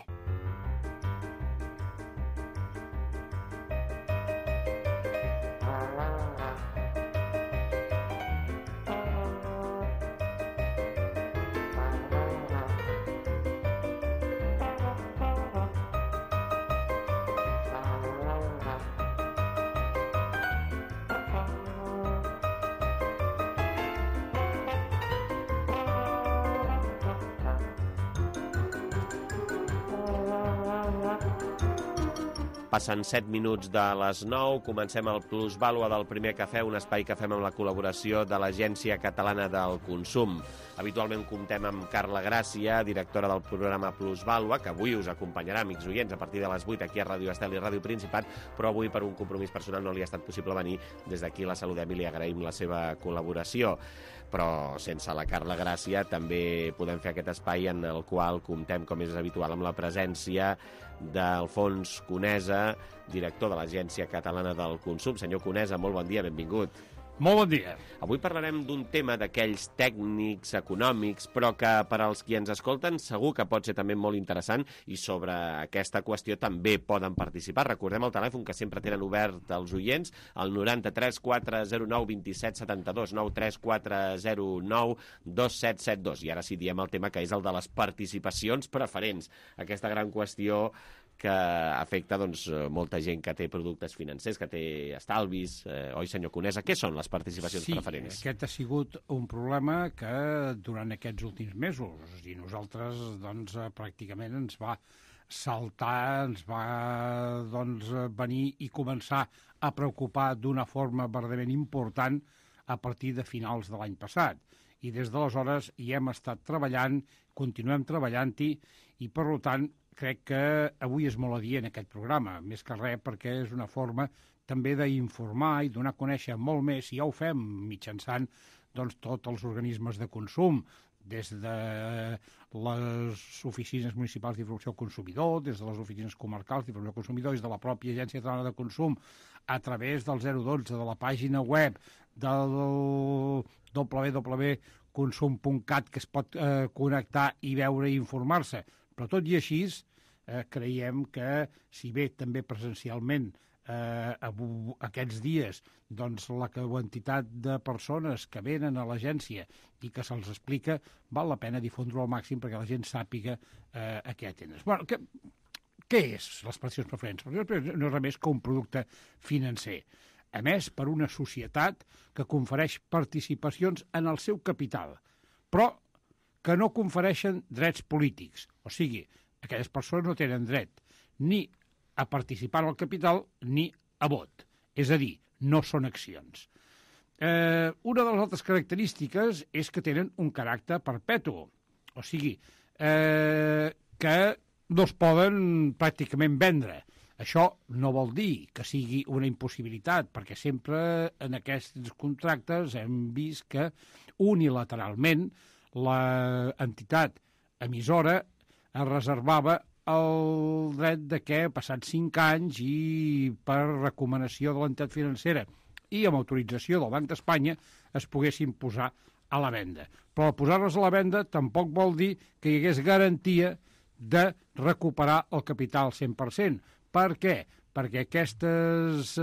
Passen 7 minuts de les 9, comencem el Plusvàlua del Primer Cafè, un espai que fem amb la col·laboració de l'Agència Catalana del Consum. Habitualment comptem amb Carla Gràcia, directora del programa Plusvàlua, que avui us acompanyarà, amics oients, a partir de les 8 aquí a Ràdio Estel i Ràdio Principat, però avui per un compromís personal no li ha estat possible venir. Des d'aquí la saludem i li agraïm la seva col·laboració. Però sense la Carla Gràcia també podem fer aquest espai en el qual comptem, com és habitual, amb la presència d'Alfons Conesa, director de l'Agència Catalana del Consum. Senyor Conesa, molt bon dia, benvingut. Molt bon dia. Avui parlarem d'un tema d'aquells tècnics, econòmics, però que per als qui ens escolten segur que pot ser també molt interessant i sobre aquesta qüestió també poden participar. Recordem el telèfon que sempre tenen obert els oients, el 93 409 27 72, 93 409 2772. I ara sí diem el tema que és el de les participacions preferents, aquesta gran qüestió que afecta molta gent que té productes financers, que té estalvis, oi, senyor Conesa? Què són les participacions preferents? Sí, aquest ha sigut un problema que durant aquests últims mesos, i nosaltres pràcticament ens va saltar, ens va venir i començar a preocupar d'una forma verdaderament important a partir de finals de l'any passat. I des d'aleshores hi hem estat treballant, continuem treballant-hi, i per tant crec que avui és molt adient aquest programa, més que res perquè és una forma també d'informar i donar a conèixer molt més, i ja ho fem mitjançant tots els organismes de consum, des de les oficines municipals d'informació al consumidor, des de les oficines comarcals d'informació al consumidor, des de la pròpia Agència Catalana de Consum, a través del 012, de la pàgina web, del www.consum.cat, que es pot connectar i veure i informar-se. Però tot i així, creiem que, si bé també presencialment aquests dies la quantitat de persones que venen a l'agència i que se'ls explica, val la pena difondre-ho al màxim perquè la gent sàpiga a què atendre. Bueno, què és les participacions preferents? No és res més que un producte financer emès per una societat que confereix participacions en el seu capital, però que no confereixen drets polítics. O sigui, aquelles persones no tenen dret ni a participar en el capital ni a vot. És a dir, no són accions. Una de les altres característiques és que tenen un caràcter perpetu. O sigui, que no es poden pràcticament vendre. Això no vol dir que sigui una impossibilitat, perquè sempre en aquests contractes hem vist que unilateralment l'entitat emissora es reservava el dret de que, passats 5 anys i per recomanació de l'entitat financera i amb autorització del Banc d'Espanya, es poguessin posar a la venda. Però posar-les a la venda tampoc vol dir que hi hagués garantia de recuperar el capital 100%. Per què? Perquè aquestes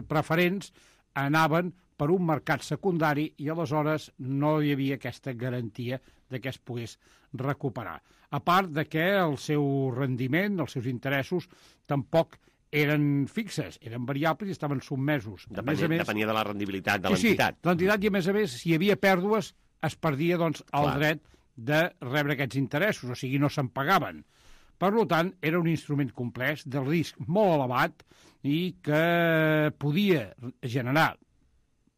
preferents anaven per un mercat secundari i aleshores no hi havia aquesta garantia de que es pogués recuperar. A part de que el seu rendiment, els seus interessos, tampoc eren fixes, eren variables i estaven sotmesos. Depenia de la rendibilitat de l'entitat. Sí, l'entitat, i a més, si hi havia pèrdues, es perdia el dret de rebre aquests interessos, o sigui, no se'n pagaven. Per tant, era un instrument complex, de risc molt elevat i que podia generar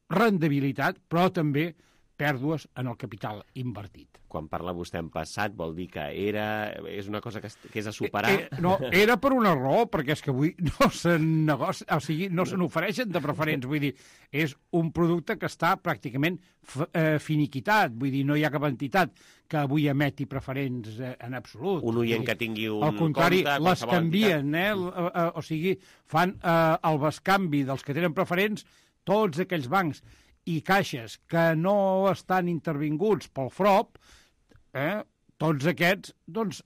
rendibilitat, però també pèrdues en el capital invertit. Quan parla vostè en passat, vol dir que és una cosa que és a superar? No, era per una raó, perquè és que avui no no se n'ofereixen de preferents, vull dir, és un producte que està pràcticament finiquitat, vull dir, no hi ha cap entitat que avui emeti preferents en absolut. Un oient que tingui un compte... Al contrari, les canvien, o sigui, fan el bescanvi dels que tenen preferents, tots aquells bancs i caixes que no estan intervinguts pel FROP, tots aquests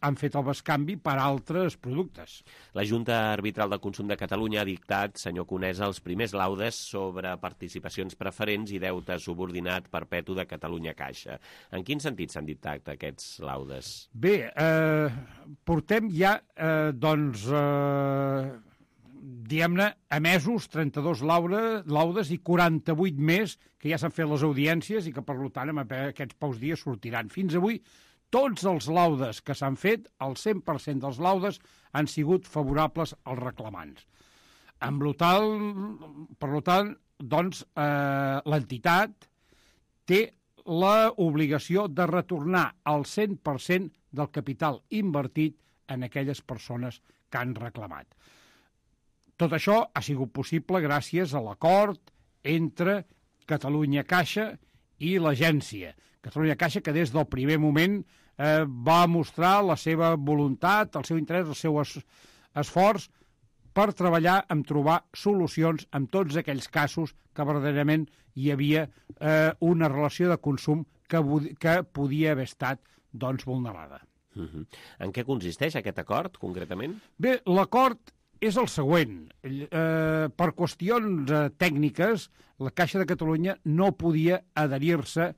han fet el bescanvi per altres productes. La Junta Arbitral de Consum de Catalunya ha dictat, senyor Conesa, els primers laudes sobre participacions preferents i deute subordinat perpetu de Catalunya Caixa. En quin sentit s'han dictat aquests laudes? Bé, portem ja, diguem-ne, emesos 32 laudes i 48 més que ja s'han fet les audiències i que, per tant, en aquests pocs dies sortiran. Fins avui, tots els laudes que s'han fet, el 100% dels laudes, han sigut favorables als reclamants. Per tant, l'entitat té l'obligació de retornar el 100% del capital invertit en aquelles persones que han reclamat. Tot això ha sigut possible gràcies a l'acord entre Catalunya Caixa i l'agència. Catalunya Caixa, que des del primer moment va mostrar la seva voluntat, el seu interès, el seu esforç per treballar en trobar solucions en tots aquells casos que verdaderament hi havia una relació de consum que podia haver estat vulnerada. En què consisteix aquest acord, concretament? Bé, l'acord és el següent. Per qüestions tècniques, la Caixa de Catalunya no podia adherir-se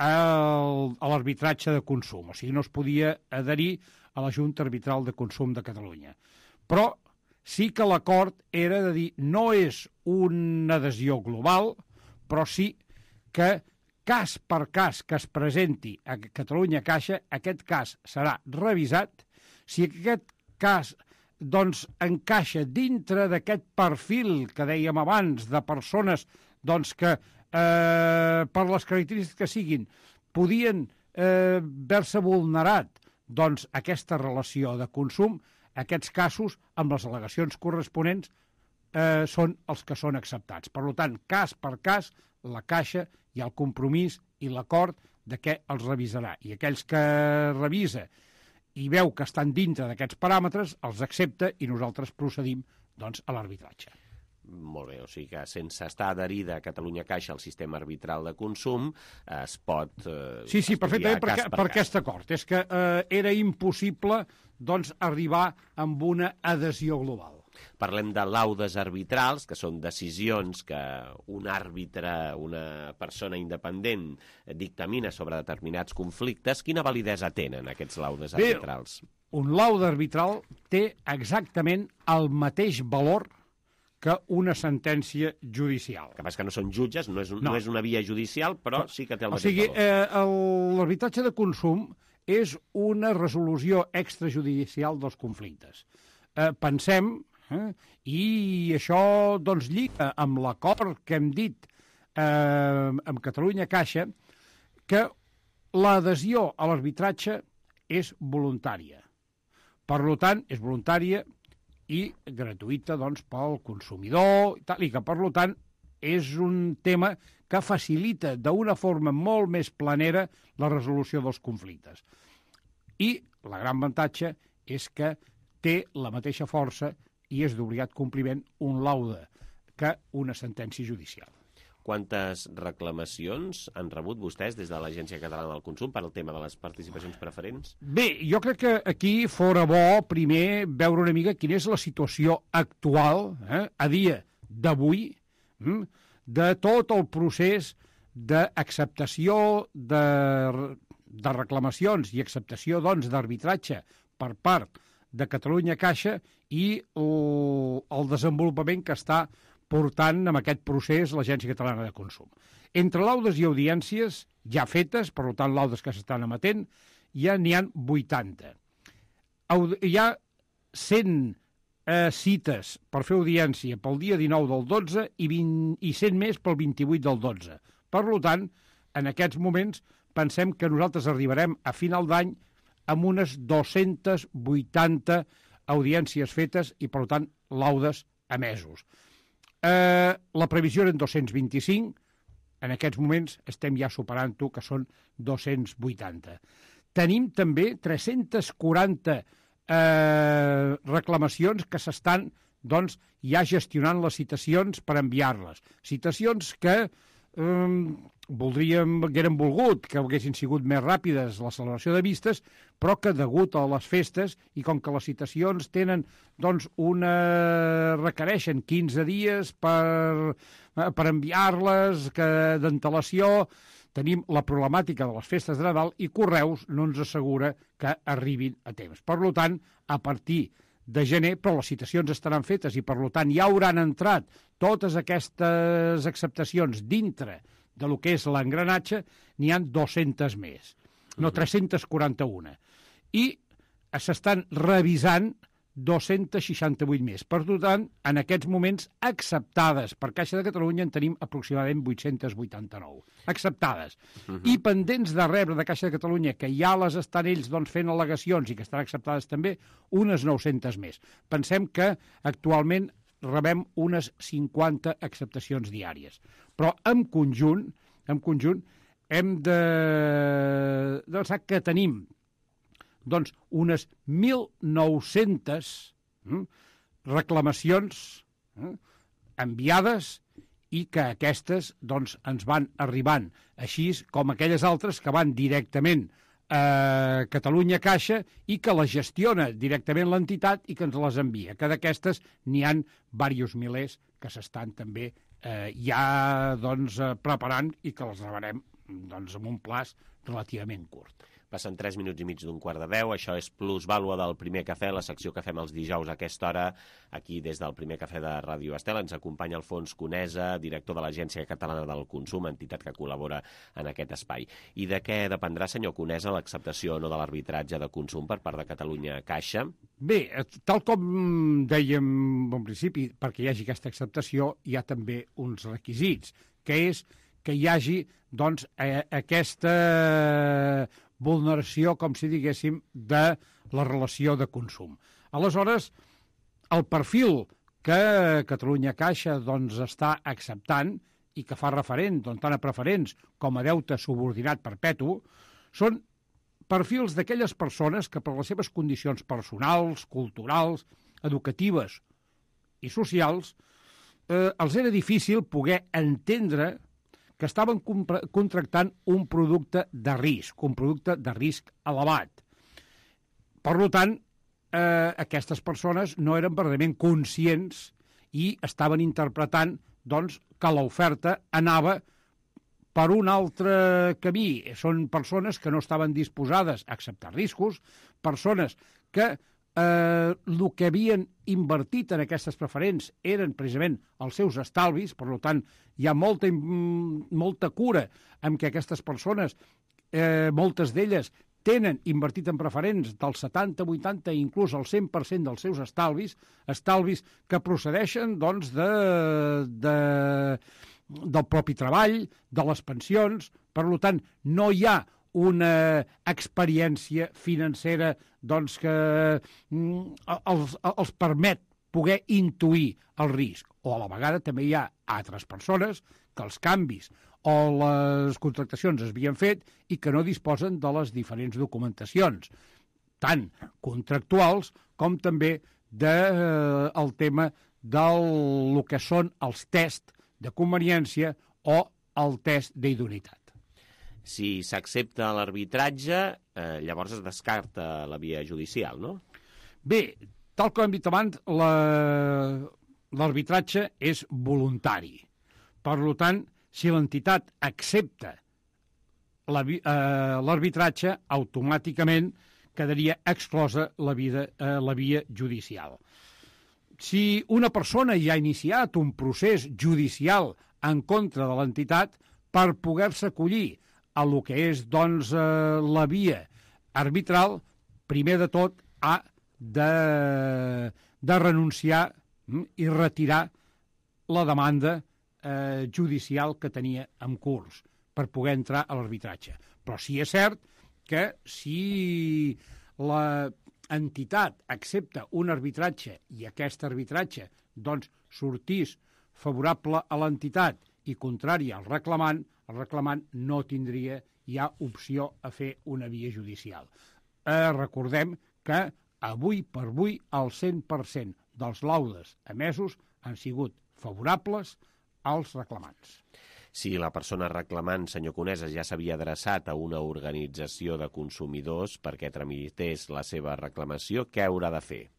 a l'arbitratge de consum, o sigui, no es podia adherir a la Junta Arbitral de Consum de Catalunya. Però sí que l'acord era de dir no és una adhesió global, però sí que cas per cas que es presenti a Catalunya Caixa, aquest cas serà revisat. Si aquest cas doncs, encaixa dintre d'aquest perfil que dèiem abans de persones doncs, que per les característiques que siguin podien haver-se vulnerat doncs, aquesta relació de consum, aquests casos, amb les al·legacions corresponents, són els que són acceptats. Per tant, cas per cas, la Caixa hi ha el compromís i l'acord de què els revisarà. I aquells que revisa i veu que estan dintre d'aquests paràmetres, els accepta i nosaltres procedim doncs, a l'arbitratge. Molt bé, o sigui que sense estar adherida a Catalunya Caixa al sistema arbitral de consum es pot Sí, perfectament, per aquest acord. És que era impossible doncs, arribar amb una adhesió global. Parlem de laudes arbitrals, que són decisions que un àrbitre, una persona independent, dictamina sobre determinats conflictes. Quina validesa tenen aquests laudes arbitrals? Un laude arbitral té exactament el mateix valor que una sentència judicial. El que passa que no són jutges, no és una via judicial, però sí que té el mateix valor. O sigui, l'arbitratge de consum és una resolució extrajudicial dels conflictes. Pensem, i això doncs, lliga amb l'acord que hem dit amb Catalunya Caixa, que l'adhesió a l'arbitratge és voluntària. Per tant, és voluntària i gratuïta doncs, pel consumidor, i que, per tant, és un tema que facilita d'una forma molt més planera la resolució dels conflictes. I la gran avantatge és que té la mateixa força i és d'obligat compliment un laude que una sentència judicial. Quantes reclamacions han rebut vostès des de l'Agència Catalana del Consum per al tema de les participacions preferents? Bé, jo crec que aquí fora bo primer veure una mica quina és la situació actual, a dia d'avui, de tot el procés d'acceptació de reclamacions i acceptació doncs, d'arbitratge per part de Catalunya Caixa i el desenvolupament que està portant amb aquest procés l'Agència Catalana de Consum. Entre laudes i audiències ja fetes, per tant, laudes que s'estan emetent, ja n'hi ha 80. Hi ha 100 cites per fer audiència pel dia 19 del 12 i 100 més pel 28 del 12. Per tant, en aquests moments pensem que nosaltres arribarem a final d'any amb unes 280 audiències fetes i, per tant, laudes emesos. La previsió eren 225, en aquests moments estem ja superant-ho, que són 280. Tenim també 340 reclamacions que s'estan doncs, ja gestionant les citacions per enviar-les. Citacions que voldríem, que eren volgut, que haguessin sigut més ràpides la celebració de vistes, però que degut a les festes i com que les citacions tenen, doncs, requereixen 15 dies per enviar-les, d'antelació, tenim la problemàtica de les festes de Nadal i Correus no ens assegura que arribin a temps. Per tant, a partir de gener, però les citacions estaran fetes i, per tant, ja hauran entrat totes aquestes acceptacions dintre de lo que és l'engranatge, n'hi ha 200 més, no 341. I s'estan revisant 268 més. Per tant, en aquests moments acceptades per Caixa de Catalunya en tenim aproximadament 889. Acceptades. I pendents de rebre de Caixa de Catalunya, que ja les estan ells doncs, fent al·legacions i que estan acceptades també, unes 900 més. Pensem que actualment rebem unes 50 acceptacions diàries. Però en conjunt hem de pensar que tenim doncs, unes 1.900 reclamacions enviades i que aquestes doncs, ens van arribant, així com aquelles altres que van directament a Catalunya Caixa i que les gestiona directament l'entitat i que ens les envia. Que d'aquestes n'hi ha diversos milers que s'estan també ja doncs, preparant i que les rebrem doncs, en un plaç relativament curt. Passen 3 minuts i mig d'un quart de 10. Això és Plusvàlua del Primer Cafè, la secció que fem els dijous a aquesta hora. Aquí, des del Primer Cafè de Ràdio Estel, ens acompanya Alfons Conesa, director de l'Agència Catalana del Consum, entitat que col·labora en aquest espai. I de què dependrà, senyor Conesa, l'acceptació o no de l'arbitratge de consum per part de Catalunya Caixa? Bé, tal com dèiem en principi, perquè hi hagi aquesta acceptació, hi ha també uns requisits, que és que hi hagi doncs, aquesta vulneració, com si diguéssim, de la relació de consum. Aleshores, el perfil que Catalunya Caixa doncs, està acceptant i que fa referent doncs, tant a preferents com a deute subordinat perpetu són perfils d'aquelles persones que per les seves condicions personals, culturals, educatives i socials els era difícil poder entendre que estaven contractant un producte de risc elevat. Per tant, aquestes persones no eren verdaderament conscients i estaven interpretant doncs, que l'oferta anava per un altre camí. Són persones que no estaven disposades a acceptar riscos, persones que el que havien invertit en aquestes preferents eren precisament els seus estalvis, per tant, hi ha molta cura en què aquestes persones, moltes d'elles, tenen invertit en preferents del 70, 80 i inclús el 100% dels seus estalvis que procedeixen doncs, del propi treball, de les pensions. Per tant, no hi ha una experiència financera doncs, que els permet poder intuir el risc. O a la vegada també hi ha altres persones que els canvis o les contractacions es havien fet i que no disposen de les diferents documentacions, tant contractuals com també del tema del que són els tests de conveniència o el test d'idoneïtat. Si s'accepta l'arbitratge, llavors es descarta la via judicial, no? Bé, tal com hem dit abans, l'arbitratge és voluntari. Per tant, si l'entitat accepta l'arbitratge, automàticament quedaria exclosa la via judicial. Si una persona ja ha iniciat un procés judicial en contra de l'entitat, per poder-se acollir a lo que és doncs, la via arbitral, primer de tot ha de renunciar i retirar la demanda judicial que tenia en curs per poder entrar a l'arbitratge. Però sí és cert que si l'entitat accepta un arbitratge i aquest arbitratge doncs, sortís favorable a l'entitat i contrari al reclamant, el reclamant no tindria ja opció a fer una via judicial. Recordem que avui per avui el 100% dels laudes emesos han sigut favorables als reclamants. Si la persona reclamant, senyor Conesa, ja s'havia adreçat a una organització de consumidors perquè tramités la seva reclamació, què haurà de fer?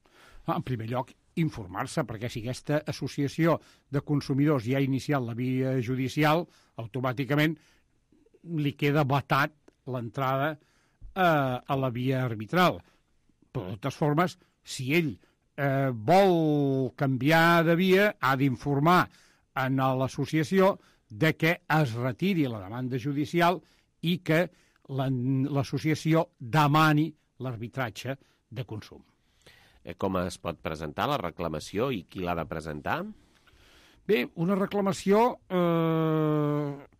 En primer lloc, informar-se, perquè si aquesta associació de consumidors ja ha iniciat la via judicial, automàticament li queda vetat l'entrada a la via arbitral. Però, de totes formes, si ell vol canviar de via, ha d'informar a l'associació de que es retiri la demanda judicial i que l'associació demani l'arbitratge de consum. Com es pot presentar la reclamació i qui l'ha de presentar? Bé, una reclamació,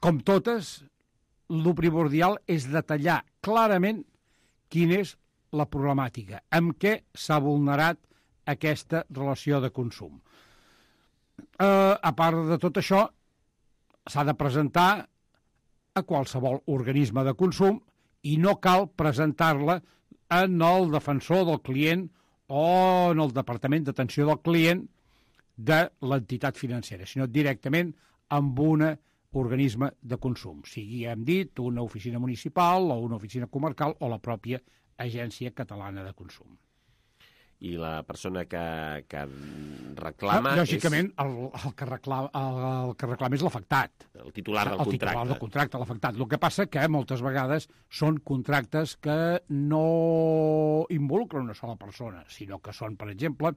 com totes, el primordial és detallar clarament quina és la problemàtica, amb què s'ha vulnerat aquesta relació de consum. A part de tot això, s'ha de presentar a qualsevol organisme de consum i no cal presentar-la en el defensor del client o en el Departament d'Atenció del Client de l'entitat financera, sinó directament amb un organisme de consum, sigui, hem dit, una oficina municipal o una oficina comarcal o la pròpia Agència Catalana de Consum. i la persona que reclama... Lògicament, el que reclama és l'afectat. El titular del contracte. El titular del contracte, l'afectat. El que passa que moltes vegades són contractes que no involucren una sola persona, sinó que són, per exemple,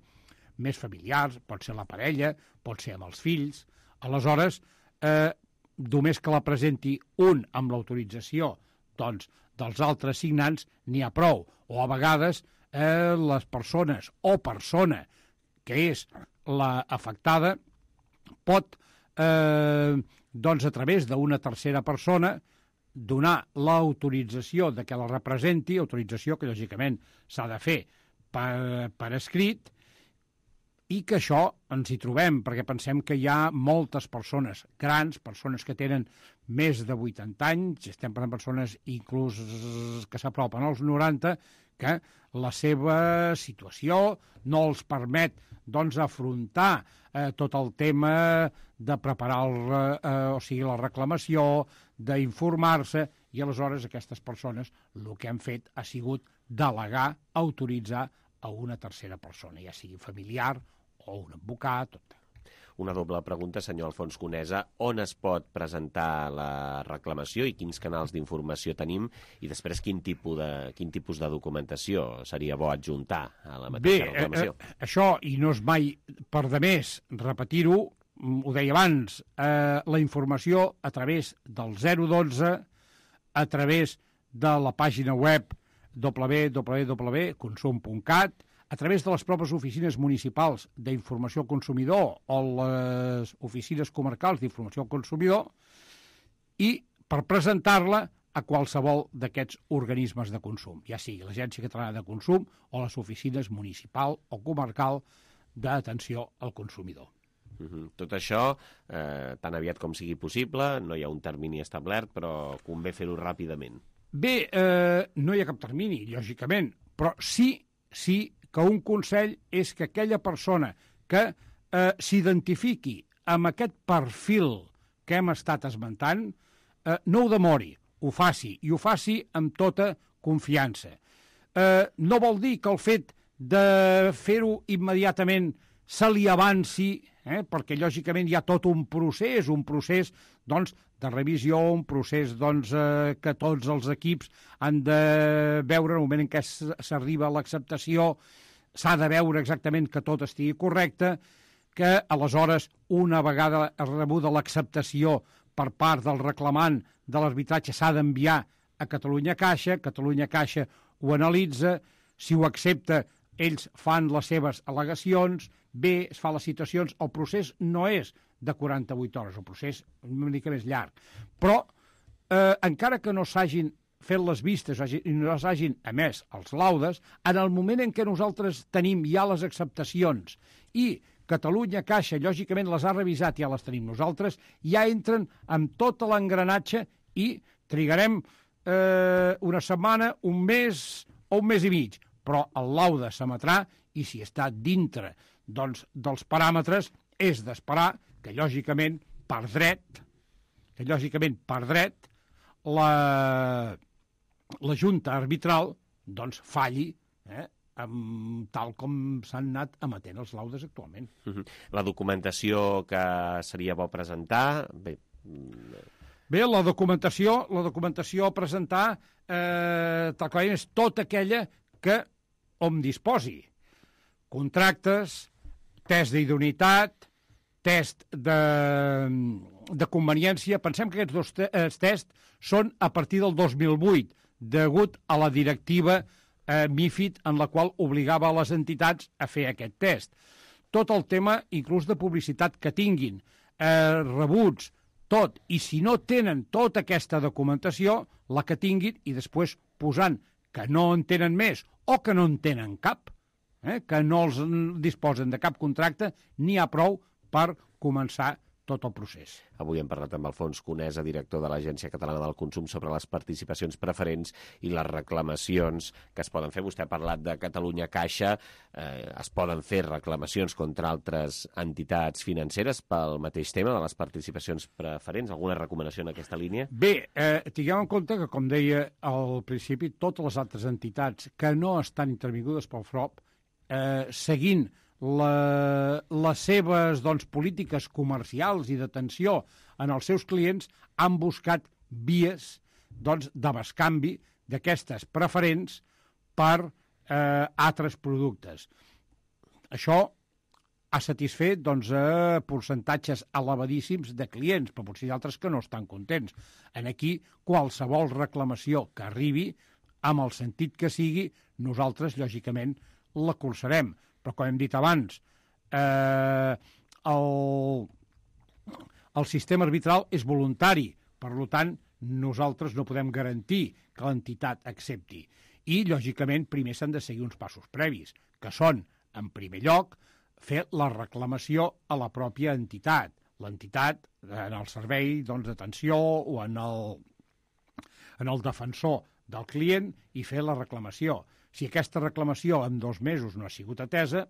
més familiars, pot ser la parella, pot ser amb els fills. Aleshores, només que la presenti un amb l'autorització dels altres signants n'hi ha prou. O a vegades les persones o persona que és l'afectada pot, a través d'una tercera persona, donar l'autorització de que la representi, autorització que lògicament s'ha de fer per escrit, i que això ens hi trobem, perquè pensem que hi ha moltes persones grans, persones que tenen més de 80 anys, estem parlant de persones inclús que s'apropen als 90, que la seva situació no els permet afrontar tot el tema de preparar la reclamació, d'informar-se, i aleshores aquestes persones el que han fet ha sigut delegar, autoritzar a una tercera persona, ja sigui familiar o un advocat. Una doble pregunta, senyor Alfons Conesa. On es pot presentar la reclamació i quins canals d'informació tenim? I després, quin tipus de documentació seria bo adjuntar a la mateixa reclamació? Això, i no és mai per demés repetir-ho, ho deia abans, la informació a través del 012, a través de la pàgina web www.consum.cat, a través de les pròpies oficines municipals d'informació al consumidor o les oficines comarcals d'informació al consumidor, i per presentar-la a qualsevol d'aquests organismes de consum, ja sigui l'Agència Catalana de Consum o les oficines municipal o comarcal d'atenció al consumidor. Tot això, tan aviat com sigui possible, no hi ha un termini establert, però convé fer-ho ràpidament. Bé, no hi ha cap termini, lògicament, però sí que un consell és que aquella persona que s'identifiqui amb aquest perfil que hem estat esmentant, no ho demori, ho faci, i ho faci amb tota confiança. No vol dir que el fet de fer-ho immediatament se li avanci, perquè lògicament hi ha tot un procés de revisió, un procés que tots els equips han de veure en el moment en què s'arriba a l'acceptació, s'ha de veure exactament que tot estigui correcte, que aleshores, una vegada rebuda l'acceptació per part del reclamant de l'arbitratge, s'ha d'enviar a Catalunya Caixa ho analitza, si ho accepta, ells fan les seves al·legacions, bé, es fa les citacions, el procés no és de 48 hores, el procés és una mica més llarg. Però, encara que no s'hagin fet les vistes i no s'hagin emès els laudes, en el moment en què nosaltres tenim ja les acceptacions i Catalunya Caixa, lògicament, les ha revisat i ja les tenim nosaltres, ja entren amb tot l'engranatge i trigarem una setmana, un mes o un mes i mig, però el laude s'emetrà i si està dintre dels paràmetres és d'esperar que, lògicament, per dret, la Junta Arbitral falli tal com s'han anat emetent els laudes actualment. La documentació que seria bo presentar... Bé, la documentació a presentar és tota aquella que hom disposi. Contractes, test d'idoneïtat, test de conveniència. Pensem que aquests dos tests són a partir del 2008, degut a la directiva MiFID, en la qual obligava a les entitats a fer aquest test. Tot el tema, inclús de publicitat que tinguin, rebuts, tot, i si no tenen tota aquesta documentació, la que tinguin, i després posant que no en tenen més o que no en tenen cap, que no els disposen de cap contracte, n'hi ha prou per començar tot el procés. Avui hem parlat amb Alfons Conesa, director de l'Agència Catalana del Consum, sobre les participacions preferents i les reclamacions que es poden fer. Vostè ha parlat de Catalunya Caixa. Es poden fer reclamacions contra altres entitats financeres pel mateix tema de les participacions preferents? Alguna recomanació en aquesta línia? Bé, tinguem en compte que, com deia al principi, totes les altres entitats que no estan intervingudes pel FROP seguint les seves polítiques comercials i d'atenció en els seus clients, han buscat vies de bescanvi d'aquestes preferents per altres productes. Això ha satisfet percentatges elevadíssims de clients, però potser hi ha altres que no estan contents. En aquí, qualsevol reclamació que arribi, amb el sentit que sigui, nosaltres, lògicament, la colzarem. Però, com hem dit abans, el sistema arbitral és voluntari. Per tant, nosaltres no podem garantir que l'entitat accepti. I, lògicament, primer s'han de seguir uns passos previs, que són, en primer lloc, fer la reclamació a la pròpia entitat. L'entitat, en el servei d'atenció o en el defensor del client, i fer la reclamació. Si aquesta reclamació en 2 mesos no ha sigut atesa,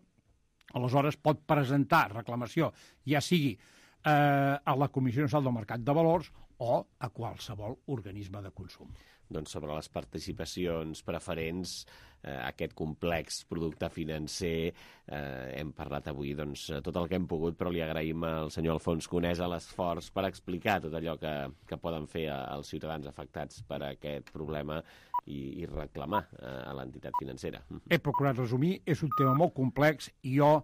aleshores pot presentar reclamació, ja sigui a la Comissió Nacional del Mercat de Valors o a qualsevol organisme de consum. Doncs sobre les participacions preferents, aquest complex producte financer, hem parlat avui tot el que hem pogut, però li agraïm al senyor Alfons Conesa l'esforç per explicar tot allò que poden fer als ciutadans afectats per aquest problema i reclamar a l'entitat financera. He procurat resumir, és un tema molt complex i jo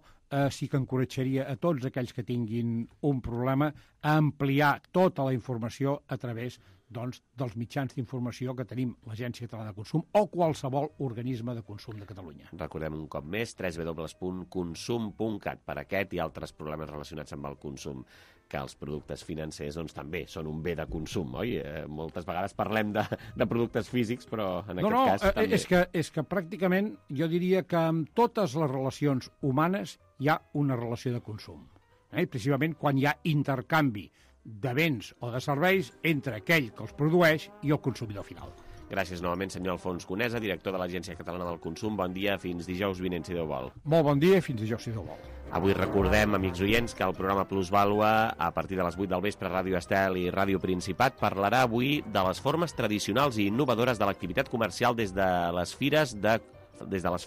sí que encoratjaria a tots aquells que tinguin un problema a ampliar tota la informació a través dels mitjans d'informació que tenim l'Agència Catalana de Consum o qualsevol organisme de consum de Catalunya. Recordem un cop més www.consum.cat per aquest i altres problemes relacionats amb el consum, que els productes financers també són un bé de consum, oi? Moltes vegades parlem de productes físics, però en aquest cas també. És que pràcticament jo diria que amb totes les relacions humanes hi ha una relació de consum. Precisament quan hi ha intercanvi de béns o de serveis entre aquell que els produeix i el consumidor final. Gràcies novament, senyor Alfons Conesa, director de l'Agència Catalana del Consum. Bon dia, fins dijous vinent, si Déu vol. Molt bon dia, fins dijous, si Déu vol. Avui recordem, amics oients, que el programa Plusvàlua, a partir de les 8 del vespre, Ràdio Estel i Ràdio Principat, parlarà avui de les formes tradicionals i innovadores de l'activitat comercial des de les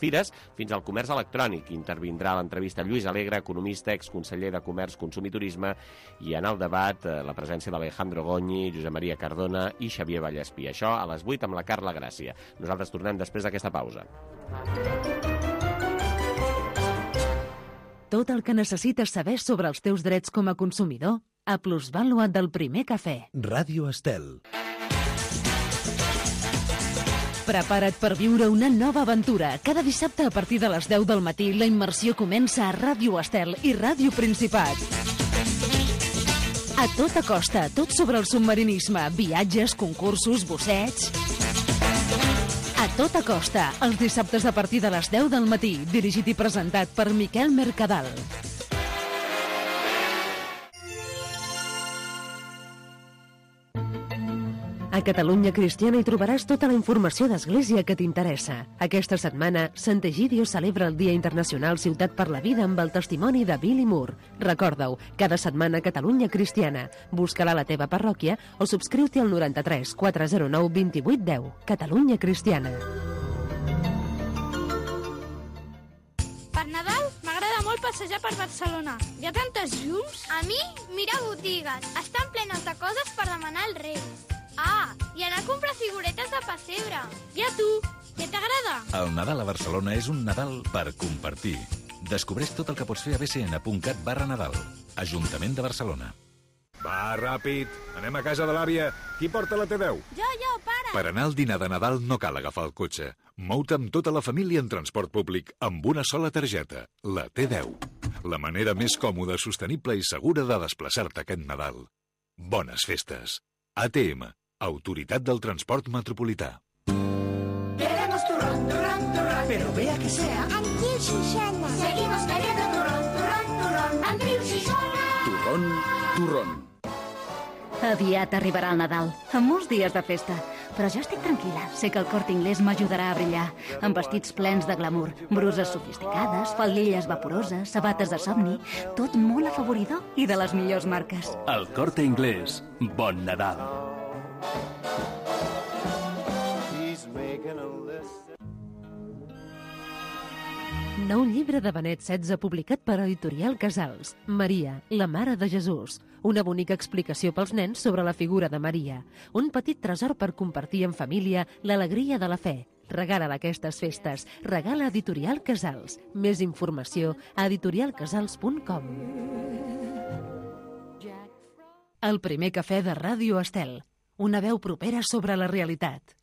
fires fins al comerç electrònic. Intervindrà a l'entrevista Lluís Alegre, economista, exconseller de Comerç, Consum i Turisme, i en el debat la presència d'Alejandro Goñi, Josep Maria Cardona i Xavier Vallespí. Això a les 8 amb la Carla Gràcia. Nosaltres tornem després d'aquesta pausa. Tot el que necessites saber sobre els teus drets com a consumidor a Plusvàlua del Primer Cafè. Ràdio Estel. Prepara't per viure una nova aventura. Cada dissabte a partir de les 10 del matí la immersió comença a Ràdio Estel i Ràdio Principat. A tota costa, tot sobre el submarinisme, viatges, concursos, bussets... A tota costa, els dissabtes a partir de les 10 del matí, dirigit i presentat per Miquel Mercadal. A Catalunya Cristiana hi trobaràs tota la informació d'Església que t'interessa. Aquesta setmana, Sant Egidio celebra el Dia Internacional Ciutat per la Vida amb el testimoni de Billy Moore. Recorda-ho, cada setmana Catalunya Cristiana. Busca-la a la teva parròquia o subscriu-t'hi al 93 409 28 10. Catalunya Cristiana. Per Nadal m'agrada molt passejar per Barcelona. Hi ha tantes llums. A mi, mira botigues. Estan plenes de coses per demanar als Reis. Ah, i anar a comprar figuretes de pessebre. I a tu, què t'agrada? El Nadal a Barcelona és un Nadal per compartir. Descobreix tot el que pots fer a bcn.cat/Nadal. Ajuntament de Barcelona. Va, ràpid, anem a casa de l'àvia. Qui porta la T10? Jo, pare. Per anar al dinar de Nadal no cal agafar el cotxe. Mou-te amb tota la família en transport públic, amb una sola targeta, la T10. La manera més còmoda, sostenible i segura de desplaçar-te aquest Nadal. Bones festes. ATM, Autoritat del Transport Metropolità. Queremos turrón, turrón, turrón, pero vea que sea Andreu Xixona. Seguimos queriendo turrón, turrón, turrón, Andreu Xixona. Turrón, turrón. Aviat arribarà el Nadal, amb molts dies de festa. Però jo estic tranquil·la, sé que el Corte Inglés m'ajudarà a brillar, amb vestits plens de glamour, bruses sofisticades, faldilles vaporoses, sabates de somni, tot molt afavoridor i de les millors marques. El Corte Inglés. Bon Nadal. Nou llibre de Benet XVI publicat per Editorial Casals. Maria, la Mare de Jesús. Una bonica explicació pels nens sobre la figura de Maria. Un petit tresor per compartir en família l'alegria de la fe. Regala-la aquestes festes. Regala Editorial Casals. Més informació a editorialcasals.com. El primer cafè de Ràdio Estel. Una veu propera sobre la realitat.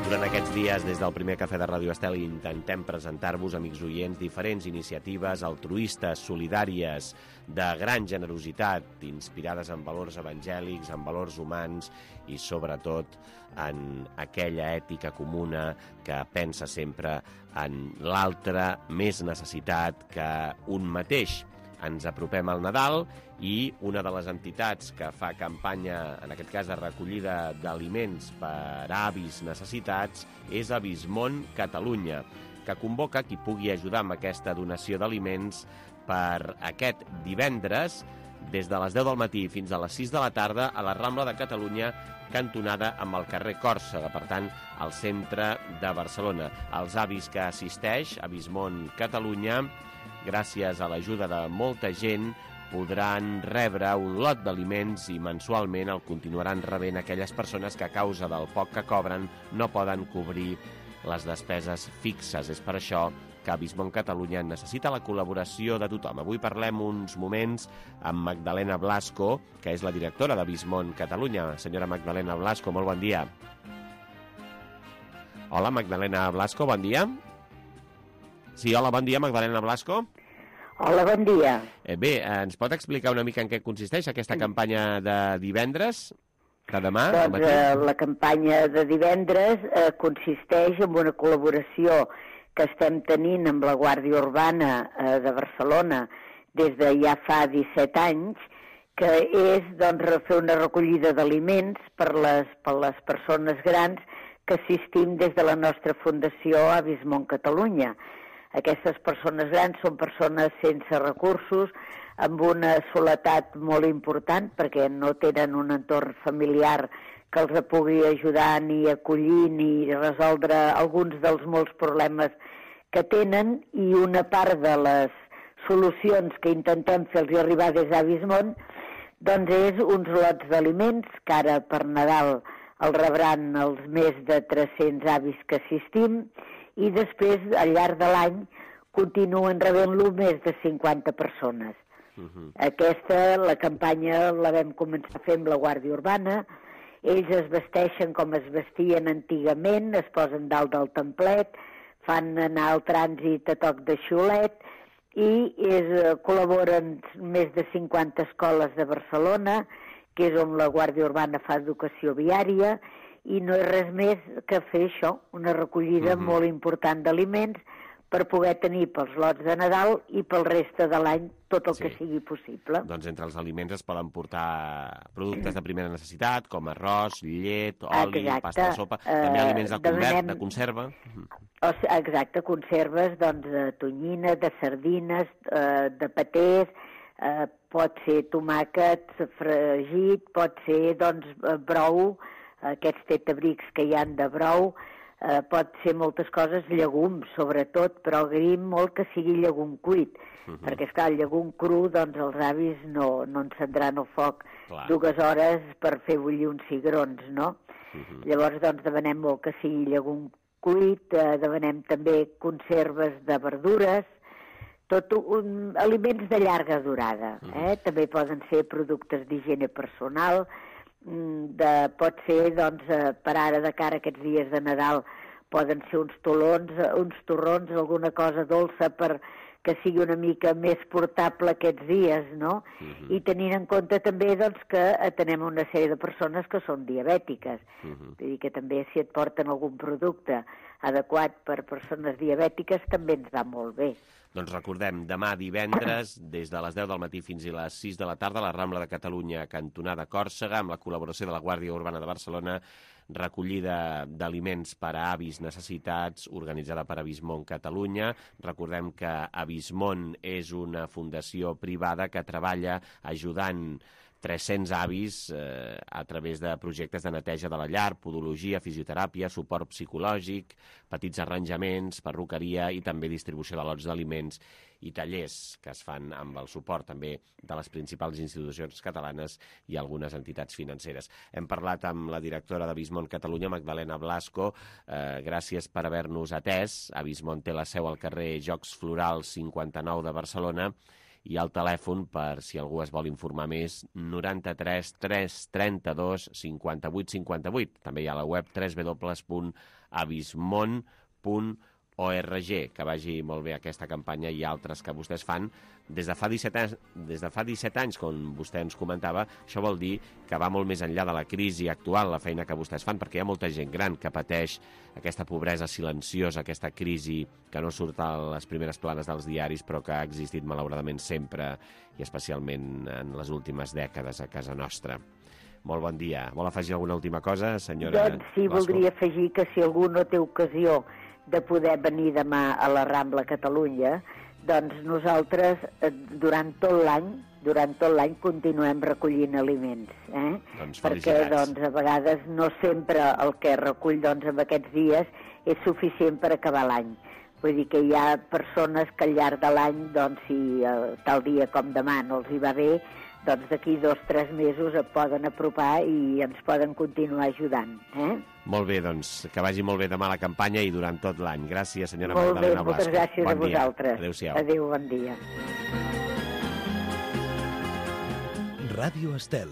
Durant aquests dies, des del primer cafè de Ràdio Estel, intentem presentar-vos, amics oients, diferents iniciatives altruistes, solidàries, de gran generositat, inspirades en valors evangèlics, en valors humans i, sobretot, en aquella ètica comuna que pensa sempre en l'altre més necessitat que un mateix. Ens apropem al Nadal i una de les entitats que fa campanya, en aquest cas de recollida d'aliments per a avis necessitats, és Avismon Catalunya, que convoca qui pugui ajudar amb aquesta donació d'aliments per aquest divendres, des de les 10 del matí fins a les 6 de la tarda, a la Rambla de Catalunya, cantonada amb el carrer Còrsega, per tant, al centre de Barcelona. Els avis que assisteix, Avismon Catalunya, gràcies a l'ajuda de molta gent, podran rebre un lot d'aliments i mensualment el continuaran rebent aquelles persones que a causa del poc que cobren no poden cobrir les despeses fixes. És per això que Avismon Catalunya necessita la col·laboració de tothom. Avui parlem uns moments amb Magdalena Blasco, que és la directora d'Avismon Catalunya. Senyora Magdalena Blasco, molt bon dia. Hola, Magdalena Blasco, bon dia. Sí, hola, bon dia, Magdalena Blasco. Hola, bon dia. Bé, ens pot explicar una mica en què consisteix aquesta campanya de divendres, de demà? Doncs la campanya de divendres consisteix en una col·laboració que estem tenint amb la Guàrdia Urbana de Barcelona des de ja fa 17 anys, que és doncs, fer una recollida d'aliments per les persones grans que assistim des de la nostra fundació Avismon Catalunya. Aquestes persones grans són persones sense recursos, amb una soledat molt important, perquè no tenen un entorn familiar que els pugui ajudar ni acollir ni resoldre alguns dels molts problemes que tenen, i una part de les solucions que intentem fer-los arribar des d'Avismon doncs és uns lots d'aliments que ara per Nadal el rebran els més de 300 avis que assistim, i després, al llarg de l'any, continuen rebent-lo més de 50 persones. La campanya la vam començar a fer amb la Guàrdia Urbana. Ells es vesteixen com es vestien antigament, es posen dalt del templet, fan anar el trànsit a toc de xiulet, i col·laboren més de 50 escoles de Barcelona, que és on la Guàrdia Urbana fa educació viària, i no és res més que fer això, una recollida molt important d'aliments per poder tenir pels lots de Nadal i pel reste de l'any tot el que sigui possible. Doncs entre els aliments es poden portar productes de primera necessitat, com arròs, llet, oli, pasta de sopa, també aliments de conserva. Exacte, conserves de tonyina, de sardines, de patés, pot ser tomàquet fregit, pot ser brou, aquests tetabrics que hi han de brou, pot ser moltes coses, llegums sobretot, però agraïm molt que sigui llegum cuit, perquè esclar, el llegum cru, doncs els avis no encendran el foc 2 hores per fer bullir uns cigrons, no? Llavors, doncs, demanem molt que sigui llegum cuit, demanem també conserves de verdures, aliments de llarga durada, també poden ser productes d'higiene personal, pot ser, doncs, per ara de cara a aquests dies de Nadal, poden ser uns torrons, alguna cosa dolça per que sigui una mica més portable aquests dies, no? I tenint en compte també, doncs, que atenem una sèrie de persones que són diabètiques. Vull dir que també si et porten algun producte adequat per persones diabètiques també ens va molt bé. Doncs recordem, demà divendres, des de les 10 del matí fins a les 6 de la tarda, a la Rambla de Catalunya, cantonada Còrsega, amb la col·laboració de la Guàrdia Urbana de Barcelona, recollida d'aliments per a avis necessitats, organitzada per Avismon Catalunya. Recordem que Avismon és una fundació privada que treballa ajudant 300 avis a través de projectes de neteja de la llar, podologia, fisioteràpia, suport psicològic, petits arranjaments, perruqueria i també distribució de lots d'aliments i tallers que es fan amb el suport també de les principals institucions catalanes i algunes entitats financeres. Hem parlat amb la directora d'Avismont Catalunya, Magdalena Blasco. Gràcies per haver-nos atès. Avismont té la seu al carrer Jocs Florals 59 de Barcelona i el telèfon, per si algú es vol informar més, 93 332 58 58. També hi ha la web www.avismont.org. Que vagi molt bé aquesta campanya i altres que vostès fan des de fa 17 anys, com vostè ens comentava. Això vol dir que va molt més enllà de la crisi actual, la feina que vostès fan, perquè hi ha molta gent gran que pateix aquesta pobresa silenciosa, aquesta crisi que no surt a les primeres planes dels diaris, però que ha existit malauradament sempre i especialment en les últimes dècades a casa nostra. Molt bon dia. Vol afegir alguna última cosa, senyora Doncs sí, Blasco? voldria afegir que si algú no té ocasió de poder venir demà a la Rambla Catalunya, doncs nosaltres durant tot l'any continuem recollint aliments, Doncs perquè doncs, a vegades no sempre el que recull doncs, en aquests dies és suficient per acabar l'any. Vull dir que hi ha persones que al llarg de l'any, doncs, si tal dia com demà no els hi va bé, doncs d'aquí 2 o 3 mesos et poden apropar i ens poden continuar ajudant. Molt bé, doncs, que vagi molt bé demà la campanya i durant tot l'any. Gràcies, senyora Molt bé, Magdalena Blasco. moltes gràcies a vosaltres. Adéu-siau. Adéu, bon dia. Ràdio Estel.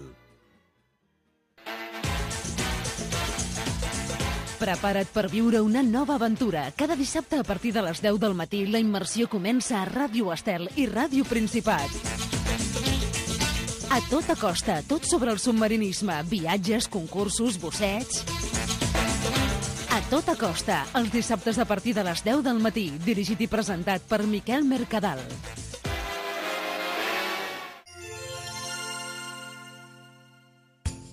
Prepara't per viure una nova aventura. Cada dissabte a partir de les 10 del matí la immersió comença a Ràdio Estel i Ràdio Principat. A tota costa, tot sobre el submarinisme, viatges, concursos, bussets... A tota costa, els dissabtes a partir de les 10 del matí, dirigit i presentat per Miquel Mercadal.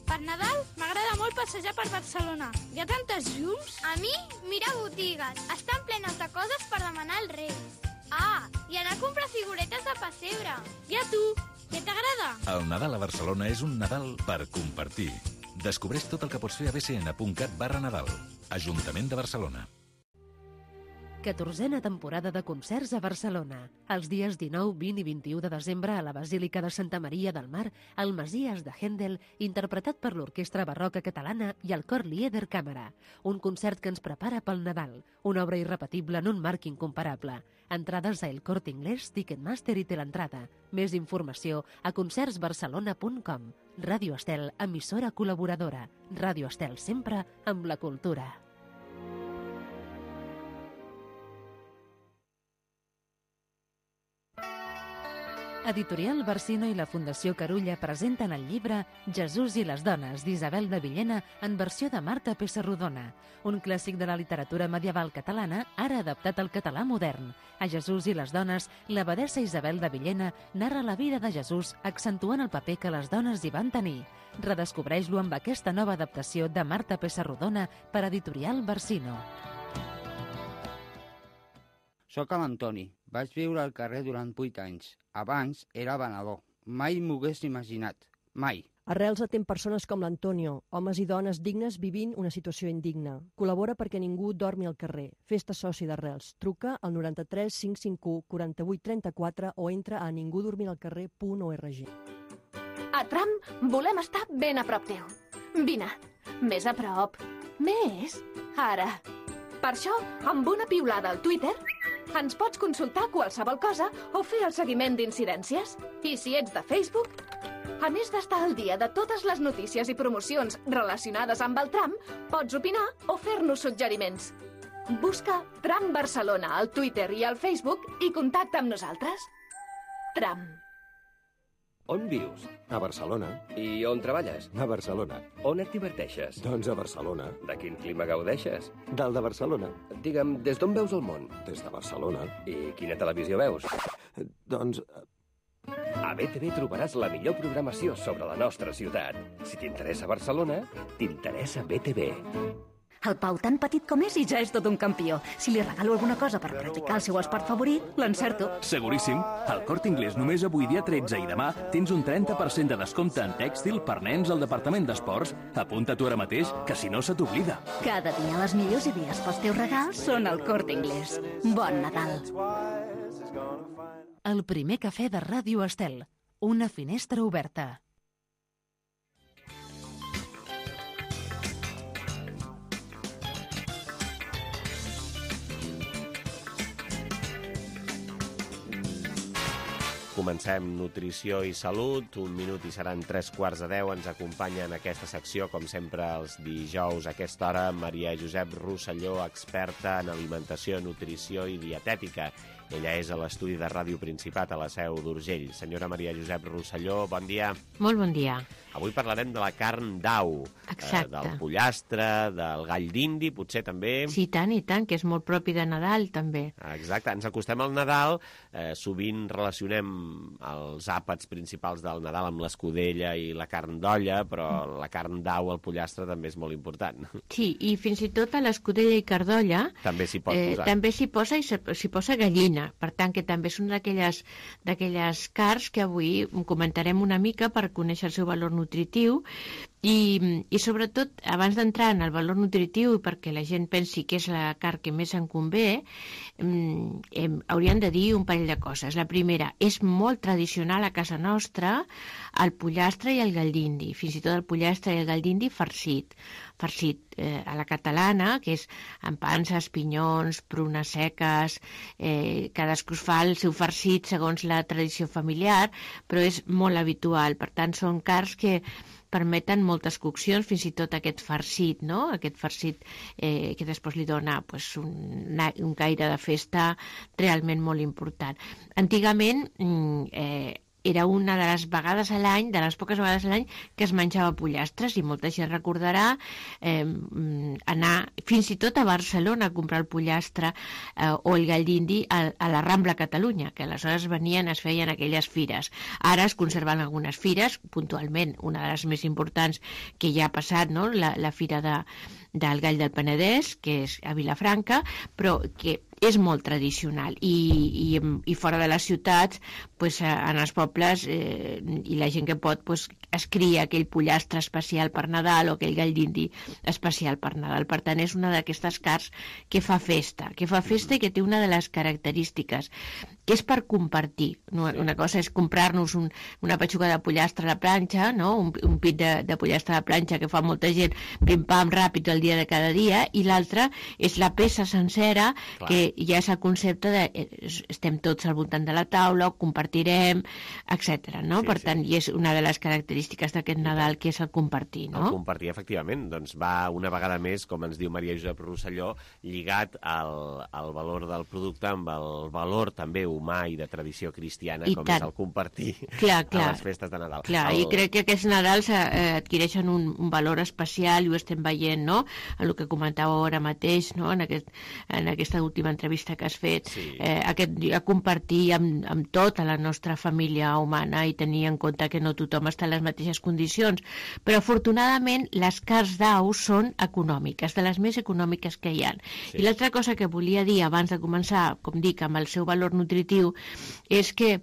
Per Nadal m'agrada molt passejar per Barcelona. Hi ha tantes llums. A mi, mira botigues. Estan plenes de coses per demanar als Reis. Ah, i anar a comprar figuretes de pessebre. I a tu, què t'agrada? El Nadal a Barcelona és un Nadal per compartir. Descobreix tot el que pots fer a bcn.cat/Nadal. Ajuntament de Barcelona. 14a temporada de concerts a Barcelona. Els dies 19, 20 i 21 de desembre a la Basílica de Santa Maria del Mar, el Messies de Händel, interpretat per l'Orquestra Barroca Catalana i el Cor Lieder Càmera. Un concert que ens prepara pel Nadal. Una obra irrepetible en un marc incomparable. Entrades a El Corte Inglés, Ticketmaster i Teleentrada. Més informació a concertsbarcelona.com. Ràdio Estel, emissora col·laboradora. Ràdio Estel, sempre amb la cultura. Editorial Barsino i la Fundació Carulla presenten el llibre Jesús i les dones, d'Isabel de Villena, en versió de Marta Pessarrodona, un clàssic de la literatura medieval catalana, ara adaptat al català modern. A Jesús i les dones, l'abadessa Isabel de Villena narra la vida de Jesús, accentuant el paper que les dones hi van tenir. Redescobreix-lo amb aquesta nova adaptació de Marta Pessarrodona per Editorial Barsino. Soc l'Antoni. Vaig viure al carrer durant 8 anys. Abans era venedor. Mai m'ho hagués imaginat. Mai. Arrels atén persones com l'Antonio, homes i dones dignes vivint una situació indigna. Col·labora perquè ningú dormi al carrer. Fes-te soci d'Arrels. Truca al 93 551 48 34 o entra a ningudormiralcarrer.org. A Tram volem estar ben a prop teu. Vine, més a prop. Més. Ara. Per això, amb una piulada al Twitter, ens pots consultar qualsevol cosa o fer el seguiment d'incidències. I si ets de Facebook, a més d'estar al dia de totes les notícies i promocions relacionades amb el tram, pots opinar o fer-nos suggeriments. Busca Tram Barcelona al Twitter i al Facebook i contacta amb nosaltres. Tram. On vius? A Barcelona. I on treballes? A Barcelona. On et diverteixes? Doncs a Barcelona. De quin clima gaudeixes? Del de Barcelona. Digue'm, des d'on veus el món? Des de Barcelona. I quina televisió veus? Doncs... A BTV trobaràs la millor programació sobre la nostra ciutat. Si t'interessa Barcelona, t'interessa BTV. El Pau, tan petit com és, i ja és tot un campió. Si li regalo alguna cosa per practicar el seu esport favorit, l'encerto. Seguríssim. Al Corte Inglés només avui dia 13 i demà tens un 30% de descompte en tèxtil per nens al departament d'esports. Apunta-t'ho ara mateix, que si no se t'oblida. Cada dia les millors idees pels teus regals són al Corte Inglés. Bon Nadal. El primer cafè de Ràdio Estel. Una finestra oberta. Comencem Nutrició i Salut, 1 minut i seran 3:15. Ens acompanya en aquesta secció, com sempre, els dijous a aquesta hora, Maria Josep Rosselló, experta en alimentació, nutrició i dietètica. Ella és a l'estudi de Ràdio Principat a la Seu d'Urgell. Senyora Maria Josep Rosselló, bon dia. Molt bon dia. Avui parlarem de la carn d'au, del pollastre, del gall d'indi, potser també. Sí, i tant, que és molt propi de Nadal, també. Exacte, ens acostem al Nadal, sovint relacionem els àpats principals del Nadal amb l'escudella i la carn d'olla, però la carn d'au, el pollastre, també és molt important. Sí, i fins i tot a l'escudella i cardolla també s'hi pot posar. També s'hi posa i s'hi posa gallina. Per tant, que també són d'aquelles carns que avui comentarem una mica per conèixer el seu valor nutritiu i sobretot, abans d'entrar en el valor nutritiu, perquè la gent pensi que és la carn que més en convé, hauríem de dir un parell de coses. La primera, és molt tradicional a casa nostra el pollastre i el gall d'indi, fins i tot el pollastre i el gall d'indi farcit a la catalana, que és amb panses, pinyons, prunes seques, cadascú fa el seu farcit segons la tradició familiar, però és molt habitual. Per tant, són carns que permeten moltes coccions, fins i tot aquest farcit, no? Aquest farcit que després li dona un caire de festa realment molt important. Antigament era una de les vegades a l'any, de les poques vegades a l'any, que es menjava pollastres, i molta gent recordarà anar fins i tot a Barcelona a comprar el pollastre o el gall d'indi a la Rambla Catalunya, que aleshores es feien aquelles fires. Ara es conserven algunes fires, puntualment una de les més importants que ja ha passat, no? La fira del Gall del Penedès, que és a Vilafranca, però que és molt tradicional i fora de les ciutats, en els pobles i la gent que pot es cria aquell pollastre especial per Nadal o aquell gall d'indi especial per Nadal. Per tant, és una d'aquestes carns que fa festa i que té una de les característiques que és per compartir. Una cosa és comprar-nos una petxuga de pollastre a la planxa, no? un pit de pollastre a la planxa que fa molta gent pim-pam ràpid el dia de cada dia, i l'altra és la peça sencera. Clar. Que ja és el concepte de estem tots al voltant de la taula, ho compartirem, etc. No? Per tant, i és una de les característiques d'aquest Nadal, que és el compartir. No? El compartir, efectivament, doncs va una vegada més, com ens diu Maria Josep Rosselló, lligat al valor del producte amb el valor també humà i de tradició cristiana, com és el compartir a les festes de Nadal. Clar, i crec que aquests Nadals adquireixen un valor especial, i ho estem veient, no? En el que comentàveu ara mateix, no? En aquesta última entrevista que has fet, a compartir amb tota la nostra família humana i tenir en compte que no tothom està en les mateixes condicions. Però afortunadament les carns d'au són econòmiques, de les més econòmiques que hi ha. I l'altra cosa que volia dir abans de començar, com dic, amb el seu valor nutritiu, és que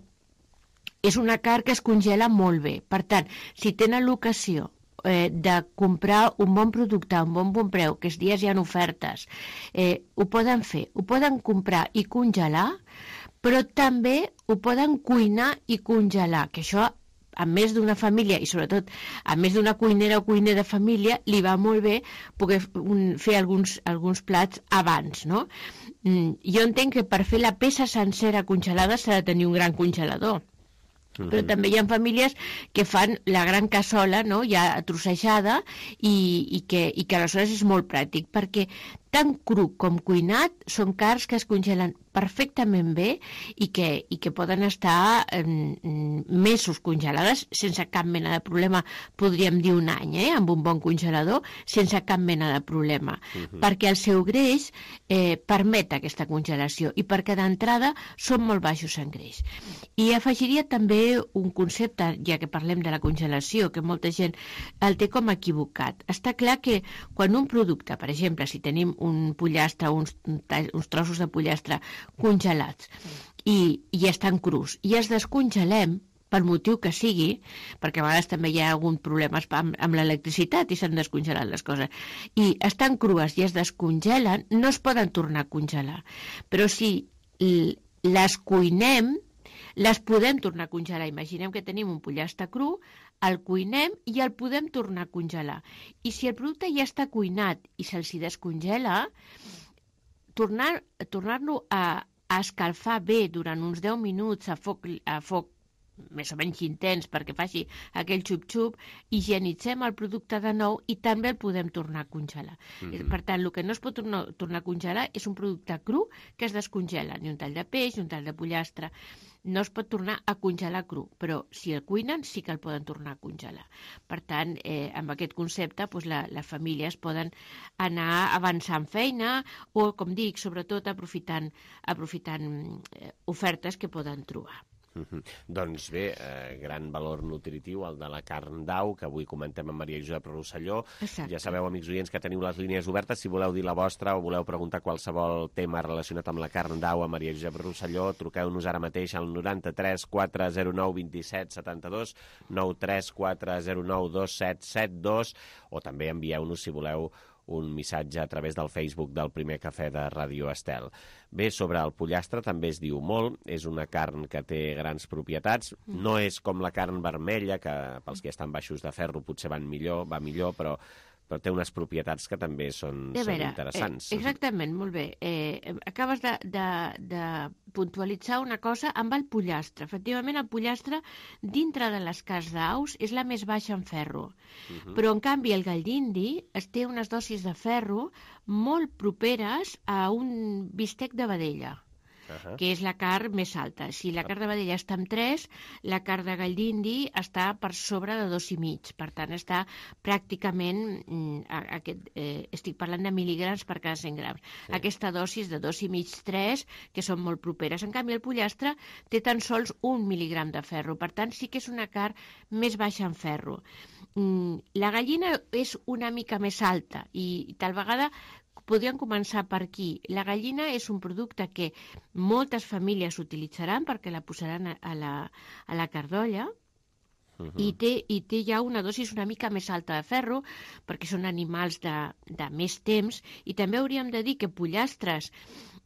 és una carn que es congela molt bé. Per tant, si tenen l'ocasió de comprar un bon producte a un bon preu, que aquests dies hi ha ofertes, ho poden fer, ho poden comprar i congelar, però també ho poden cuinar i congelar, que això a més d'una família, i sobretot a més d'una cuinera o cuiner de família, li va molt bé poder fer alguns plats abans, no? Jo entenc que per fer la peça sencera congelada s'ha de tenir un gran congelador, però també hi ha famílies que fan la gran cassola, no? Ja trossejada, i que aleshores és molt pràctic, perquè tant cru com cuinat són carns que es congelen perfectament bé i que poden estar mesos congelades sense cap mena de problema, podríem dir un any, amb un bon congelador, sense cap mena de problema, perquè el seu greix permet aquesta congelació i perquè d'entrada són molt baixos en greix. I afegiria també un concepte, ja que parlem de la congelació, que molta gent el té com equivocat. Està clar que quan un producte, per exemple, si tenim un pollastre, uns trossos de pollastre congelats i estan crus i els descongelem per motiu que sigui, perquè a vegades també hi ha algun problema amb l'electricitat i s'han descongelat les coses, i estan crues i es descongelen, no es poden tornar a congelar. Però si les cuinem, les podem tornar a congelar. Imaginem que tenim un pollastre cru, el cuinem i el podem tornar a congelar. I si el producte ja està cuinat i se'ls descongela, tornar-lo a escalfar bé durant uns 10 minuts a foc més o menys intens perquè faci aquell xup-xup, higienitzem el producte de nou i també el podem tornar a congelar. Per tant, el que no es pot tornar a congelar és un producte cru que es descongela, ni un tall de peix, ni un tall de pollastre. No es pot tornar a congelar cru, però si el cuinen sí que el poden tornar a congelar. Per tant, amb aquest concepte, les famílies poden anar avançant feina o, com dic, sobretot aprofitant ofertes que poden trobar. Doncs bé, gran valor nutritiu el de la carn d'au, que avui comentem amb Maria Josep Rosselló. Exacte. Ja sabeu, amics oients, que teniu les línies obertes. Si voleu dir la vostra o voleu preguntar qualsevol tema relacionat amb la carn d'au a Maria Josep Rosselló, truqueu-nos ara mateix al 93 409 27 72, 93 409 2772, o també envieu-nos, si voleu, un missatge a través del Facebook del Primer Cafè de Ràdio Estel. Bé, sobre el pollastre també es diu molt, és una carn que té grans propietats, no és com la carn vermella, que pels que estan baixos de ferro potser va millor, però té unes propietats que també són interessants. Exactament, molt bé. Acabes de puntualitzar una cosa amb el pollastre. Efectivament, el pollastre, dintre de les carns d'aus, és la més baixa en ferro. Però, en canvi, el gall d'indi té unes dosis de ferro molt properes a un bistec de vedella, que és la carn més alta. Si la carn de vedella està amb 3, la carn de gall d'indi està per sobre de 2,5. Per tant, està pràcticament, estic parlant de mil·ligrams per cada 100 grams. Aquesta dosis de 2,5-3, que són molt properes. En canvi, el pollastre té tan sols 1 mil·ligram de ferro. Per tant, sí que és una carn més baixa en ferro. La gallina és una mica més alta i tal vegada podríem començar per aquí. La gallina és un producte que moltes famílies utilitzaran perquè la posaran a la cardolla i té ja una dosis una mica més alta de ferro perquè són animals de més temps, i també hauríem de dir que pollastres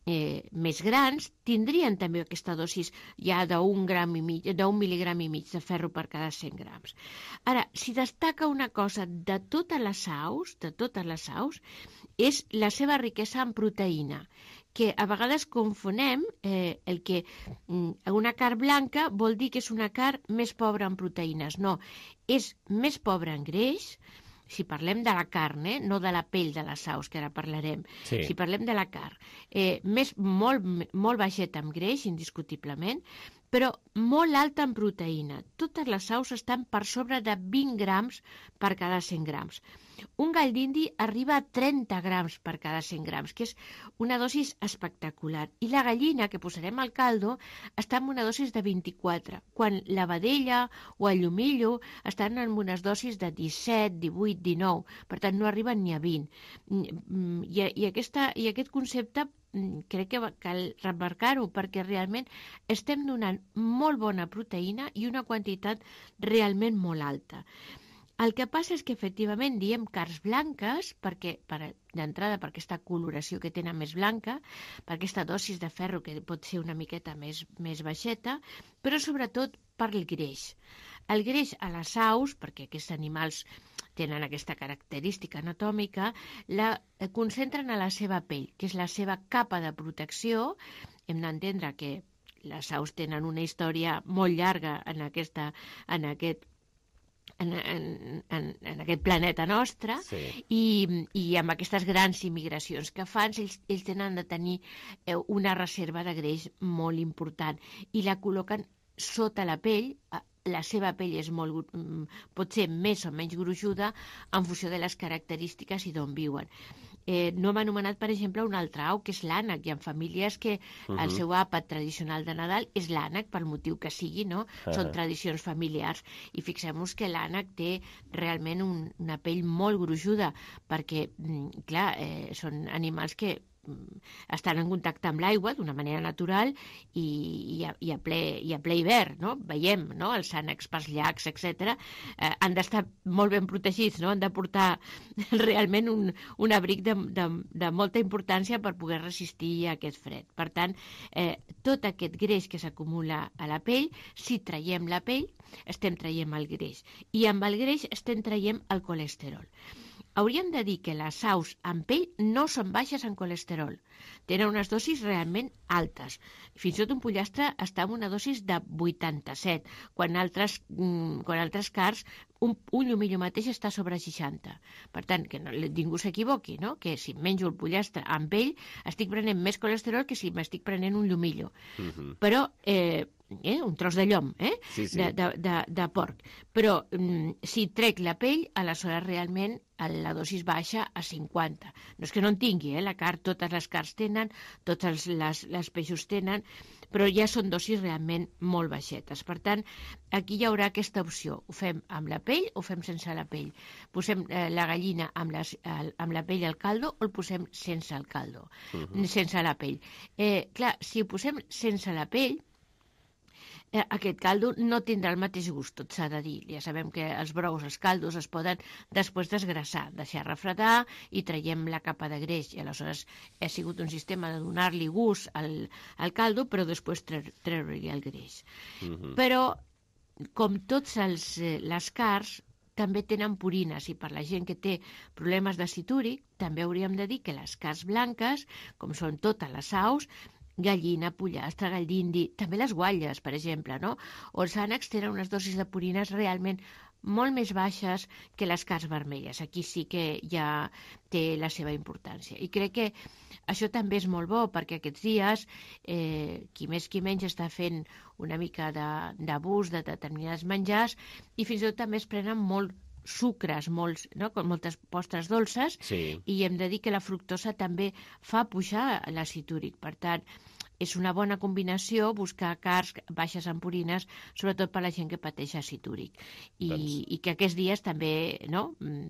més grans tindrien també aquesta dosis ja d'un mil·ligram i mig de ferro per cada 100 grams. Ara, si destaca una cosa de totes les aus, és la seva riquesa en proteïna, que a vegades confonem el que una carn blanca vol dir que és una carn més pobra en proteïnes. No, és més pobra en greix, si parlem de la carn, no de la pell de les aus, que ara parlarem. Sí. Si parlem de la carn, molt baixeta en greix, indiscutiblement, però molt alta en proteïna. Totes les aus estan per sobre de 20 grams per cada 100 grams. Un gall d'indi arriba a 30 grams per cada 100 grams, que és una dosis espectacular. I la gallina, que posarem al caldo, està en una dosis de 24, quan la vedella o el llumillo estan en unes dosis de 17, 18, 19, per tant no arriben ni a 20. I aquest concepte crec que cal remarcar-ho, perquè realment estem donant molt bona proteïna i una quantitat realment molt alta. El que passa és que efectivament diem carns blanques d'entrada per aquesta coloració que tenen més blanca, per aquesta dosis de ferro que pot ser una miqueta més baixeta, però sobretot per el greix. El greix a les aus, perquè aquests animals tenen aquesta característica anatòmica, la concentren a la seva pell, que és la seva capa de protecció. Hem d'entendre que les aus tenen una història molt llarga en aquest en aquest planeta nostre, i amb aquestes grans immigracions que fan, ells tenen de tenir una reserva de greix molt important i la col·loquen sota la pell. La seva pell pot ser més o menys gruixuda en funció de les característiques i d'on viuen. No hem anomenat, per exemple, un altre au, que és l'ànec. Hi ha famílies que el seu àpat tradicional de Nadal és l'ànec, pel motiu que sigui, no? Són tradicions familiars. I fixem-nos que l'ànec té realment una pell molt gruixuda, perquè, clar, són animals que estan en contacte amb l'aigua d'una manera natural i a ple hivern, no? Veiem, no? Els ànecs pels llacs, etc. Han d'estar molt ben protegits, no? Han de portar realment un abric de molta importància per poder resistir a aquest fred. Per tant, tot aquest greix que s'acumula a la pell, si traiem la pell, estem traient el greix. I amb el greix estem traient el colesterol. Hauríem de dir que les aus amb pell no són baixes en colesterol. Tenen unes dosis realment altes. Fins i tot un pollastre està amb una dosis de 87, quan altres cars un llumillo mateix està sobre 60. Per tant, que ningú s'equivoqui, no? Que si menjo el pollastre amb pell estic prenent més colesterol que si m'estic prenent un llumillo. Però un tros de llom, de porc. Però si trec la pell, aleshores realment la dosis baixa a 50. No és que no en tingui, la carn, totes les carns tenen, tots els peixos tenen, però ja són dosis realment molt baixetes. Per tant, aquí hi haurà aquesta opció. Ho fem amb la pell o ho fem sense la pell? Posem la gallina amb la pell al caldo o el posem sense el caldo, sense la pell? Clar, si ho posem sense la pell, aquest caldo no tindrà el mateix gust, tot s'ha de dir. Ja sabem que els brous, els caldos, es poden després desgrassar, deixar refredar i traiem la capa de greix. I aleshores ha sigut un sistema de donar-li gust al caldo, però després treure-li el greix. Però, com tots les carns, també tenen purines, i per la gent que té problemes d'acid úric, també hauríem de dir que les carns blanques, com són totes les aus, gallina, pollastre, gall d'indi, també les guatlles, per exemple, no? O els ànecs tenen unes dosis de purines realment molt més baixes que les carns vermelles. Aquí sí que ja té la seva importància. I crec que això també és molt bo, perquè aquests dies qui més qui menys està fent una mica d'abús de determinats menjars i fins i tot també es prenen molt sucres, moltes postres dolces, i hem de dir que la fructosa també fa pujar l'àcid úric. Per tant, és una bona combinació buscar carns baixes en purines, sobretot per la gent que pateix àcid úric. I que aquests dies també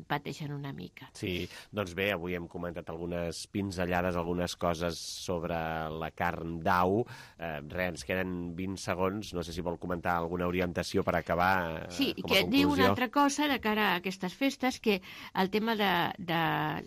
pateixen una mica. Sí, doncs bé, avui hem comentat algunes pinzellades, algunes coses sobre la carn d'au. Ens queden 20 segons, no sé si vol comentar alguna orientació per acabar sí, com a que conclusió. Diu una altra cosa de cara a aquestes festes, que el tema de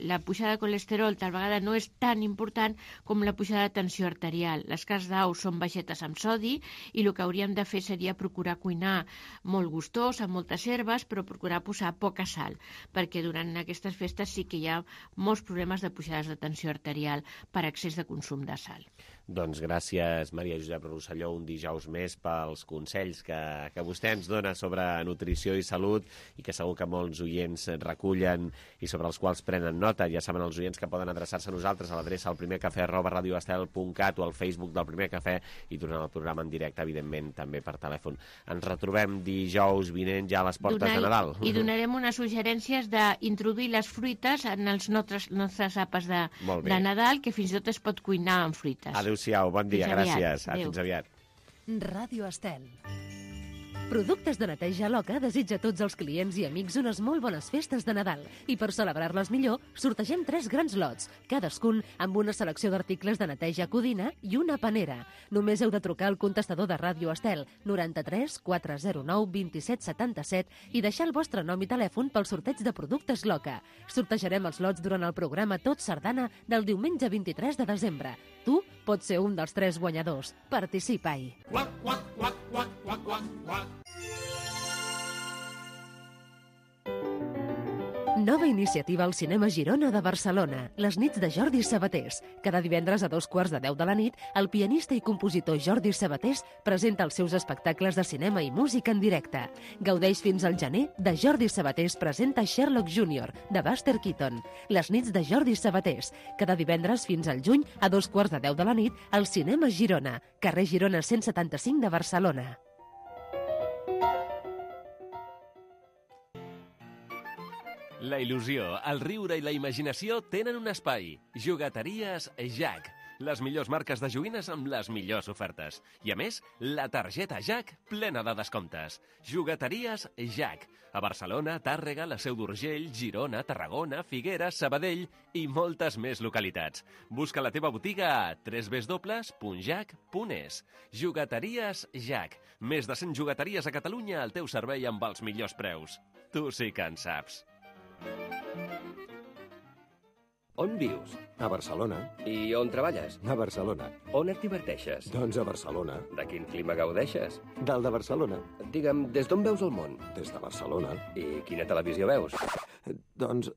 la pujada de colesterol tal vegada no és tan important com la pujada de tensió arterial. Les carns d'au són baixetes amb sodi i el que hauríem de fer seria procurar cuinar molt gustós, amb moltes herbes, però procurar posar poca sal, perquè durant aquestes festes sí que hi ha molts problemes de pujades de tensió arterial per excés de consum de sal. Doncs gràcies, Maria Josep Rosselló, un dijous més pels consells que vostè ens dona sobre nutrició i salut i que segur que molts oients recullen i sobre els quals prenen nota. Ja saben els oients que poden adreçar-se a nosaltres a l'adreça alprimercafè@radioestel.cat o al Facebook del Primer Cafè i durant el programa en directe, evidentment, també per telèfon. Ens retrobem dijous vinent ja a les portes de Nadal. I donarem unes suggerències d'introduir les fruites en els nostres àpats de Nadal, que fins i tot es pot cuinar amb fruites. Adéu-siau, bon dia, gràcies. Fins aviat. Ràdio Estel. Productes de neteja Loca desitja a tots els clients i amics unes molt bones festes de Nadal. I per celebrar-les millor, sortegem 3 grans lots, cadascun amb una selecció d'articles de neteja Codina i una panera. Només heu de trucar al contestador de Ràdio Estel 93 409 27 77 i deixar el vostre nom i telèfon pel sorteig de productes Loca. Sortejarem els lots durant el programa Tot Sardana del diumenge 23 de desembre. Tu pots ser un dels 3 guanyadors. Participa-hi. Quack, quack, quack, quack, quack, quack, quack. Nova iniciativa al Cinema Girona de Barcelona, les nits de Jordi Sabatés. Cada divendres a 2:15 de la nit, el pianista i compositor Jordi Sabatés presenta els seus espectacles de cinema i música en directe. Gaudeix fins al gener de Jordi Sabatés presenta Sherlock Jr., de Buster Keaton. Les nits de Jordi Sabatés, cada divendres fins al juny a 2:15 de la nit, al Cinema Girona, carrer Girona 175 de Barcelona. La il·lusió, el riure i la imaginació tenen un espai. Jugueteries Jack. Les millors marques de joguines amb les millors ofertes. I a més, la targeta Jack plena de descomptes. Jugueteries Jack. A Barcelona, Tàrrega, la Seu d'Urgell, Girona, Tarragona, Figueres, Sabadell i moltes més localitats. Busca la teva botiga a www.jack.es. Jugueteries Jack. Més de 100 jugueteries a Catalunya al teu servei amb els millors preus. Tu sí que en saps. On vius? A Barcelona. I on treballes? A Barcelona. On et diverteixes? Doncs a Barcelona. De quin clima gaudeixes? Del de Barcelona. Digue'm, des d'on veus el món? Des de Barcelona. I quina televisió veus? Doncs...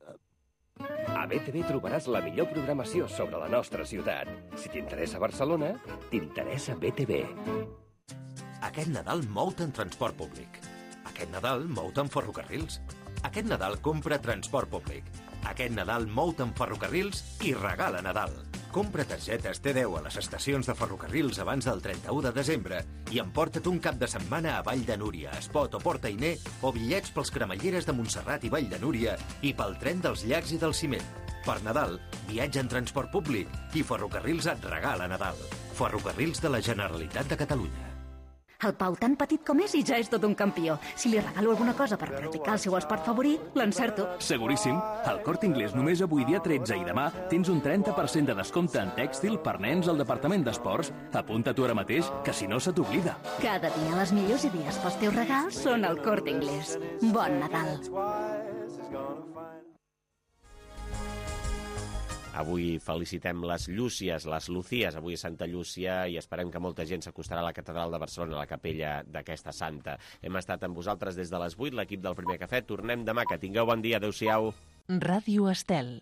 A BTV trobaràs la millor programació sobre la nostra ciutat. Si t'interessa Barcelona, t'interessa BTV. Aquest Nadal mou-te en transport públic. Aquest Nadal mou-te en ferrocarrils. Aquest Nadal compra transport públic. Aquest Nadal mou-te en ferrocarrils i regala Nadal. Compra targetes T10 a les estacions de ferrocarrils abans del 31 de desembre i emporta't un cap de setmana a Vall de Núria, Espot o Port Ainé o bitllets pels cremalleres de Montserrat i Vall de Núria i pel tren dels Llacs i del Ciment. Per Nadal, viatja en transport públic i Ferrocarrils et regala Nadal. Ferrocarrils de la Generalitat de Catalunya. El Pau, tan petit com és, i ja és tot un campió. Si li regalo alguna cosa per practicar el seu esport favorit, l'encerto. Seguríssim. Al Corte Inglés només avui dia 13 i demà tens un 30% de descompte en tèxtil per nens al departament d'esports. Apunta tu ara mateix, que si no se t'oblida. Cada dia les millors idees pels teus regals són al Corte Inglés. Bon Nadal. Avui felicitem les Llúcies, les Lucías, avui a Santa Llúcia, i esperem que molta gent s'acostarà a la catedral de Barcelona, a la capella d'aquesta santa. Hem estat amb vosaltres des de les 8, l'equip del Primer Cafè. Tornem demà, que tingueu bon dia. Adéu-siau. Ràdio Estel.